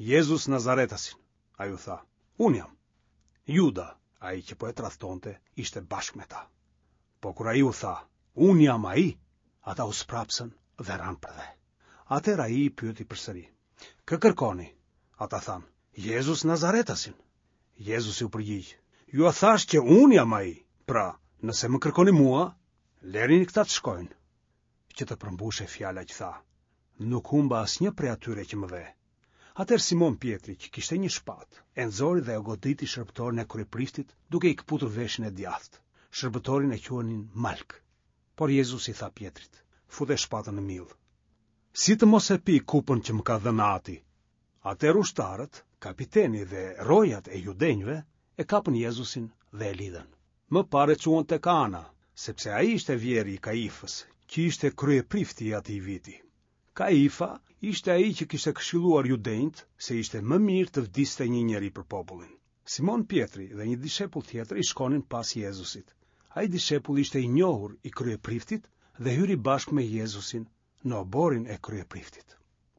Jezus Nazaretasin. Ai u tha: Unë jam. Juda, ai që po e tradhtonte, ishte bashkë me ta. Po kur ai u tha: Unë jam ai, ata u sprapsën dhe ranë përdhe. Atëherë ai i pyeti përsëri: Kë kërkoni? Ata thanë: Jezus Nazaretasin. Jezusi u përgjigj: Jua thashë që unë jam ai. Pra, nëse më kërkoni mua, lërini këta të shkojnë. Që të përmbushej fjala që tha: Nuk humba asnjë prej atyre që më dhe. Atëherë Simon Pjetri, që kishte një shpatë, e nxori dhe e goditi shërbëtorin e kryepriftit, duke i këputur veshin e djathtë. Shërbëtorin e quanin Malk. Por Jezusi i tha Pjetrit: Fute shpatën në mill. Si të mos e pi kupën që më ka dhënë Ati? Atëherë ushtarët, kapiteni dhe rojat e judenjve e kapën Jezusin dhe e lidhën. Më parë e çuan tek Ana, sepse ai ishte vjehrri i Kaifës, që ishte kryeprifti i atij viti. Kaifa ishte ai që kishte këshilluar judenjtë se ishte më mirë të vdiste një njeri për popullin. Simon Pjetri dhe një dishepull tjetër i shkonin pas Jezusit. Ai dishepull ishte i njohur i kryepriftit dhe hyri bashkë me Jezusin në oborrin e kryepriftit.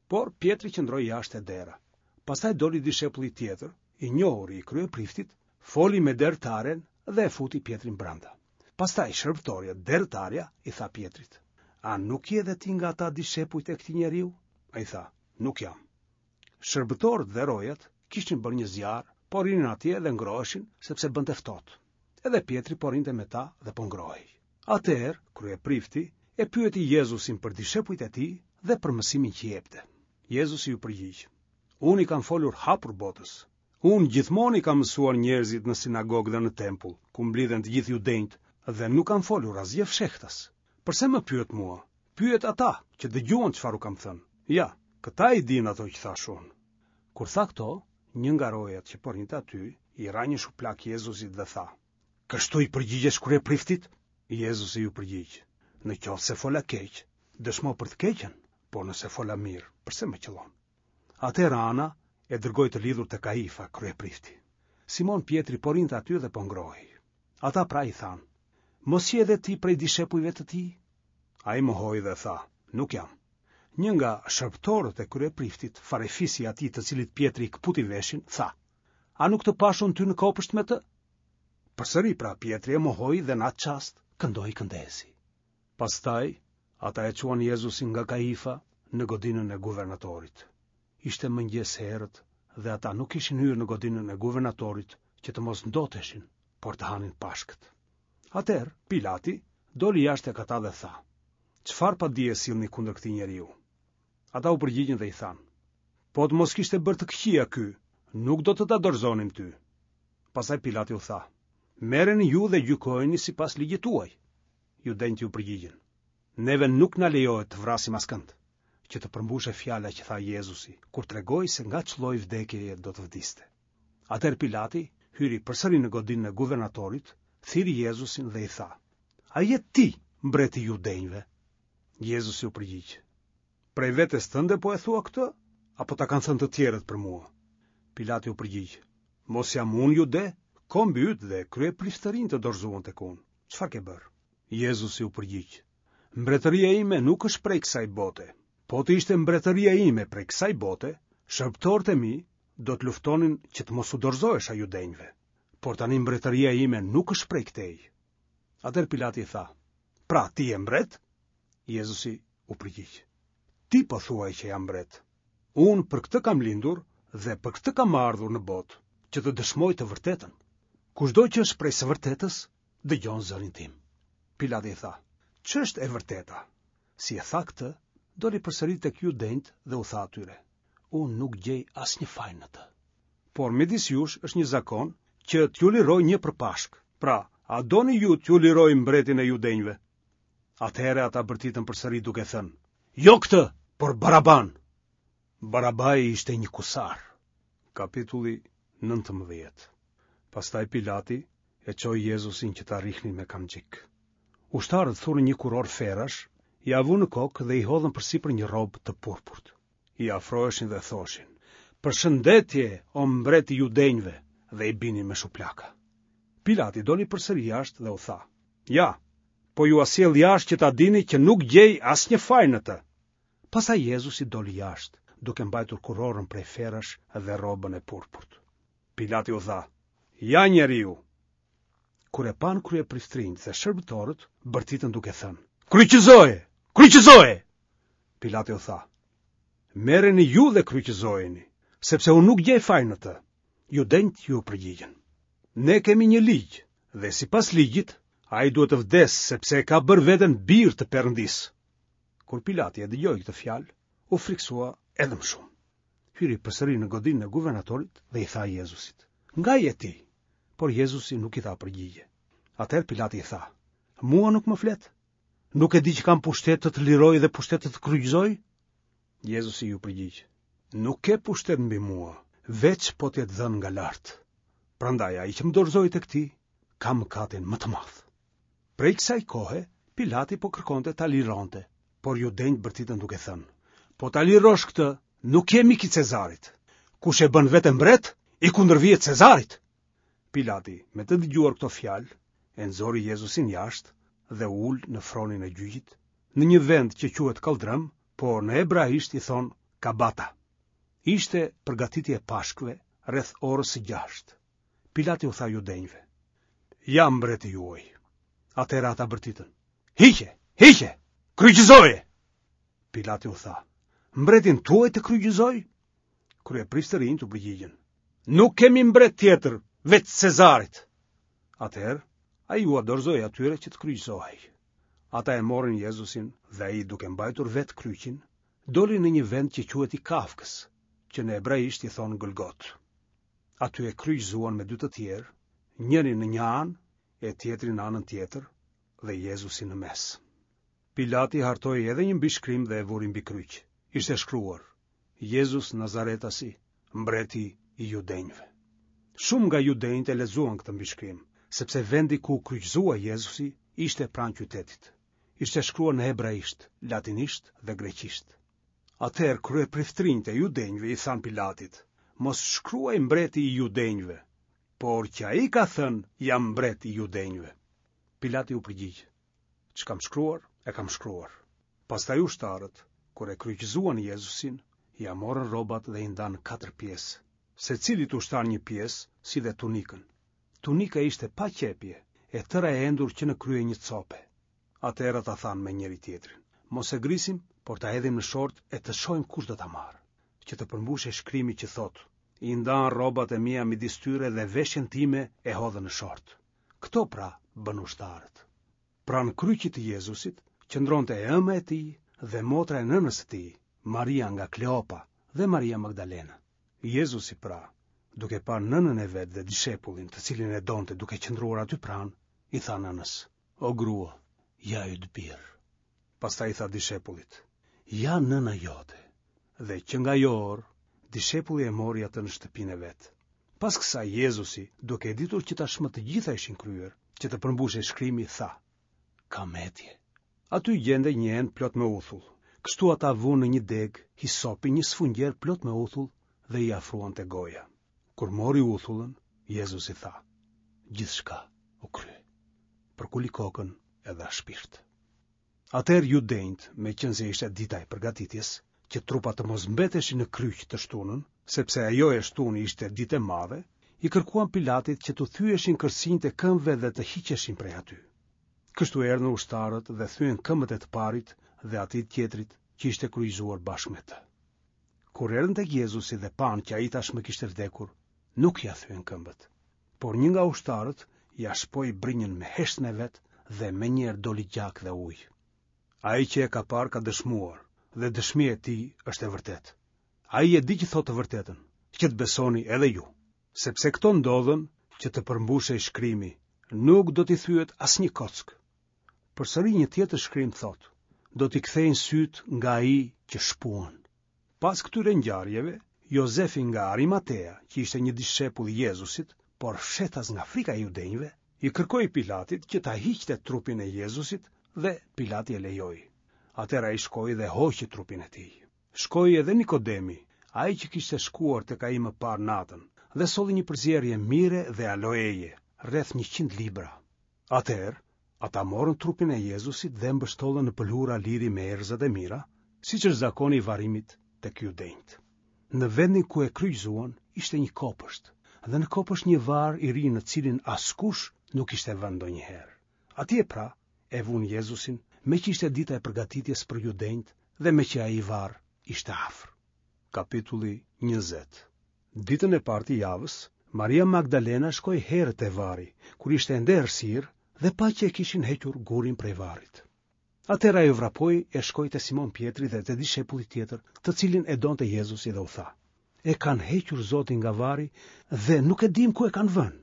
Por Pjetri qëndroi jashtë te dera. Pastaj doli dishepulli tjetër, i njohur i kryepriftit, foli me dertaren dhe e futi Pjetrin brenda. Pastaj shërbëtorja, dertarja, i tha Pjetrit: A nuk je dhe ti nga ata dishepujt e këtij njeriu? Ai tha: Nuk jam. Shërbëtorët dhe rojat kishin bërë një zjarr, po rrinin atje dhe ngroheshin sepse bënte ftohtë. Edhe Pjetri po rrinte me ta dhe po ngrohej. Atëherë kryeprifti e pyeti Jezusin për dishepujt e tij dhe për mësimin që jepte. Jezusi iu përgjigj: Unë i kam folur hapur botës. Unë gjithmonë i kam mësuar njerëzit në sinagogë dhe në tempull, ku mblidhen të gjithë judenjtë, dhe nuk kam folur asgjë fshehtas. Përse më pyet mua? Pyet ata që dëgjuan çfarë u kam thënë. Ja, këta i dinë ato që thashë unë. Kur tha këto, një nga rojat që po rrinte aty i ra një shuplak Jezusit dhe tha: Kështu i përgjigjesh kryepriftit? Jezusi iu përgjigj: Në qoftë se fola keq, dëshmo për të keqen, por nëse fola mirë, përse më qëllon? Atëherë Ana e dërgoi të lidhur te Kaifa, kryeprifti. Simon Pjetri po rrinte aty dhe po ngrohej. Ata pra i thanë: Mos je edhe ti prej dishepujve të tij? Ai mohoi dhe tha: Nuk jam. Një nga shërbëtorët e kryepriftit, farefisi atij të cilit Pjetri i këputi veshin, tha: A nuk të pashë unë ty në kopësht me të? Përsëri pra Pjetri e mohoi dhe në atë çast këndoi këndesi. Pastaj ata e çuan Jezusin nga Kaifa në godinën e guvernatorit. Ishte mëngjes herët dhe ata nuk kishin hyrë në godinën e guvernatorit që të mos ndoteshin, por të hanin Pashkët. Atëherë Pilati doli jashtë tek ata dhe tha: Çfarë padie sillni kundër këtij njeriu? Ata u përgjigjën dhe i thanë: Po të mos kishte bërë të këqija ky, nuk do të ta dorëzonim ty. Pastaj Pilati u tha: Merreni ju dhe gjykojeni sipas ligjit tuaj. Judenjtë iu përgjigjën: Neve nuk na lejohet të vrasim askënd, që të përmbushë fjala që tha Jezusi, kur tregoi se nga ç'lloj vdekjeje do të vdiste. Atëherë Pilati hyri përsëri në godinën e guvernatorit, thirri Jezusin dhe i tha: A je ti mbreti i judenjve? Jezusi u përgjigj: Prej vetes tënde po e thua këtë, apo ta kanë thënë të tjerët për mua? Pilati u përgjigj: Mos jam unë jude, kombi yt dhe kryepriftërinjtë të dorëzuan tek unë. Çfarë ke bërë? Jezusi u përgjigj: Mbretëria ime nuk është prej kësaj bote. Po të ishte mbretëria ime prej kësaj bote, shërbëtorët e mi do të luftonin që të mos u dorëzohesha judenjve. Por tani mbretëria ime nuk është prej këtej. Atëherë Pilati i tha: Pra ti je mbret? Jezusi u përgjigj: Ti po thuaj që jam mbret. Unë për këtë kam lindur dhe për këtë kam ardhur në botë, që të dëshmoj të vërtetën. Kushdo që është prej së vërtetës, dëgjon zërin tim. Pilati i tha: Ç'është e vërteta? Si e tha këtë, doli përsëri tek judenjtë dhe u tha atyre: Unë nuk gjej asnjë faj në të. Por midis jush është një zakon që t'ju liroj një për Pashkë. Pra, a doni ju t'ju liroj mbretin e judenjve? Atëherë ata bërtitën përsëri duke thënë: Jo këtë, por Baraban. Barabai ishte një kusar. Kapitulli nëntëmbëdhjetë. Pastaj Pilati e çoi Jezusin që ta rrihnin me kamxhik. Ushtarët thurën një kurorë ferrash, ia vunë në kokë dhe i hodhën përsipër një rrobë të purpurt. I afroheshin dhe thoshin: "Përshëndetje, o mbret i judenjve!" dhe i binin me shuplaka. Pilati doli përsëri jashtë dhe u tha: "Ja, po jua sjell jashtë që ta dini që nuk gjej asnjë faj në të." Pastaj Jezusi doli jashtë, duke mbajtur kurorën prej ferrash dhe rrobën e purpurt. Pilati u tha: "Ja njeriu." Kur e panë kryepriftërinjtë dhe shërbëtorët, bërtitën duke thënë: "Kryqëzoje! Kryqëzoje!" Pilati u tha: "Merreni ju dhe kryqëzojeni, sepse unë nuk gjej faj në të." Judenjtë iu përgjigjën: "Ne kemi një ligj dhe sipas ligjit ai duhet të vdesë sepse e ka bërë veten bir të Perëndisë." Kur Pilati e dëgjoi këtë fjalë, u frikësua edhe më shumë. Hyri përsëri në godinën e guvernatorit dhe i tha Jezusit: "Nga je ti?" Por Jezusi nuk i dha përgjigje. Atëherë Pilati i tha: "Mua nuk më flet? Nuk e di që kam pushtet të të liroj dhe pushtet të të kryqëzoj?" Jezusi iu përgjigj: "Nuk ke pushtet mbi mua, veç po të jetë dhënë nga lart. Prandaj ai që më dorëzoi tek ti, ka mëkatin më të madh." Prej kësaj kohe, Pilati po kërkonte ta lironte, por judenjtë bërtitën duke thënë: "Po ta lirosh këtë, nuk je mik i Cezarit. Kush e bën veten mbret, i kundërvihet Cezarit." Pilati, me të dëgjuar këto fjalë, e nxori Jezusin jashtë dhe u ul në fronin e gjyqit, në një vend që quhet Kalldrëm, por në hebraisht i thonë Kabata. Ishte përgatitje e Pashkëve rreth orës së gjashtë. Pilati u tha judenjve: "Ja mbreti juaj." Atëherë ata bërtitën: "Hiqe, hiqe, kryqëzoje!" Pilati u tha: "Mbretin tuaj të kryqëzoj?" Kryepriftërinjtë u përgjigjën: "Nuk kemi mbret tjetër, veç Cezarit." Atëherë ai ua dorëzoi atyre që të kryqëzohej. Ata e morën Jezusin dhe ai, duke mbajtur vetë kryqin, doli në një vend që quhet i Kafkës, që në hebraisht i thonë Golgot. Aty e kryqëzuan me dy të tjerë, njërin në një anë e tjetrin në anën tjetër dhe Jezusin në mes. Pilati hartoi edhe një mbishkrim dhe e vuri mbi kryq. Ishte shkruar: Jezus Nazaretasi, mbreti i judenjve. Shumë nga judenjtë e lexuan këtë mbishkrim, sepse vendi ku u kryqëzua Jezusi ishte pranë qytetit. Ishte shkruar në hebraisht, latinisht dhe greqisht. Atëherë kryepriftërinjtë e judenjve i thanë Pilatit: "Mos shkruaj mbreti i judenjve, por që ai ka thënë, jam mbret i judenjve." Pilati u përgjigj: "Ç'kam shkruar, e kam shkruar." Pastaj ushtarët, kur e kryqëzuan Jezusin, ia morën rrobat dhe i ndanë katër pjesë, secilit ushtar një pjesë, si dhe tunikën. Tunika ishte pa qepje, e tëra e endur që në krye një cope. Atëherë ata thanë me njëri tjetrin: "Mos e grisim, por ta hedhim në short e të shohim kush do ta marrë." Që të përmbushej shkrimi që thotë: "I ndanë rrobat e mia midis tyre dhe veshjen time e hodhën në short." Këto pra bënë ushtarët. Pranë kryqit të Jezusit qëndronte e ëma e tij dhe motra e nënës së tij, Maria nga Kleopa dhe Maria Magdalena. Jezusi pra, duke parë nënën e vet dhe dishepullin, të cilin e donte duke qëndruar aty pranë, i tha nënës: "O grua, ja yt bir." Pastaj i tha dishepullit: "Ja nëna jote." Dhe që nga ajo orë, dishepulli e mori atë në shtëpinë e vet. Pas kësaj Jezusi, duke e ditur që tashmë të gjitha ishin kryer, që të përmbushej shkrimi, tha: "Kam etje." Aty gjendej një enë plot me uthull. Kështu ata vunë në një degë hisopi një sfungjer plot me uthull dhe i afruan te goja. Kur mori uthullën, Jezusi tha: "Gjithçka u krye." Përkuli kokën e dha shpirt. Atëherë judenjtë, meqenëse ishte dita e përgatitjes, që trupat të mos mbeteshin në kryq të shtunën, sepse ajo e shtunë ishte ditë e madhe, i kërkuan Pilatit që t'u thyeshin kërcinjtë e këmbëve dhe të hiqeshin prej aty. Kështu erdhën ushtarët dhe thyen këmbët e të parit dhe atij tjetrit që ishte kryqëzuar bashkë me të. Kur erdhën tek Jezusi dhe panë që ai tashmë kishte vdekur, nuk ia thyen këmbët, por një nga ushtarët ia shpoi brinjën me heshtën e vet dhe menjëherë doli gjak dhe ujë. Ai që e ka parë ka dëshmuar dhe dëshmia e tij është e vërtetë. Ai e di që thotë të vërtetën, që të besoni edhe ju, sepse këto ndodhën që të përmbushej shkrimi, nuk do t'i thyet asnjë kockë. Përsëri një tjetër shkrim thotë: do t'i kthejnë sytë nga ai që shpuan. Pas këtyre ngjarjeve, Jozefi nga Arimatea, që ishte një dishepull i Jezusit, por fshehtas nga frika e judenjve, i kërkoi Pilatit që ta hiqte trupin e Jezusit dhe Pilati e lejoi. Atëherë ai shkoi dhe hoqi trupin e tij. Shkoi edhe Nikodemi, ai që kishte shkuar tek ai më parë natën, dhe solli një përzierje mire dhe aloeje, rreth njëqind libra. Atëherë, ata morën trupin e Jezusit dhe e mbështollën në pëlhura liri me erëzat e mira, siç është zakoni i varrimit tek judenjtë. Në vendin ku e kryqëzuan ishte një kopësht, dhe në kopësht një varr i ri në të cilin askush nuk ishte vënë ndonjëherë. Atje pra e vunë Jezusin, meqë ishte dita e përgatitjes për judenjtë dhe meqë ai varr ishte afër. Kapitulli njëzet. Ditën e parë të javës, Maria Magdalena shkoi herët te varri, kur ishte ende errësirë dhe pa që e kishin hequr gurin prej varrit. Atëherë ajo vrapoi e shkoi te Simon Pjetri dhe te dishepulli tjetër, të cilin e donte Jezusi dhe u tha: E kanë hequr Zotin nga varri dhe nuk e dimë ku e kanë vënë.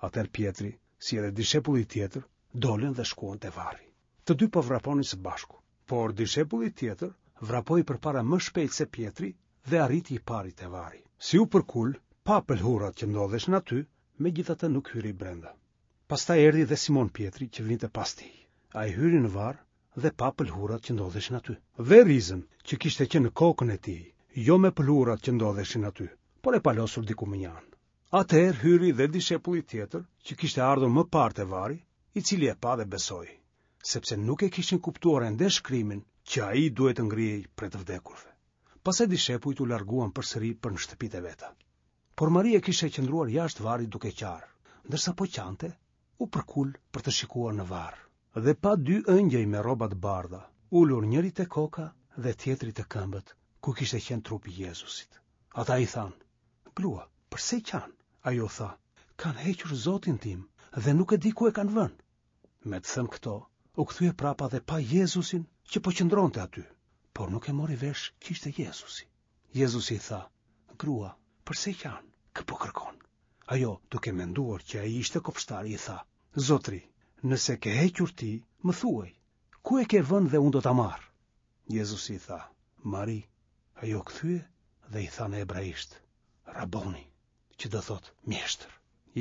Atëherë Pjetri, si edhe dishepulli tjetër, dolën dhe shkuan te varri. Të dy po vraponin së bashku, por dishepulli tjetër vrapoi përpara më shpejt se Pjetri dhe arriti i pari te varri. Si u përkul, pa pëlhurat që ndodheshin aty, megjithatë nuk hyri brenda. Pastaj erdhi dhe Simon Pjetri që vinte pas tij. Ai hyri në varr dhe pa pëlhurat që ndodheshin aty. Dhe rizën që kishte qenë në kokën e tij, jo me pëlhurat që ndodheshin aty, por e palosur diku mënjanë. Atëherë hyri dhe dishepulli tjetër që kishte ardhur më parë te varri, i cili e pa dhe besoi, sepse nuk e kishin kuptuar ende shkrimin që ai duhet të ngrihej prej të vdekurve. Pastaj dishepujt u larguan përsëri për në shtëpitë e veta. Por Maria kishte qëndruar jashtë varrit duke qarë, ndërsa po qante, u përkul për të shikuar në varr. Dhe pa dy ëngjëj me rroba të bardha, ulur njëri te koka dhe tjetri te këmbët, ku kishte qenë trupi i Jezusit. Ata i thanë: Grua, përse qan? Ajo tha: Kanë hequr Zotin tim dhe nuk e di ku e kanë vënë. Me të thënë këto, u kthye prapa dhe pa Jezusin që po qëndronte aty, por nuk e mori vesh që ishte Jezusi. Jezusi i tha: Grua, përse qan? Kë po kërkon? Ajo, duke menduar që ai ishte kopshtari, i tha: Zotri, nëse ke hequr ti, më thuaj, ku e ke vënë dhe unë do ta marr? Jezusi i tha: Mari. Ajo kthye dhe i tha në hebraisht: Raboni, që do thotë mjeshtër.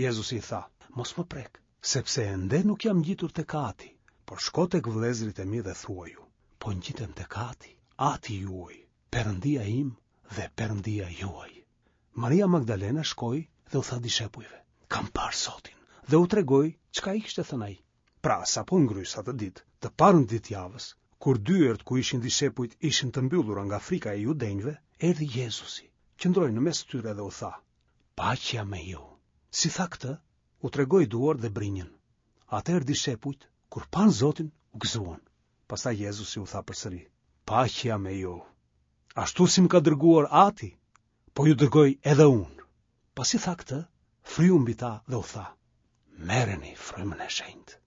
Jezusi i tha: Mos më prek, sepse ende nuk jam ngjitur tek Ati, por shko tek vëllezërit e mi dhe thuaju: Po ngjitem tek Ati, Ati juaj, Perëndia im dhe Perëndia juaj. Maria Magdalena shkoi dhe u tha dishepujve: Kam parë Zotin, dhe u tregoi çka i kishte thënë ai. Pra, sapo ngrys atë ditë, të parën ditë javës, kur dyert ku ishin dishepujt ishin të mbyllura nga frika e judenjve, erdhi Jezusi, qëndroi në mes tyre dhe u tha: Paqja me ju. Si tha këtë, u tregoi duart dhe brinjën. Atëherë dishepujt, kur panë Zotin, u gëzuan. Pastaj Jezusi u tha përsëri: Paqja me ju. Ashtu si më ka dërguar Ati, po ju dërgoj edhe unë. Pasi tha këtë, fryu mbi ta dhe u tha: Merreni frymën e shenjtë.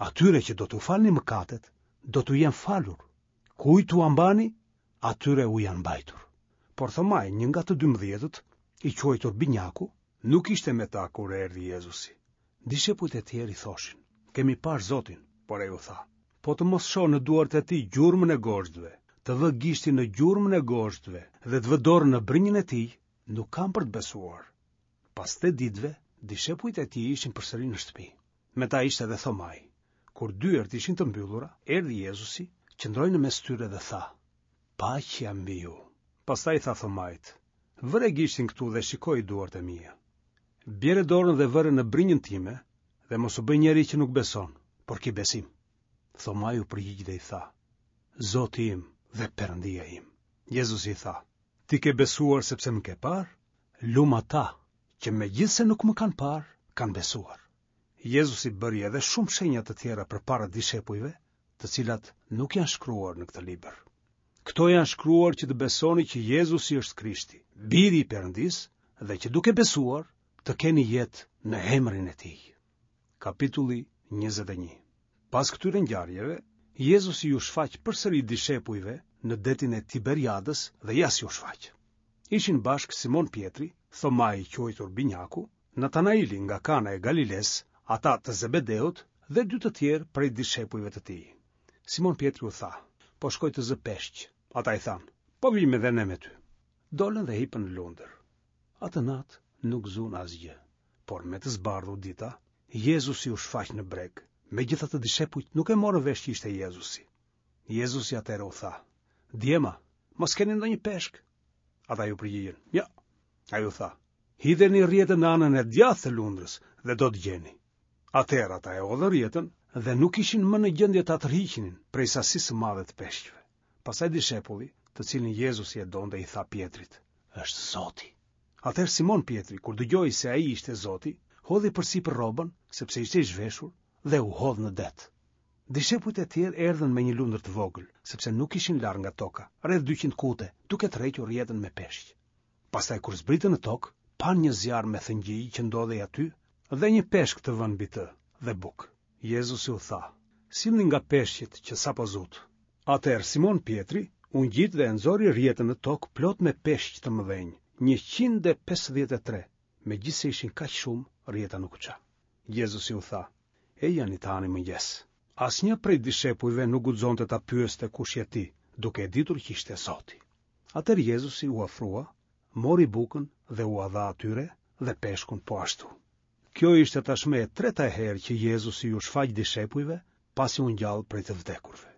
Atyre që do t'u falni mëkatet, do t'u jenë falur. Kujt t'ua mbani, atyre u janë mbajtur. Por Thomai, një nga të dymbëdhjetët, i quajtur Binjaku, nuk ishte me ta kur erdhi Jezusi. Dishepujt e tjerë i thoshin: Kemi parë Zotin, por ai u tha: Po të mos shoh në duart e tij gjurmën e gozhdëve, të vë gishtin në gjurmën e gozhdëve dhe të vë dorën në brinjën e tij, nuk kam për të besuar. Pas tetë ditëve, dishepujt e tij ishin përsëri në shtëpi. Me ta ishte edhe Thomai. Kur dyert ishin të mbyllura, erdhi Jezusi, qëndroi në mes tyre dhe tha: Paqja mbi ju. Pastaj tha Thomait: Vëre gishtin këtu dhe shikoj duart e mia. Bjere dorën dhe vëre në brinjën time dhe mos u bëj njeri që nuk beson, por ki besim. Thomai u përgjigj dhe i tha: Zoti im dhe Perëndia im. Jezusi i tha: Ti ke besuar sepse më ke parë? Lum ata që megjithëse nuk më kanë parë, kanë besuar. Jezusi bëri edhe shumë shenja të tjera përpara dishepujve, të cilat nuk janë shkruar në këtë libër. Këto janë shkruar që të besoni që Jezusi është Krishti, biri i Perëndisë, dhe që duke besuar të keni jetë në emrin e tij. Kapitulli njëzet e një. Pas këtyre ngjarjeve, Jezusi ju shfaq përsëri dishepujve në detin e Tiberiadës dhe ja si u shfaq. Ishin bashkë Simon Pjetri, Thomai i quajtur Binjaku, Natanaili nga Kana e Galiles, ata të Zebedeut dhe dy të tjerë prej dishepujve të tij. Simon Pjetri u tha, po shkoj të zë peshq. Ata i thanë, po vijmë edhe ne me ty. Dolën dhe hipën në lundër. Atë natë nuk zunë asgjë, por me të zbardhur dita, Jezusi u shfaq në breg. Megjithatë dishepujt nuk e morën vesh që ishte Jezusi. Jezusi atëherë u tha, djema, mos keni ndonjë peshk? Ata iu përgjigjën, jo. Ai u tha, hidheni rrjetën në anën e djathtë të lundrës dhe do të gjeni. Atëherë ata e hodhën rrjetën dhe nuk ishin më në gjendje ta tërhiqnin prej sasisë së madhe të peshqve. Pastaj dishepulli, të cilin Jezusi e donte, i tha Pjetrit, është Zoti. Atëherë Simon Pjetri, kur dëgjoi se ai ishte Zoti, hodhi përsipër rrobën, sepse ishte i zhveshur, dhe u hodh në det. Dishepujt e tjerë erdhën me një lundër të vogël, sepse nuk ishin larg nga toka, rreth dyqind kute, duke tërhequr rrjetën me peshq. Pastaj kur zbritën në tokë, panë një zjarr me thëngjij që ndodhej aty dhe një peshk të vënë mbi të dhe bukë. Jezusi u tha, sillni nga peshqit që sapo zutë. Atëherë Simon Pjetri u ngjit dhe e nxori rrjetën në tokë plot me peshq të mëdhenj, njëqind e pesëdhjetë e tre, megjithëse ishin kaq shumë, rrjeta nuk u ça. Jezusi u tha, ejani të hani mëngjes. Asnjë prej dishepujve nuk guxonte ta pyeste kush je ti, duke e ditur që ishte Zoti. Atëherë Jezusi u afrua, mori bukën dhe ua dha atyre dhe peshkun po ashtu. Kjo ishte tashmë e treta herë që Jezusi iu shfaq dishepujve pasi u ngjall prej të vdekurve.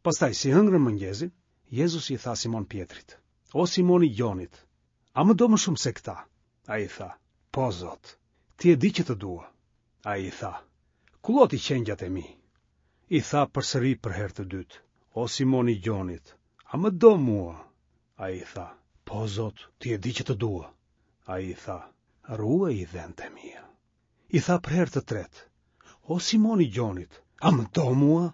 Pastaj si hëngrën mëngjesin, Jezusi i tha Simon Pjetrit, o Simon i Gjonit, a më do më shumë se këta? Ai i tha, po Zot, ti e di që të dua. Ai i tha, kulloti qengjat e mi. I tha përsëri për herë të dytë, o Simon i Gjonit, a më do mua? Ai i tha, po Zot, ti e di që të dua. Ai i tha, ruaji dhentë e mia. I tha për herë të tretë, o Simon i Gjonit, a më do mua?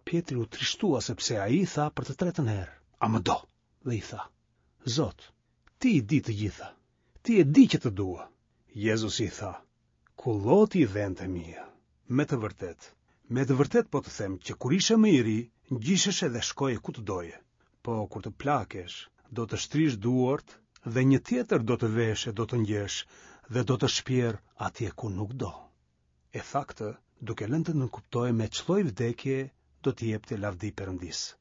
Pjetri u trishtua sepse ai i tha për të tretën herë, a më do? Dhe i tha, Zot, ti i di të gjitha, ti e di që të dua. Jezusi i tha, kulloti dhentë e mia. Me të vërtetë, me të vërtetë po të them që kur ishe më i ri, ngjisheshe dhe shkoje ku të doje. Po kur të plakesh, do të shtrish duart dhe një tjetër do të veshë e do të ngjesh dhe do të shpjerë atje ku nuk do. E tha këtë, duke lënë të nënkuptojë me ç'lloj vdekje do t'i jepte lavdi Perëndisë.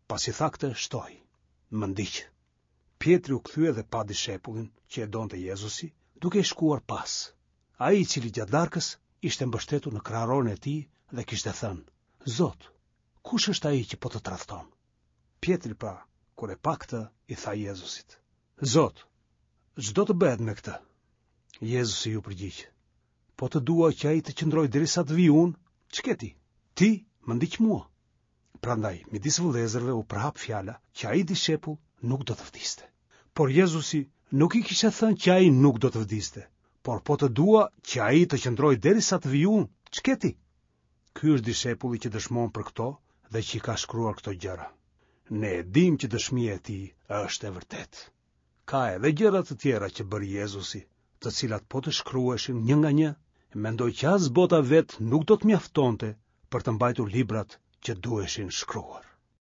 Pasi tha këtë, shtoi, më ndiq. Pjetri u kthye dhe pa dishepullin që e donte Jezusi, duke i shkuar pas. Ai i cili gjatë darkës ishte mbështetur në kraharorin e tij dhe kishte thënë, Zot, kush është ai që po të tradhton? Pjetri pra, kur e pa këtë, i tha Jezusit, Zot, ç'do të bëhet me këtë? Jezusi iu përgjigj, po të dua që ai të qëndrojë derisa të vij unë, ç'ke ti? Ti më ndiq mua. Prandaj, midis vëllezërve u përhap fjala që ai dishepull nuk do të vdiste. Por Jezusi nuk i kishte thënë që ai nuk do të vdiste, por po të dua që ai të qëndrojë derisa të vij unë, ç'ke ti? Ky është dishepulli që dëshmon për këto dhe që i ka shkruar këto gjëra. Ne e dimë që dëshmia e tij është e vërtetë. Ka edhe gjëra të tjera që bëri Jezusi, të cilat po të shkruheshin një nga një, mendoj që as bota vetë nuk do të mjaftonte për të mbajtur librat që duheshin shkruar.